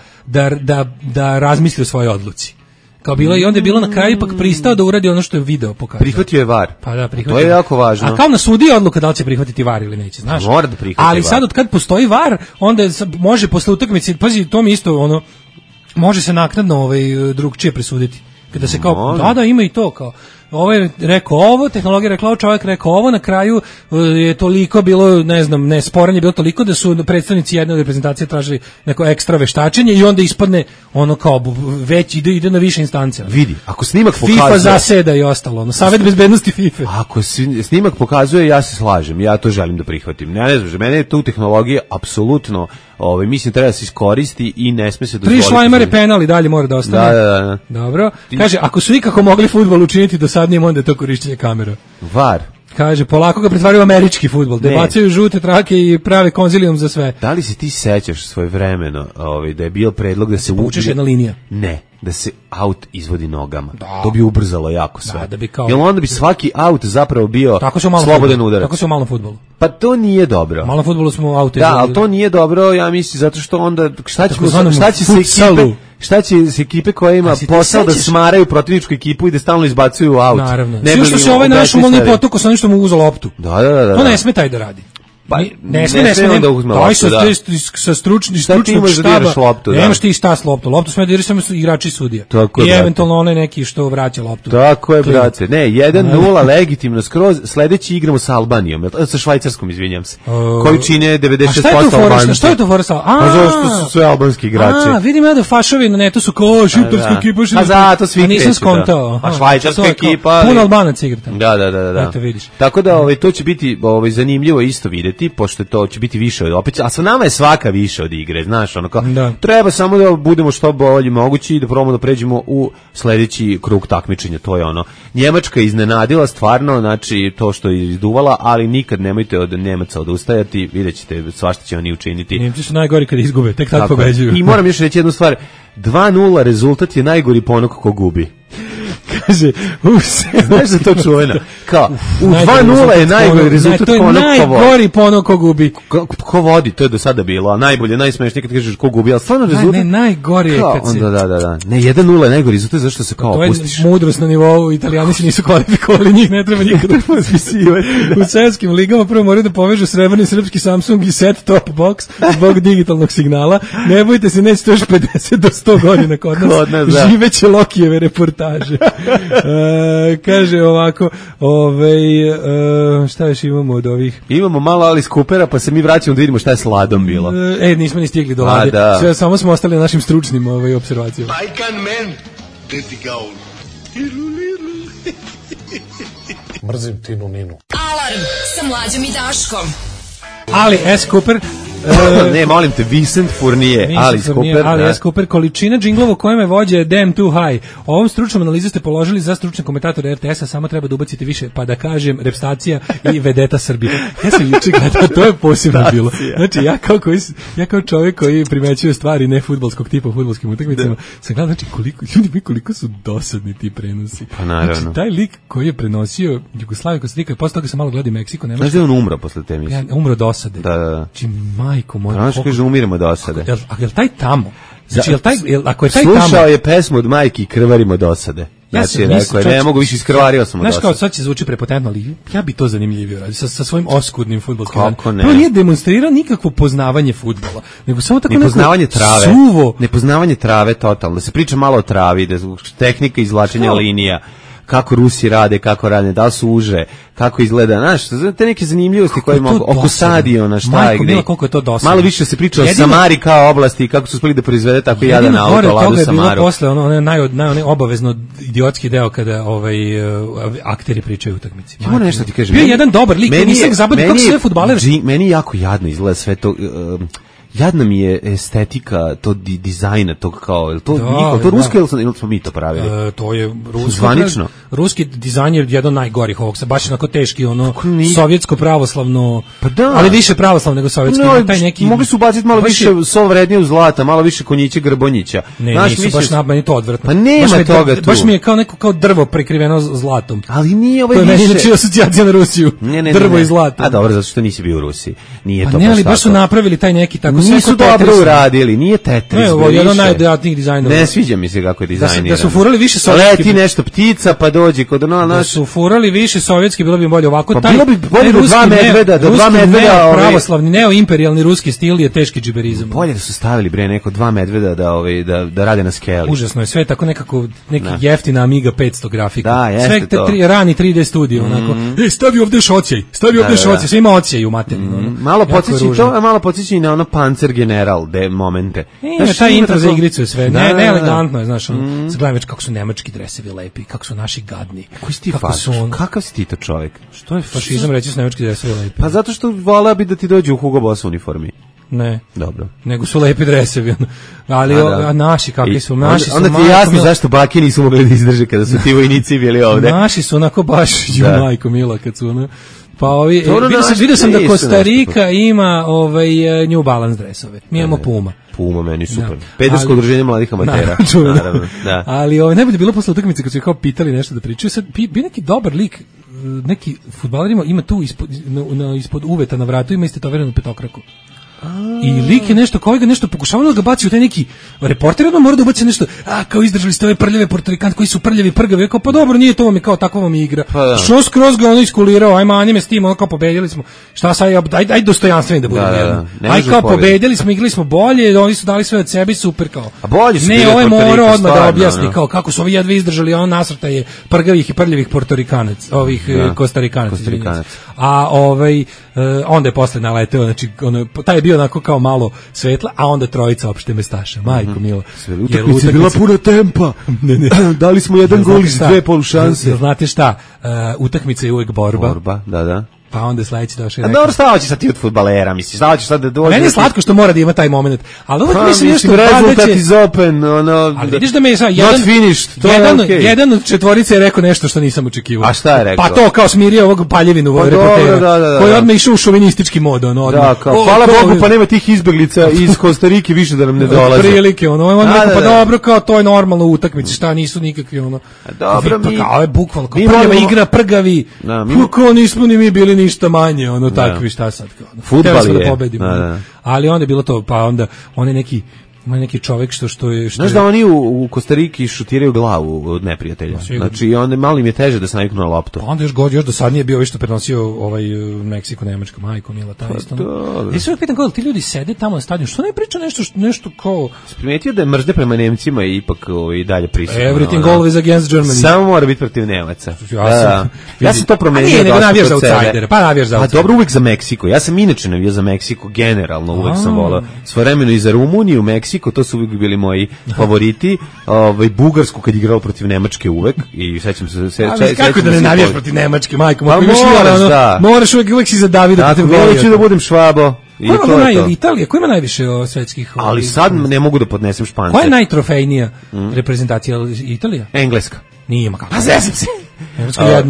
da razmisli o svojoj odluci. Kao bilo i onda je bilo na kraju ipak pristao da uradi ono što je video pokazao.
Prihvatio je VAR.
Pa da, prihvatio.
To je jako važno.
A kao na sudiji odluka da li će prihvatiti VAR ili neće, znaš.
Mora da prihvati
ali sad od kad postoji VAR, onda može posle utakmice, pazi, to mi isto može se naknadno drugčije presuditi. Kada se kao da ima i to kao ovo je rekao ovo, tehnologija rekla ovo, čovjek rekao ovo, na kraju je toliko bilo, ne znam, nesporanje bilo toliko da su predstavnici jedne od reprezentacije tražili neko ekstra veštačenje i onda ispadne ono kao već ide na više instance.
Vidi, ako snimak pokazuje...
FIFA zaseda i ostalo, ono, Savet bezbednosti FIFA.
Ako snimak pokazuje, ja se slažem, ja to želim da prihvatim. Ne znam, mene je tu tehnologija apsolutno, mislim, treba da se iskoristi i ne sme se dozvoliti.
3 šlajmare penali dalje mora da ostane.
Da.
Dobro. Kaže, ako su ikako mogli fudbal učiniti dosadnijim, onda je to korišćenje kamera.
VAR.
Kaže, polako ga pretvaraju u američki fudbal, da bacaju žute trake i prave konzilijum za sve.
Da li se ti sećaš svojevremeno da je bio predlog da se
povučeš jedna linija?
Ne, da se aut izvodi nogama. Da. To bi ubrzalo jako sve.
Da bi kao...
Jer onda bi svaki aut zapravo bio slobodan udarac.
Tako se u malom fudbalu.
Pa to nije dobro.
U malom fudbalu smo aute.
Da, ali to nije dobro, ja mislim, zato što onda šta će se ekipe koja ima posao da smaraju protivničku ekipu i da stalno izbacuju aut.
Naravno. Sve što se ovaj naš umolni potok sa onim što mu uzeo loptu.
Da.
To ne sme taj da radi.
Pa
ne sme
da uzme loptu,
sa stručnog štaba. Nemaš ti šta s loptom. Loptu sme da igraju samo igrači sudija. I eventualno onaj neki što vraća loptu.
Tako je, brate. Ne, 1-0 legitimno skroz. Sledeći igramo sa Albanijom, sa Švajcarskom, izvinjam se. Koju čine 96% Albanci.
Šta je to fora sa?
Pa zašto su sve albanski igrači?
Vidim ja da fašovi na netu su kao šiptarska ekipa.
A zato svi kreću.
Nisam skontao.
A švajcarska ekipa.
Puno Albanaca igra tamo.
Da. Tako da to će biti zanimljivo isto videti, pošto to će biti više od opet, a sa nama je svaka više od igre, znaš, ono kao, treba samo da budemo što bolji mogući i da probamo da pređemo u sledeći krug takmičenja, to je ono. Njemačka iznenadila stvarno, znači to što je izduvala, ali nikad nemojte od Nemaca odustajati, vidjet ćete svašta će oni učiniti.
Nemci su najgori kad izgube, tek tad pobeđuju.
I moram još reći jednu stvar, 2-0 rezultat je najgori po onog ko gubi.
Kaže,
znaš za to čuvena? Kao, u 2-0 je najgori rezultat ko onog ko vodi.
To je najgori po onog ko gubi.
Ko vodi, to je do sada bilo, a najbolje, najsmešnije kad kažeš ko gubi, ali stvarno rezultat...
Ne, najgori je kad se...
Da. Ne, 1-0 je najgori rezultat, zašto se kao opustiš?
To je mudrost na nivou, Italijani se nisu kvalifikovali, njih ne treba nikada pospisivati. U svetskim ligama prvo moraju da povežu srebrni srpski Samsung i set top box zbog digitalnog signala. Ne bojte se, neće to još 50 do 100 godina kod nas. Živeće Lokijeve reportaže. Kaže ovako, šta još imamo od ovih?
Imamo malo Alice Coopera, pa se mi vraćamo da vidimo šta je s Ladom bilo.
Nismo ni stigli do Lade. Sve, samo smo ostali na našim stručnim observacijama.
Bajkan men, deti gaun.
Mrzim Tinu Ninu.
Alarm sa Mlađom i Daškom.
Ali S. Cooper...
ne, molim te, Vincent Fournier, Alice Cooper.
Alice Cooper, količina džinglova kojem je vođa je damn too high. Ovom stručnom analizu ste položili za stručne komentatore RTS-a, samo treba da ubacite više, pa da kažem, repstacija i vedeta Srbije. Ja sam juče gledao, to je posebno bilo. Znači, ja kao čovjek koji primećuje stvari ne fudbalskog tipa u fudbalskim utakmicama, sam gledao, znači, koliko su dosadni ti prenosi.
Pa naravno.
Znači, taj lik koji je prenosio Jugoslaviju, Kostarika, posle toga sam malo gledao Meksiko, Nemačku.
Znaš da je on umro posle te emisije?
Umro od osade.
Da.
Znači, majko moja.
Znaš kaže, umiremo do osade.
A je li taj tamo? Znači, ako je taj
slušao
tamo...
je pesmu od majki Krvarimo do osade. Znači, rekao je, ne mogu više, iskrvario sam od osade.
Znaš kao, sad će zvuči prepotentno, ali ja bi to zanimljivio radi, sa svojim oskudnim fudbalskim.
Kako ne?
Prvo nije demonstrirao nikakvo poznavanje fudbala, nego samo tako
nepoznavanje
neko
trave,
suvo.
Nepoznavanje trave totalno, da se priča malo o travi, da tehnika izvlačenja linija, kako Rusi rade, kako rade, da li su uže, kako izgleda, znaš, te neke zanimljivosti koje mogu, oko stadiona, šta je gde.
Koliko je to dosadno.
Malo više se priča o Samari kao oblasti, kako su uspeli da proizvede tako jadan auto, Ladu Samaru.
Jedino gore toga je bilo posle, onaj obavezno idiotski deo kada akteri pričaju utakmici.
Ja moram nešto ti kažem.
Bio jedan dobar lik, nisam zaboravio kako sve fudbaler.
Meni jako jadno izgleda sve to... Jadna mi je estetika, to dizajna, tog kao, to njihovo, to ruski ili smo mi to pravili?
To je ruski.
Zvanično.
Ruski dizajn je jedan najgorih ovog, sa baš onako teški, sovjetsko pravoslavno, ali više pravoslavno nego sovjetski. Taj neki,
mogli su ubaciti malo više sol vrednije zlata, malo više konjića Grbonjića.
Ne, nisu baš meni to odvratno.
Pa nema toga tu.
Baš mi je kao neko kao drvo prekriveno zlatom.
Ali nije ovaj
više. To je meni znači asocijacija na Rusiju. Drvo i zlato.
A dobro, zato što nisi bio u Rusiji. Nije to
baš. Ne, ali baš su napravili taj neki tako
nisu dobro uradili, nije Tetris.
Ne, ovo je jedan najdodatnijih dizajnova.
Ne sviđa mi se kako je dizajnirano.
Da su furali više sovjetski.
Leti nešto ptica, pa dođi kod ono,
da su furali više sovjetski, bilo bi bolje ovako.
Pa bilo bi bolje do dva medveda,
pravoslavni, neoimperijalni ruski stil je teški džiberizam.
Bolje da su stavili bre neko dva medveda da rade na skeli.
Užasno je sve tako nekako neki jeftina Amiga 500 grafika.
Da, jeste to.
Sve rani 3D studio, onako. Stavi ovde šocijaj, sve ima ocijaj u materinu.
Malo podsjeća i to, a malo podsjeća i na ono Panzer General momente.
Taj intro za igricu je sve. Ne, elegantno je, znaš, gledam već kako su nemački dresevi lepi, kako su naši gadni.
Koji si ti kakav si ti to čovjek?
Što je fašizam reći su nemački dresevi lepi?
Pa zato što voleo bi da ti dođe u Hugo Boss uniformi.
Ne.
Dobro.
Nego su lepi dresevi. Ali a naši kakvi su? Naši su.
Onda ti je jasno zašto bake nisu mogli da izdrže kada su ti vojnici bili ovde.
Naši su onako baš majko mila kad su ono. Pa ovi vidio sam da Kostarika ima New Balance dresove. Mi imamo Puma.
Puma meni super. Pedersko udruženje mladih amatera. Naravno. Da.
Ali najbolje bilo posle utakmice kad su kao pitali nešto da pričaju. Sad bi neki dobar lik, neki fudbaler ima tu ispod uveta na vratu ima istetoviranu petokraku. I lik je nešto, kao ga nešto pokušavao da ga baci u taj neki reporter, odmah mora da ubaci nešto, kao izdržali ste ove prljave portorikanti koji su prljavi, prgavi, kao pa dobro, nije to vam je kao tako vam igra. Pa što skroz ga ono iskulirao, ajma anime s tim, ono kao pobedili smo, šta sad, aj dostojanstveni da budemo. Aj kao pobedili smo, igrali smo bolje, oni su dali sve od sebe, super kao.
A bolje su
ne, ovaj mora odmah da objasni, kao kako su ovi jedva izdržali, on nasrta je prgavih i prljavih portorikanac, ovih kostarikanac. A onda je posle naleteo, znači taj je bio onako kao malo svetla, a onda trojica opšte mestaša. Majko milo.
Utakmica je bila puna tempa. Dali smo jedan gol iz dve polušanse.
Znate šta? Utakmica je uvek borba.
Borba, da.
Pa onda sledeći došao.
A dobro, šta hoćeš sad ti od fudbalera, misliš? Šta hoćeš sad da dođe?
Meni je slatko što mora da ima taj momenat. Ali uvek mislim nešto
rezultat iz Open, ono.
Ali vidiš da me jedan od četvorice je rekao nešto što nisam očekivao.
A šta je rekao?
Pa to kao smirio ovog Paljevinu reportera. Koji odmah išao u šovinistički mod, ono.
Da, kao hvala Bogu, pa nema tih izbeglica iz Kostarike više da nam ne dolaze.
Prilike, ono. On rekao pa dobro, kao to je normalno u utakmici, šta nisu nikakvi ono.
Dobro, mi
kao je bukvalno prljava igra, prgavi. Kako nismo ni mi bili ništa manje, ono takvi, šta sad kao.
Fudbal je.
Da pobedimo. Ali onda je bilo to, pa onda on je neki čovjek što je...
Znaš da oni u Kostariki šutiraju glavu od neprijatelja. Znači, onda malo im je teže da se naviknu na loptu.
Pa onda još dosadnije bio što prenosio Meksiko, Nemačka, majko, mila, ta isto. Ja se uvijek pitam kako ti ljudi sede tamo na stadionu, što ne priča nešto kao...
Primetio da je mržnja prema Nemcima i ipak i dalje prisutno.
Everything always against Germany.
Samo mora biti protiv Nemaca. Ja sam to promenio.
Nije, nego navijaš za outsidere. Pa navijaš za outsidere.
Pa dobro, uvijek za Meksiko. Ja sam inače navijao za Meksiko, generalno uvijek sam volao. Svojevremeno i za Rumuniju, Meksiko, to su uvijek bili moji favoriti. Bugarsku kad igrao protiv Nemačke uvek i sećam se
kako da ne navijaš protiv Nemačke, majko, moraš uvijek si za Davida protiv Golijata.
Hoću da budem Švabo.
Italija, ko ima najviše svetskih?
Ali sad ne mogu da podnesem Špance.
Koja je najtrofejnija reprezentacija? Italija?
Engleska.
Nije ima kako.
A zezam se.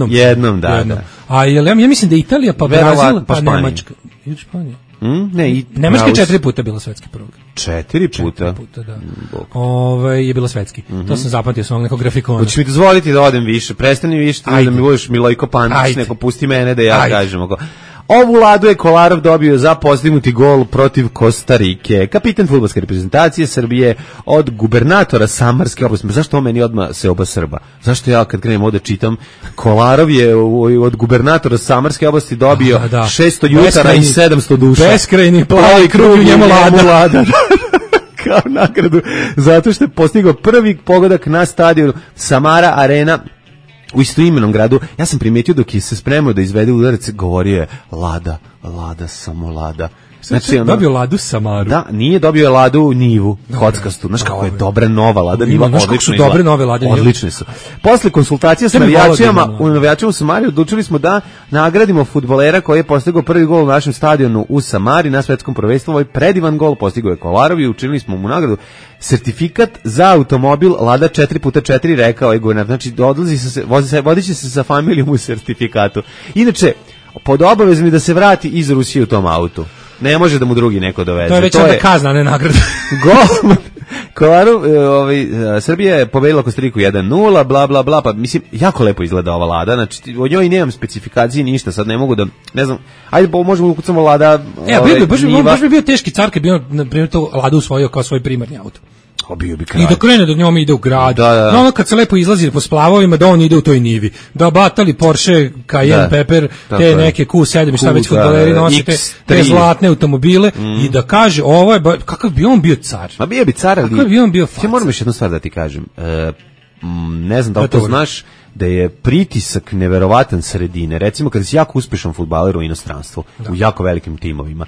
Jednom, da. A ja mislim da Italija, pa Brazil, pa Nemačka. I Španija. Nemačka 4 puta bila svetski prvak.
4 puta?
4 puta, da. Je bila svetski. To sam zapamtio s ovog nekog grafikona.
Hoćeš mi dozvoliti da odem više? Prestani više, da mi budeš Milojko Pantić, neko pusti mene da ja kažem. Ovu ladu je Kolarov dobio za postignuti gol protiv Kostarike. Kapitan fudbalske reprezentacije Srbije od gubernatora Samarske oblasti. Zašto on meni odmah se oba Srba? Zašto ja kad krenem ovde čitam? Kolarov je od gubernatora Samarske oblasti dobio 600 jutara i 700 duša.
Beskrajni plavi krug u njemu lada.
Kao nagradu, zato što je postigao prvi pogodak na stadionu Samara Arena u istoimenom gradu. Ja sam primetio dok je se spremao da izvede udarac, govorio je Lada, samo Lada.
Znači, dobio Ladu Samaru.
Da, nije dobio je Ladu Nivu, kockastu. Znaš kako je dobra nova Lada Niva, odlično.
Dobre nove Lade Niva.
Odlične su. Posle konsultacija s navijačima u Samari odlučili smo da nagradimo fudbalera koji je postigao prvi gol u našem stadionu u Samari na svetskom prvenstvu. Ovaj predivan gol postigao je Kolarov i učinili smo mu nagradu sertifikat za automobil Lada 4x4, rekao je guverner. Znači, vodiće se sa familijom u sertifikatu. Inače, pod obavezom je da se vrati iz Rusije u tom autu. Ne može da mu drugi neko doveze.
To je već onda kazna, ne nagrada.
Kolaru, Srbija je pobedila Kostariku 1-0, bla, bla, bla, pa mislim, jako lepo izgleda ova Lada, znači, o njoj nemam specifikacije, ništa, sad ne mogu da, ne znam, ajde, možemo da ukucamo Lada,
baš bi bio teški car kad bi on, na primjer, to Ladu usvojio kao svoj primarni auto.
Bio bi kralj.
I da krene da njome ide u grad.
Da.
No, ono kad se lepo izlazi po splavovima, da on ide u toj nivi. Da batali Porsche, Cayenne, Pepper, te neke Q7 i šta već fudbaleri nosi, te zlatne automobile i da kaže, ovo je, kakav bi on bio car?
Ma bio bi car, ali...
Kakav bi on bio faca?
Ja moram još jednu stvar da ti kažem. Ne znam da li to znaš, da je pritisak neverovatan sredine. Recimo, kada si jako uspešan fudbaler u inostranstvu, u jako velikim timovima,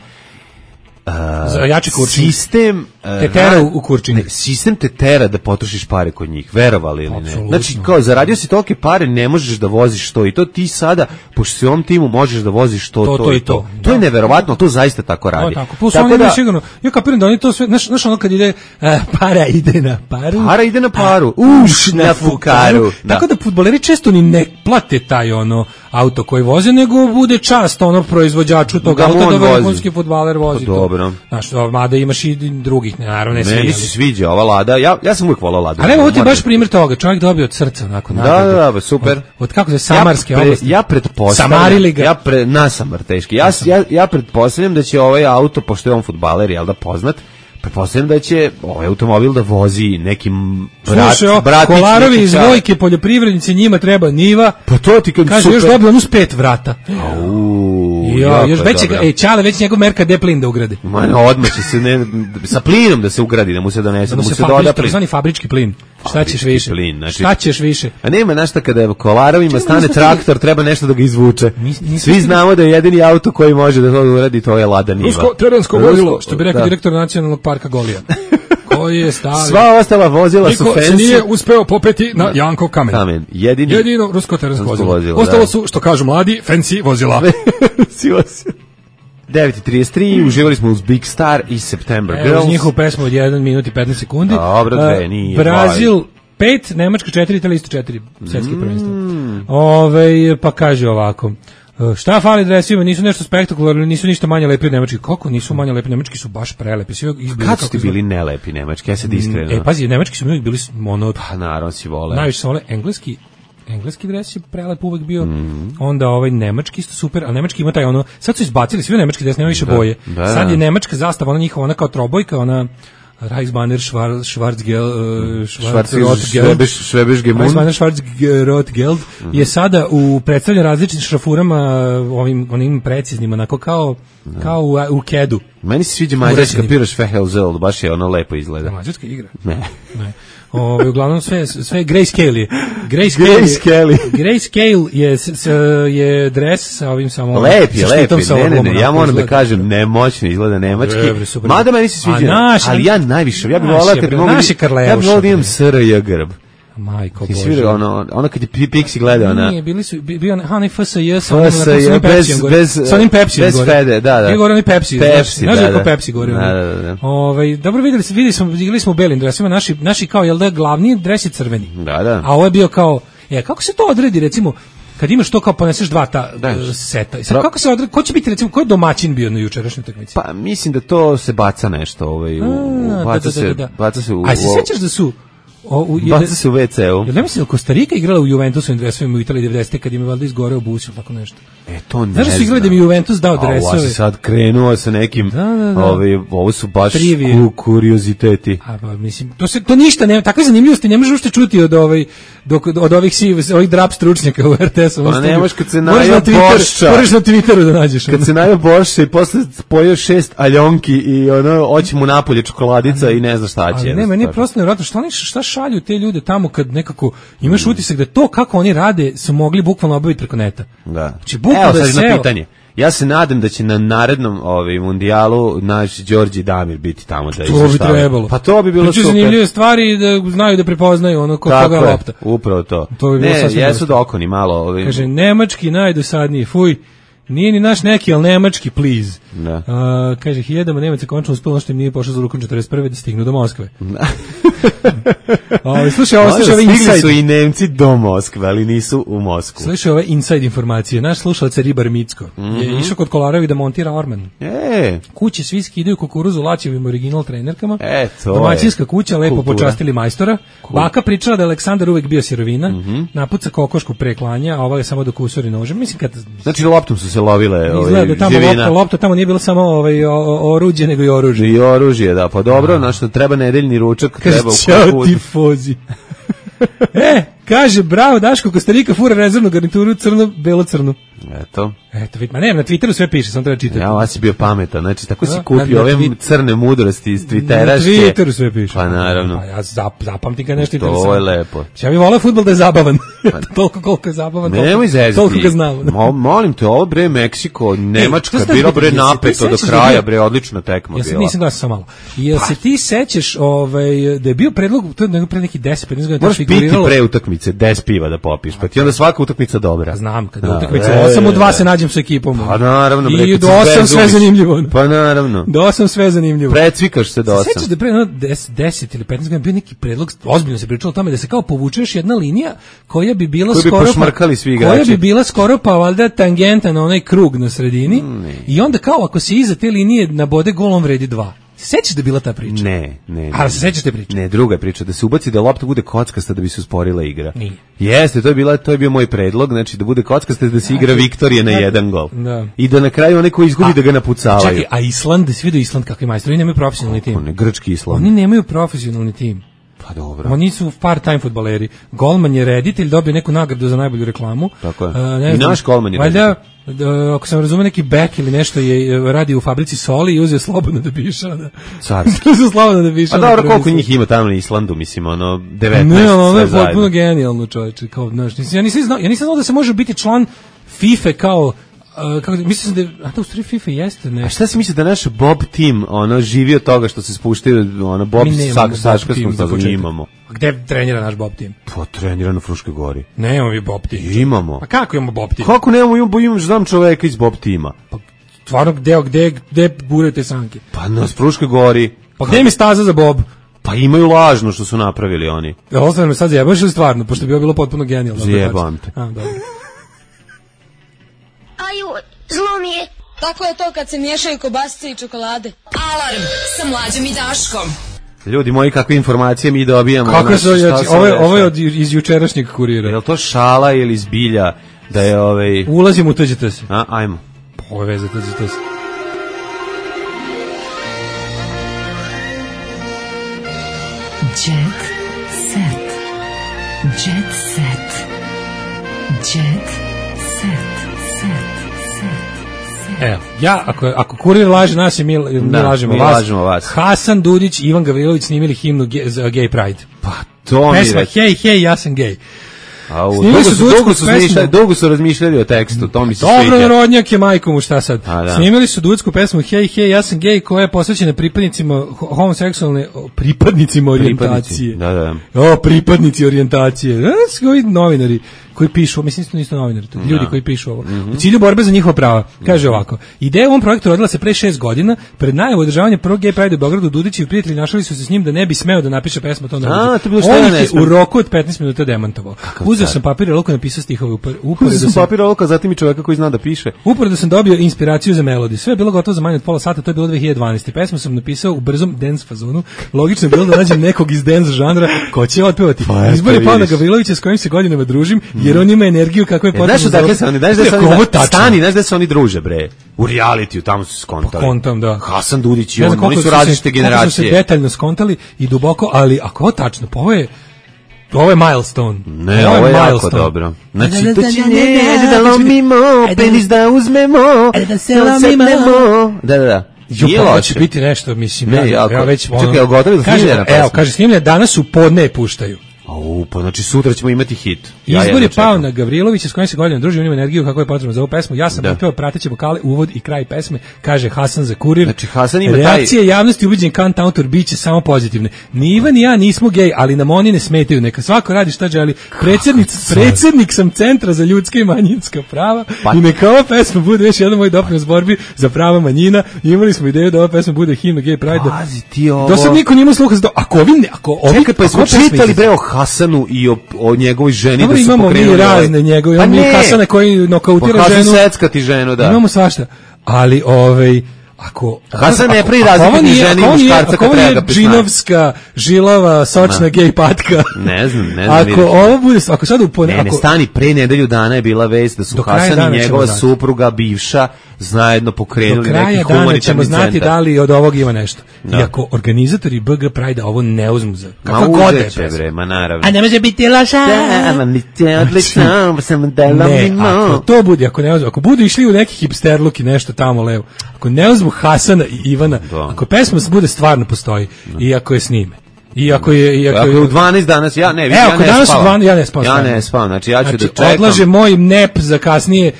jači kurčin.
Sistem
te tera u kurčini.
Sistem te tera da potrošiš pare kod njih, verovali ili ne. Znači, kao zaradio si tolike pare, ne možeš da voziš to i to, ti sada, pošto si u ovom timu možeš da voziš to i to. To je neverovatno, to zaista tako radi.
Plus oni imaju sigurno, ja kapiram da oni to sve, znaš ono kad ide, para ide na paru.
Para ide na paru, na fukaru.
Tako da fudbaleri često ni ne plate taj auto koji voze, nego bude čast proizvođaču tog auta da vrhunski fudbaler vozi to. Znaš, mada imaš i drugih, naravno ne svi.
Meni se sviđa ova Lada, ja sam uvijek volao Ladu.
Ali evo ti baš primjer toga, čovjek dobio od srca onako
nagradu. Da, super.
Od kako se Samarske oblasti.
Ja pretpostavljam.
Samarili ga.
Nasamar teški. Ja pretpostavljam da će ovaj auto, pošto je on fudbaler, jel da poznat, pretpostavljam da će ovaj automobil da vozi nekim bratić.
Kolarovi iz Vojke, poljoprivrednici, njima treba niva.
Pa to ti kad
kaže, još dobio onu s 5 vrata. Još već Čale, već njegov Merka de plin da ugradi.
Odmah će se sa plinom da se ugradi, da mu se donese, da mu se doda plin.
Zvani fabrički plin. Šta ćeš više? Šta ćeš više?
A nema našta kada Kolarovima stane traktor, treba nešto da ga izvuče. Svi znamo da je jedini auto koji može da to uradi, to je Lada Niva.
Rusko terensko vozilo, što bi rekao direktor Nacionalnog parka Golija. Koji je stavio.
Sva ostala vozila su fancy.
Niko se nije uspeo popeti na Janko kamen. Jedino rusko terensko vozilo. Ostalo su, što kažu mladi, fancy vozila.
9:33, uživali smo uz Big Star i September Girls.
Uz njihovu pesmu od 1 minut i 15 sekundi.
Dobro, dve, nije.
Brazil 5, Nemačka 4, Italija isto 4, svetski prvenstvo. Pa kaže ovako. Šta fali dresima, nisu nešto spektakularno, nisu ništa manje lepi od nemački. Kako nisu manje lepi? Nemački su baš prelepi.
Kad su ti bili nelepi nemački? Ja se iskreno.
Pazi, nemački su mi uvijek bili
Pa naravno si vole.
Najviše se vole engleski dres je prelep uvek bio, onda nemački isto super, a nemački ima taj sad su izbacili svi nemački dres, nema više boje. Sad je nemačka zastava, ona njihova, ona kao trobojka, ona Reichsbanner Schwarzrot-Geld je sada predstavljen različitim šrafurama, onim preciznim, onako kao u kedu.
Meni se sviđa mađarska piraš Fehelzeld, baš je ono lepo izgleda.
Mađarska igra?
Ne.
Uglavnom sve grayscale je. Grayscale je dres sa ovim samo...
Lepi, ne, ja moram da kažem, nemoćno izgleda nemački. Mada meni se sviđa, ali ja najviše, ja bih volao kad da imam SRJ grb.
Majko
Bože. Ti svi ono kad je Pixi gleda ona...
Nije, bio onaj FSJ sa onim Pepsijem
bez Fede, da.
Bio gore onaj Pepsi, znaš da je Pepsi gore. Dobro videli smo, igrali smo u belim dresima, naši kao, jel da, glavni dres je crveni.
Da.
A ovo je bio kao, kako se to odredi, recimo, kad imaš to kao poneseš dva ta seta. I sad kako se odredi, ko će biti, recimo, ko je domaćin bio na jučerašnjoj utakmici?
Pa mislim da to se baca nešto, baca se u...
A se sjećaš da su
baca se u WC-u.
Ja mislim da Kostarika igrala u Juventusovim dresovima u Italiji 90. kad im je valjda izgoreo bus ili tako nešto.
To ne
znam. Znaš da su igrali da mi Juventus dao dresove?
Ovo si sad krenuo sa nekim, ovo su baš kurioziteti.
Mislim, to ništa nema, takve zanimljivosti ne možeš ušte čuti od ovih drap stručnjaka u RTS-u.
Pa nemaš kad se najao Bošća.
Moraš na Twitteru da nađeš.
Kad se najao Bošća i posle pojeo 6 aljonki i oći mu napolje čokoladica i ne zna šta će.
Ali ne, meni je prosto nevjerojatno šta šalju te ljude tamo kad nekako imaš utisak da to kako oni rade su mogli bukvalno obaviti preko neta.
Da.
Znači, bukvalno
da je pitanje. Ja se nadam da će na narednom mundijalu naš Đorđe Damir biti tamo da izveštava.
To bi trebalo.
Pa to bi bilo super.
Zanimljive stvari da znaju da prepoznaju koga lopta.
Upravo to.
To bi bilo
jesu dokoni malo.
Kaže, nemački najdosadniji, fuj. Nije ni naš neki, ali nemački, please.
Da.
Kaže, hiljadama Nemaca končno uspelo što im nije pošlo za rukom 41. da stignu do Moskve. Slušaj, ovo
stigli
inside.
Su i Nemci do Moskve, ali nisu u Moskvu.
Slušaj, ove inside informacije. Naš slušalac Ribar Micko je išao kod Kolarevi da montira orman. Kuće svi skidaju kukuruzu Laćevim original trenerkama. Domaćinska kuća, lepo kultura. Počastili majstora. Baka pričala da je Aleksandar uvek bio sirovina. Napuca kokošku preklanja, a ova je samo do kusuri nožem. Mislim kad
znači loptom su se lovile
izgleda da tamo lopta tamo nije bilo samo oruđe nego i oružje.
I oružje, da. Pa dobro, na što treba nedeljni ručak, treba u
Ćao tifozi. Kaže, bravo Daško, Kostarika fura rezervnu garnituru crno-belo-crnu.
Eto,
vidite, ne, na Twitteru sve piše, samo treba čitati.
Ja, vas si bio pametan, znači tako si kupio ove crne mudrosti iz Twitteraške.
Na Twitteru sve piše.
Pa naravno.
Pa ja zapamtim kad nešto interesantno.
To je lepo.
Ja bih volao fudbal da je zabavan. Toliko koliko je zabavan, toliko ga znamo.
Molim te, ovo bre Meksiko, Nemačka, bilo bre napeto do kraja, bre odlična tekma bila.
Ja nisam glasao samo malo. Jel se ti sećaš da je bio predlog, to je pre neki 10-15 godina.
Moraš piti pre utakmice 10 piva da popiš, pa ti onda svaka utakmica dobra.
Znam, kad utakmica 8-2 se nađem sa ekipom.
Pa naravno,
i do 8 sve zanimljivo.
Pa naravno.
Do 8 sve zanimljivo.
Precvikaš se do 8.
Sećaš da pre 10 ili 15 godina bio neki predlog, ozbiljno se pričalo o tome da se kao povučeš jedna linija koja bi bila koja bi bila skoro pa valjda tangenta na onaj krug na sredini i onda kao ako se iza te linije nabode gol on vredi 2. Sećaš da je bila ta priča?
Ne.
A se sećaš te priče?
Ne, druga je priča, da se ubaci da lopta bude kockasta da bi se usporila igra.
Nije.
Jeste, to je bio moj predlog, znači da bude kockasta da se igra Viktorije na jedan gol.
Da.
I da na kraju onaj ko izgubi da ga napucavaju.
Čekaj, a Island, svi do Island kakvi majstori, oni nemaju profesionalni tim.
Grčki Island.
Oni nemaju profesionalni tim.
Pa dobro.
Oni su part-time fudbaleri. Golman je reditelj, dobio neku nagradu za najbolju reklamu.
Tako je. I naš golman je
reditelj. Ako sam razumio, neki bek ili nešto je radio u fabrici soli i uzeo slobodno da biša.
Carski.
Uzeo slobodno da biša.
A dobro, koliko njih ima tamo na Islandu, mislim, 19.
Ne, ono je potpuno genijalno, čovječe. Ja nisam znao da se može biti član FIFA kao mislim da u stvari FIFA jeste nešto.
A šta si misli da naš Bob tim živi od toga što se spuštaju Bob Saška smo da imamo?
A gde trenira naš Bob tim?
Pa trenira na Fruškoj gori.
Nemamo mi Bob tim.
Imamo.
Pa kako imamo Bob tim?
Kako imamo znam čoveka iz Bob tima.
Pa stvarno gde burete sanke?
Pa na Fruškoj gori.
Pa gde mi staza za Bob?
Pa imaju lažno što su napravili oni.
Ostane me sad zajebaš ili stvarno, pošto bi bilo potpuno genijalno.
Zjebam te.
Aju, zlo mi je. Tako je to kad se miješaju kobasice i čokolade.
Alarm sa Mlađom i Daškom.
Ljudi moji, kakve informacije mi dobijamo?
Kako se ovo je iz jučerašnjeg kurira.
Je li to šala ili zbilja da je
Ulazimo u tuđete se.
Ajmo.
Ovo je veze tuđete se.
Jet set. Jet set. Jet set.
Evo, ako kurir laže nas mi lažemo vas. Hasan Dudić i Ivan Gavrilović snimili himnu za Gay Pride.
Pa to mi
pesma hej, ja sam gay.
Dugo su razmišljali o tekstu, to mi se sviđa.
Dobro, narodnjak je majkom, šta sad? Snimili su duetsku pesmu hej, ja sam gay, koja je posvećena pripadnicima homoseksualne, pripadnicima orijentacije. Pripadnici orijentacije. Ovi novinari koji pišu, mislim da nisu novinari, ljudi koji pišu ovo. U cilju borbe za njihova prava. Kaže ovako: ideja u ovom projektu rodila se pre 6 godina, pred najavu održavanja prvog Gay Pride u Beogradu. Dudić i prijatelji našali su se s njim da ne bi smeo da napiše pesmu to na. On je u roku od 15 minuta demantovao. Uzeo sam papir i olovku, napisao stihove
zatim i čoveka koji zna da piše.
Uporedo sam dobio inspiraciju za melodiju. Sve je bilo gotovo za manje od pola sata, to je bilo 2012. Pesmu sam napisao u brzom dance fazonu. Logično je bilo da nađem nekog iz dance žanra ko će otpevati. Izbor je pao na Gavrilovića s kojim se godinama družim, jer on ima energiju kakva je potrebna.
Znaš da se oni druže, bre. U realitiju tamo su skontali.
Kontam, da.
Hasan Dudić i oni su različite generacije.
Kako su se detaljno skontali i duboko, ali ako je tačno, pa ovo je milestone.
Ne, ovo je jako dobro. Znači, to će da lomimo, penis da uzmemo, da se lomimo. Da.
Ovo će biti nešto, mislim.
Čekaj, gotovi do snimljena pesma?
Evo, kaže, snimljena danas u podne puštaju.
Pa znači sutra ćemo imati hit.
Izbor je pao na Gavrilovića, s kojim se godinama družimo, ima energiju kako je potrebno za ovu pesmu. Ja sam otpeo prateće vokale, uvod i kraj pesme, kaže Hasan za Kurir.
Znači Hasan ima
reakcije javnosti ubeđen kantautor biće samo pozitivne. Ni Ivan ni ja nismo gej, ali nam oni ne smetaju. Neka svako radi šta želi. Predsednik sam Centra za ljudska i manjinska prava i neka ova pesma bude još jedan moj doprinos borbi za prava manjina. Imali smo ideju da ova pesma bude himna gej pride.
Pazi ti ovo.
Do sad niko nima sluha za to.
Čekaj, pa smo čitali bre o Hasanu i o njegovoj ženi da su
imamo
pokrenuli.
Mi razne njegove, imamo mi Hasane koji nokautira ženu.
Hasan secka ti ženu, da.
Imamo svašta. Ali ako
Hasan ne pravi razliku između žene i muškarca kad treba ga pisati.
Džinovska, žilava, sočna gej patka.
Ne znam.
Ako ovo bude, ako sad
ne stani, pre nedelju dana je bila vest da su Hasan i njegova supruga bivša zajedno pokrenuli neki humanitarni centar. Do kraja dana ćemo znati
da li od ovog ima nešto. I ako organizatori BG Pride ovo ne uzmu za kako god je
bre, ma naravno.
A ne može biti loša. Ako to bude, ako budu išli u neki hipster look i nešto tamo levo, ako ne uzmu Hasana i Ivana, ako pesma bude stvarno postoji i ako je snime. Ako je
u 12 danas ja ne spavam. Znači ja ću da čekam.
Odlaže moj nep za kasnije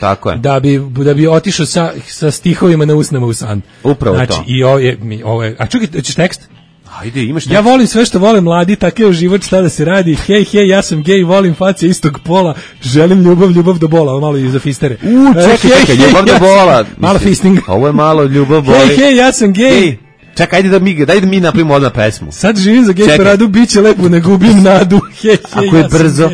da bi otišao sa stihovima na usnama u san.
Upravo
znači,
to.
I ovo je, a čekaj, hoćeš tekst?
Ajde, imaš tekst.
Ja volim sve što vole mladi, takav život, šta da se radi. Hej, ja sam gej, volim face istog pola, želim ljubav do bola, ovo malo i za fistere.
Čekaj, ljubav do bola.
Malo fisting.
Ovo je malo ljubav boli.
Hej, ja sam gej.
Čekaj, daj da mi napravimo odmah pesmu.
Sad živim za gej paradu, bit će lepo, ne gubim nadu.
Ako je brzo.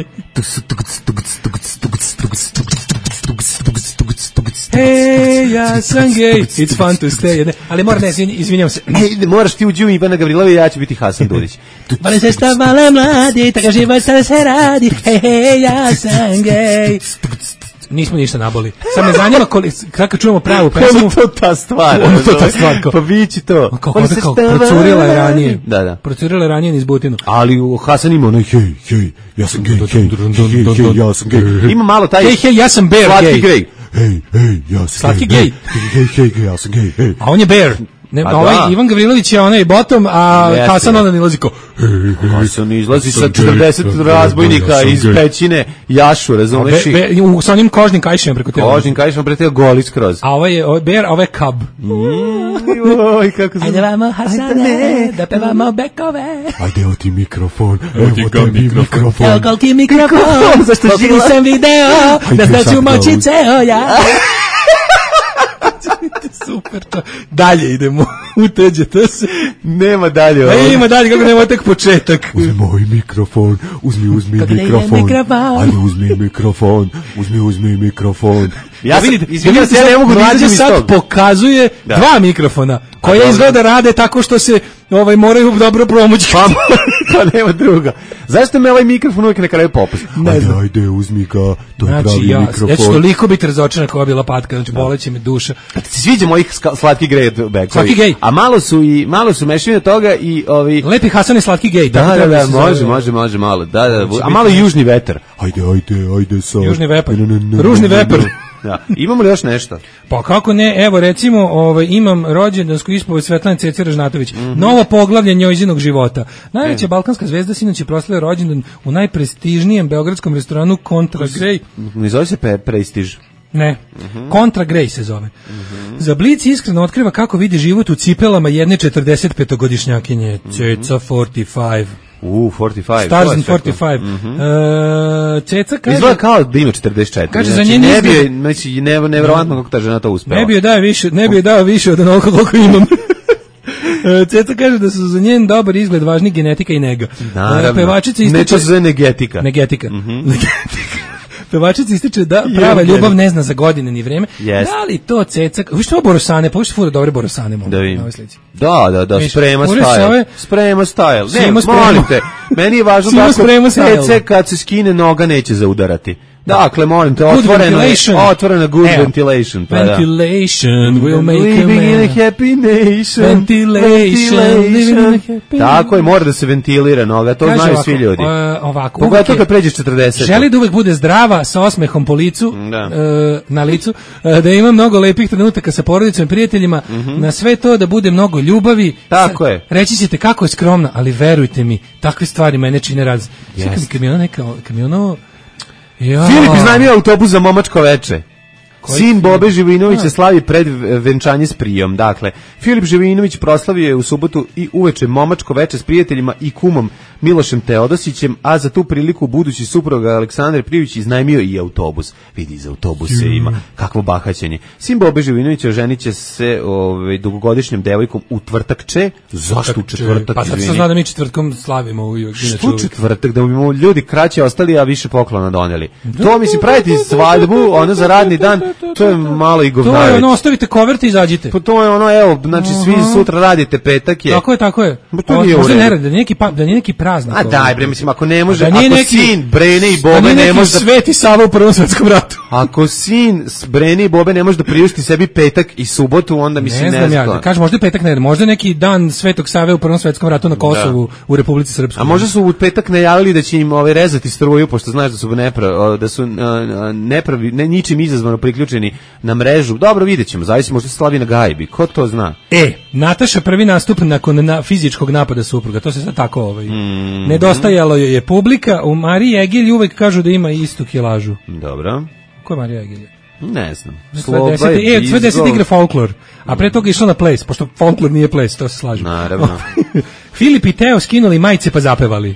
Hey, ja sam gay, it's fun to stay. Ali moram, izvinjam se.
Moraš ti uđi u Ivana Gavrilova i ja ću biti Hasan Dudić.
Volim se šta mala mladi, tako život sada se radi. Hey, ja sam gay. Nismo ništa naboli. Sad me zanima kako čujemo pravu pesmu.
Ono to ta stvar. Pa bići to.
Procurila je ranije.
Da.
Procurila je ranije niz Butinu.
Ali Hasan ima onaj hej, ja sam gej, ja sam gej. Ima malo taj...
Hej, ja sam bear gay.
Hej, ja sam
slatki gej.
Hej, ja sam gej.
A on je bear. Ivan Gavrilović je onaj bottom, a Hasan onda nilazi ko
Hasan izlazi sa 40 razbojnika iz pećine jašu, razumeš?
Sa onim kožnim kajšima preko tela.
Kožnim kajšima preko tela goli skroz.
A ovo je bear, a ovo je cub.
Oj, kako
ajde vamo Hasane, da pevamo bekove.
Ajde, evo ti mikrofon, evo
koliki mikrofon, zašto žili sam video, da znaću moći ceo ja. Super to. Dalje idemo. Uteđete se.
Nema dalje.
Ima dalje, kako nema tek početak.
Uzmi moj mikrofon. Uzmi mikrofon. Ajde, uzmi mikrofon.
Ja vidite, ja ne mogu da izađem iz tog. Sad pokazuje dva mikrofona, koja izgleda rade tako što se moraju dobro promući.
Pa nema druga. Zašto me ovaj mikrofon uvijek na kraju popusti? Ajde, uzmi ga, to je pravi mikrofon.
Ja ću toliko biti razočaran koja je bila patka, znači boleće me duša.
Ti se sviđa mojih slatki gej bekovi.
Slatki gej.
A malo su mešavine toga i ovi...
Lepi Hasan i slatki gej.
Da, može malo. Da. A malo južni vetar. Ajde sa...
Južni vepar. Ružni vepar.
Da. Imamo li još nešto?
Pa kako ne, evo recimo imam rođendansku ispoved Svetlane Cece Ražnatović, novo poglavlje njozinog života. Najveća balkanska zvezda sinoć je proslavila rođendan u najprestižnijem beogradskom restoranu Contra Grey.
Ne zove se Prestiž?
Ne, Contra Grey se zove. Za Blic iskreno otkriva kako vidi život u cipelama jedne 45-godišnjakinje. Ceca 45.
45.
Stars in 45. Ceca kaže...
Izgleda kao da ima 44.
Kaže, za njen izgled...
Nevjerovatno kako ta žena to uspela.
Ne bi joj dao više od onoliko koliko imam. Ceca kaže da su za njen dobar izgled važni genetika i nega.
Naravno.
Pevačica ističe...
Neče se zove negetika.
Negetika. Pevačica ističe da prava ljubav ne zna za godine ni vreme. Da li to Ceca... Vi što ovo borosane? Pa vi što fura dobre borosane mogu na ovoj slici.
Da, sprema style. Sprema style. Ne, molim te. Meni je važno da Ceca kad se skine noga neće zaudarati. Dakle, molim te, otvorena good ventilation.
Ventilation will make
living in a happy nation.
Ventilation. Living in a happy.
Tako je, mora da se ventilira noga, to znaju svi ljudi.
Ovako.
Pogotovo kad pređeš 40.
Želi da uvek bude zdrava, sa osmehom po licu, na licu, da ima mnogo lepih trenutaka sa porodicom i prijateljima, na sve to da bude mnogo ljubavi.
Tako je.
Reći ćete kako je skromna, ali verujte mi, takve stvari mene čine raz. Kad mi ono
Filip iznajmio autobus za momačko veče. Sin Bobe Živinovića slavi pred venčanje s prijom. Dakle, Filip Živinović proslavio je u subotu i uveče momačko veče s prijateljima i kumom Milošem Teodosićem, a za tu priliku budući supruga Aleksandar Prijović iznajmio i autobus. Vidi, za autobuse ima kakvo bahaćenje. Sin Bobe Živinovića oženiće se dugogodišnjom devojkom u tvrtakče. Zašto u četvrtak?
Pa sad se zna da mi četvrtkom slavimo.
Što četvrtak? Da bi ljudi kraće ostali, a više poklona doneli. To mi se praviti svadbu, ono za radni dan, to je malo i govnareć.
To je ono, ostavite koverte i izađite.
Pa to je ono, evo, znači svi sutra radite, petak je.
Tako je.
To nije u redu.
Da nije neki praznik.
A daj bre, mislim, ako ne može, ako sin Brene i Bobe ne može da...
Sveti Sava u Prvom svetskom ratu.
Ako sin Brene i Bobe ne može da priušti sebi petak i subotu, onda mislim ne znam.
Ja, kažem, možda petak ne, možda neki dan Svetog Save u Prvom svetskom ratu na Kosovu, u Republici Srpskoj.
A možda su u petak najavili da će im rezati struju, pošto znaš da su ničim izazvano priključeni na mrežu. Dobro, videćemo, zavisi, možda se slavi na gajbi, ko to zna?
Nataša prvi nastup nakon fizičkog napada supruga, to se sad tako nedostajalo je publika. U Mariji Egilji uvek kažu da ima istu kilažu.
Dobro.
Ko je Marija Egilja?
Ne znam.
Sve 10 igre folklor, a pre toga išlo na ples, pošto folklor nije ples, to se slažem.
Naravno.
Filip i Teo skinuli majice pa zapevali.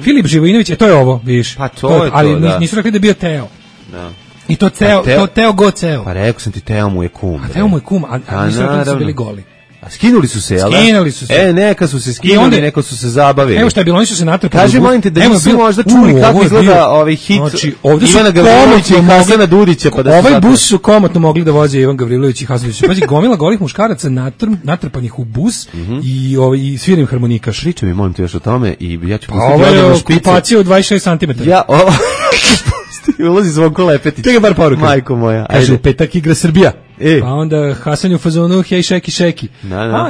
Filip Živojinović, to je ovo, vidiš.
Pa to je to,
ali nisu rekli da je bio Teo.
Da.
I to Teo go Ceo.
Pa rekao sam ti, Teo mu je kum.
A Teo mu je kum, a nisu rekli da su bili goli.
Skinuli su se, jel?
Skinuli su se.
Neka su se skinuli, neko su se zabavili.
Evo šta je bilo, oni su se natrpali.
Kaži, molim te, da nisu možda čuli kako izgleda ovaj hit Ivana Gavrilovića i Hasana Dudića.
Ovaj bus su komotno mogli da voze Ivan Gavrilović i Hasan Dudić. Pazi, gomila golih muškaraca natrpanih u bus i svirim harmonikaš.
Pričaj mi, molim te, još o tome i ja ću
pustiti odavno špice. Okupacija u 26 cm.
Ulazi Zvonko Lepetić.
Čekaj bar poruka.
Majko moja.
Kaže, petak igra Srbija. Pa onda Hasan je u fazonu hej šeki šeki.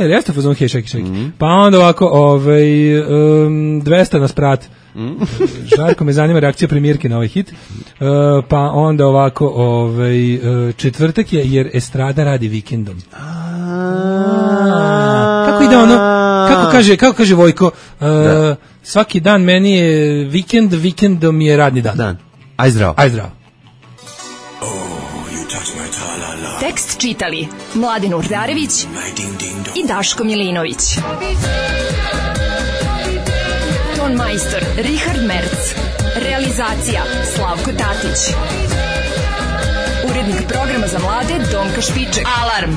Jer jeste u fazonu hej šeki šeki. Pa onda ovako 200 na sprat. Žarko me zanima reakcija premijerke na ovaj hit. Pa onda ovako četvrtak je jer estrada radi vikendom. Kako ide ono? Kako kaže Vojko? Svaki dan meni je vikend, vikendom je radni dan.
Aj zdravo.
Tekst čitali Mladin Urdarević i Daško Milinović. Ton majstor Richard Merc. Realizacija Slavko Tatić. Urednik programa za mlade Donka Špiček. Alarm!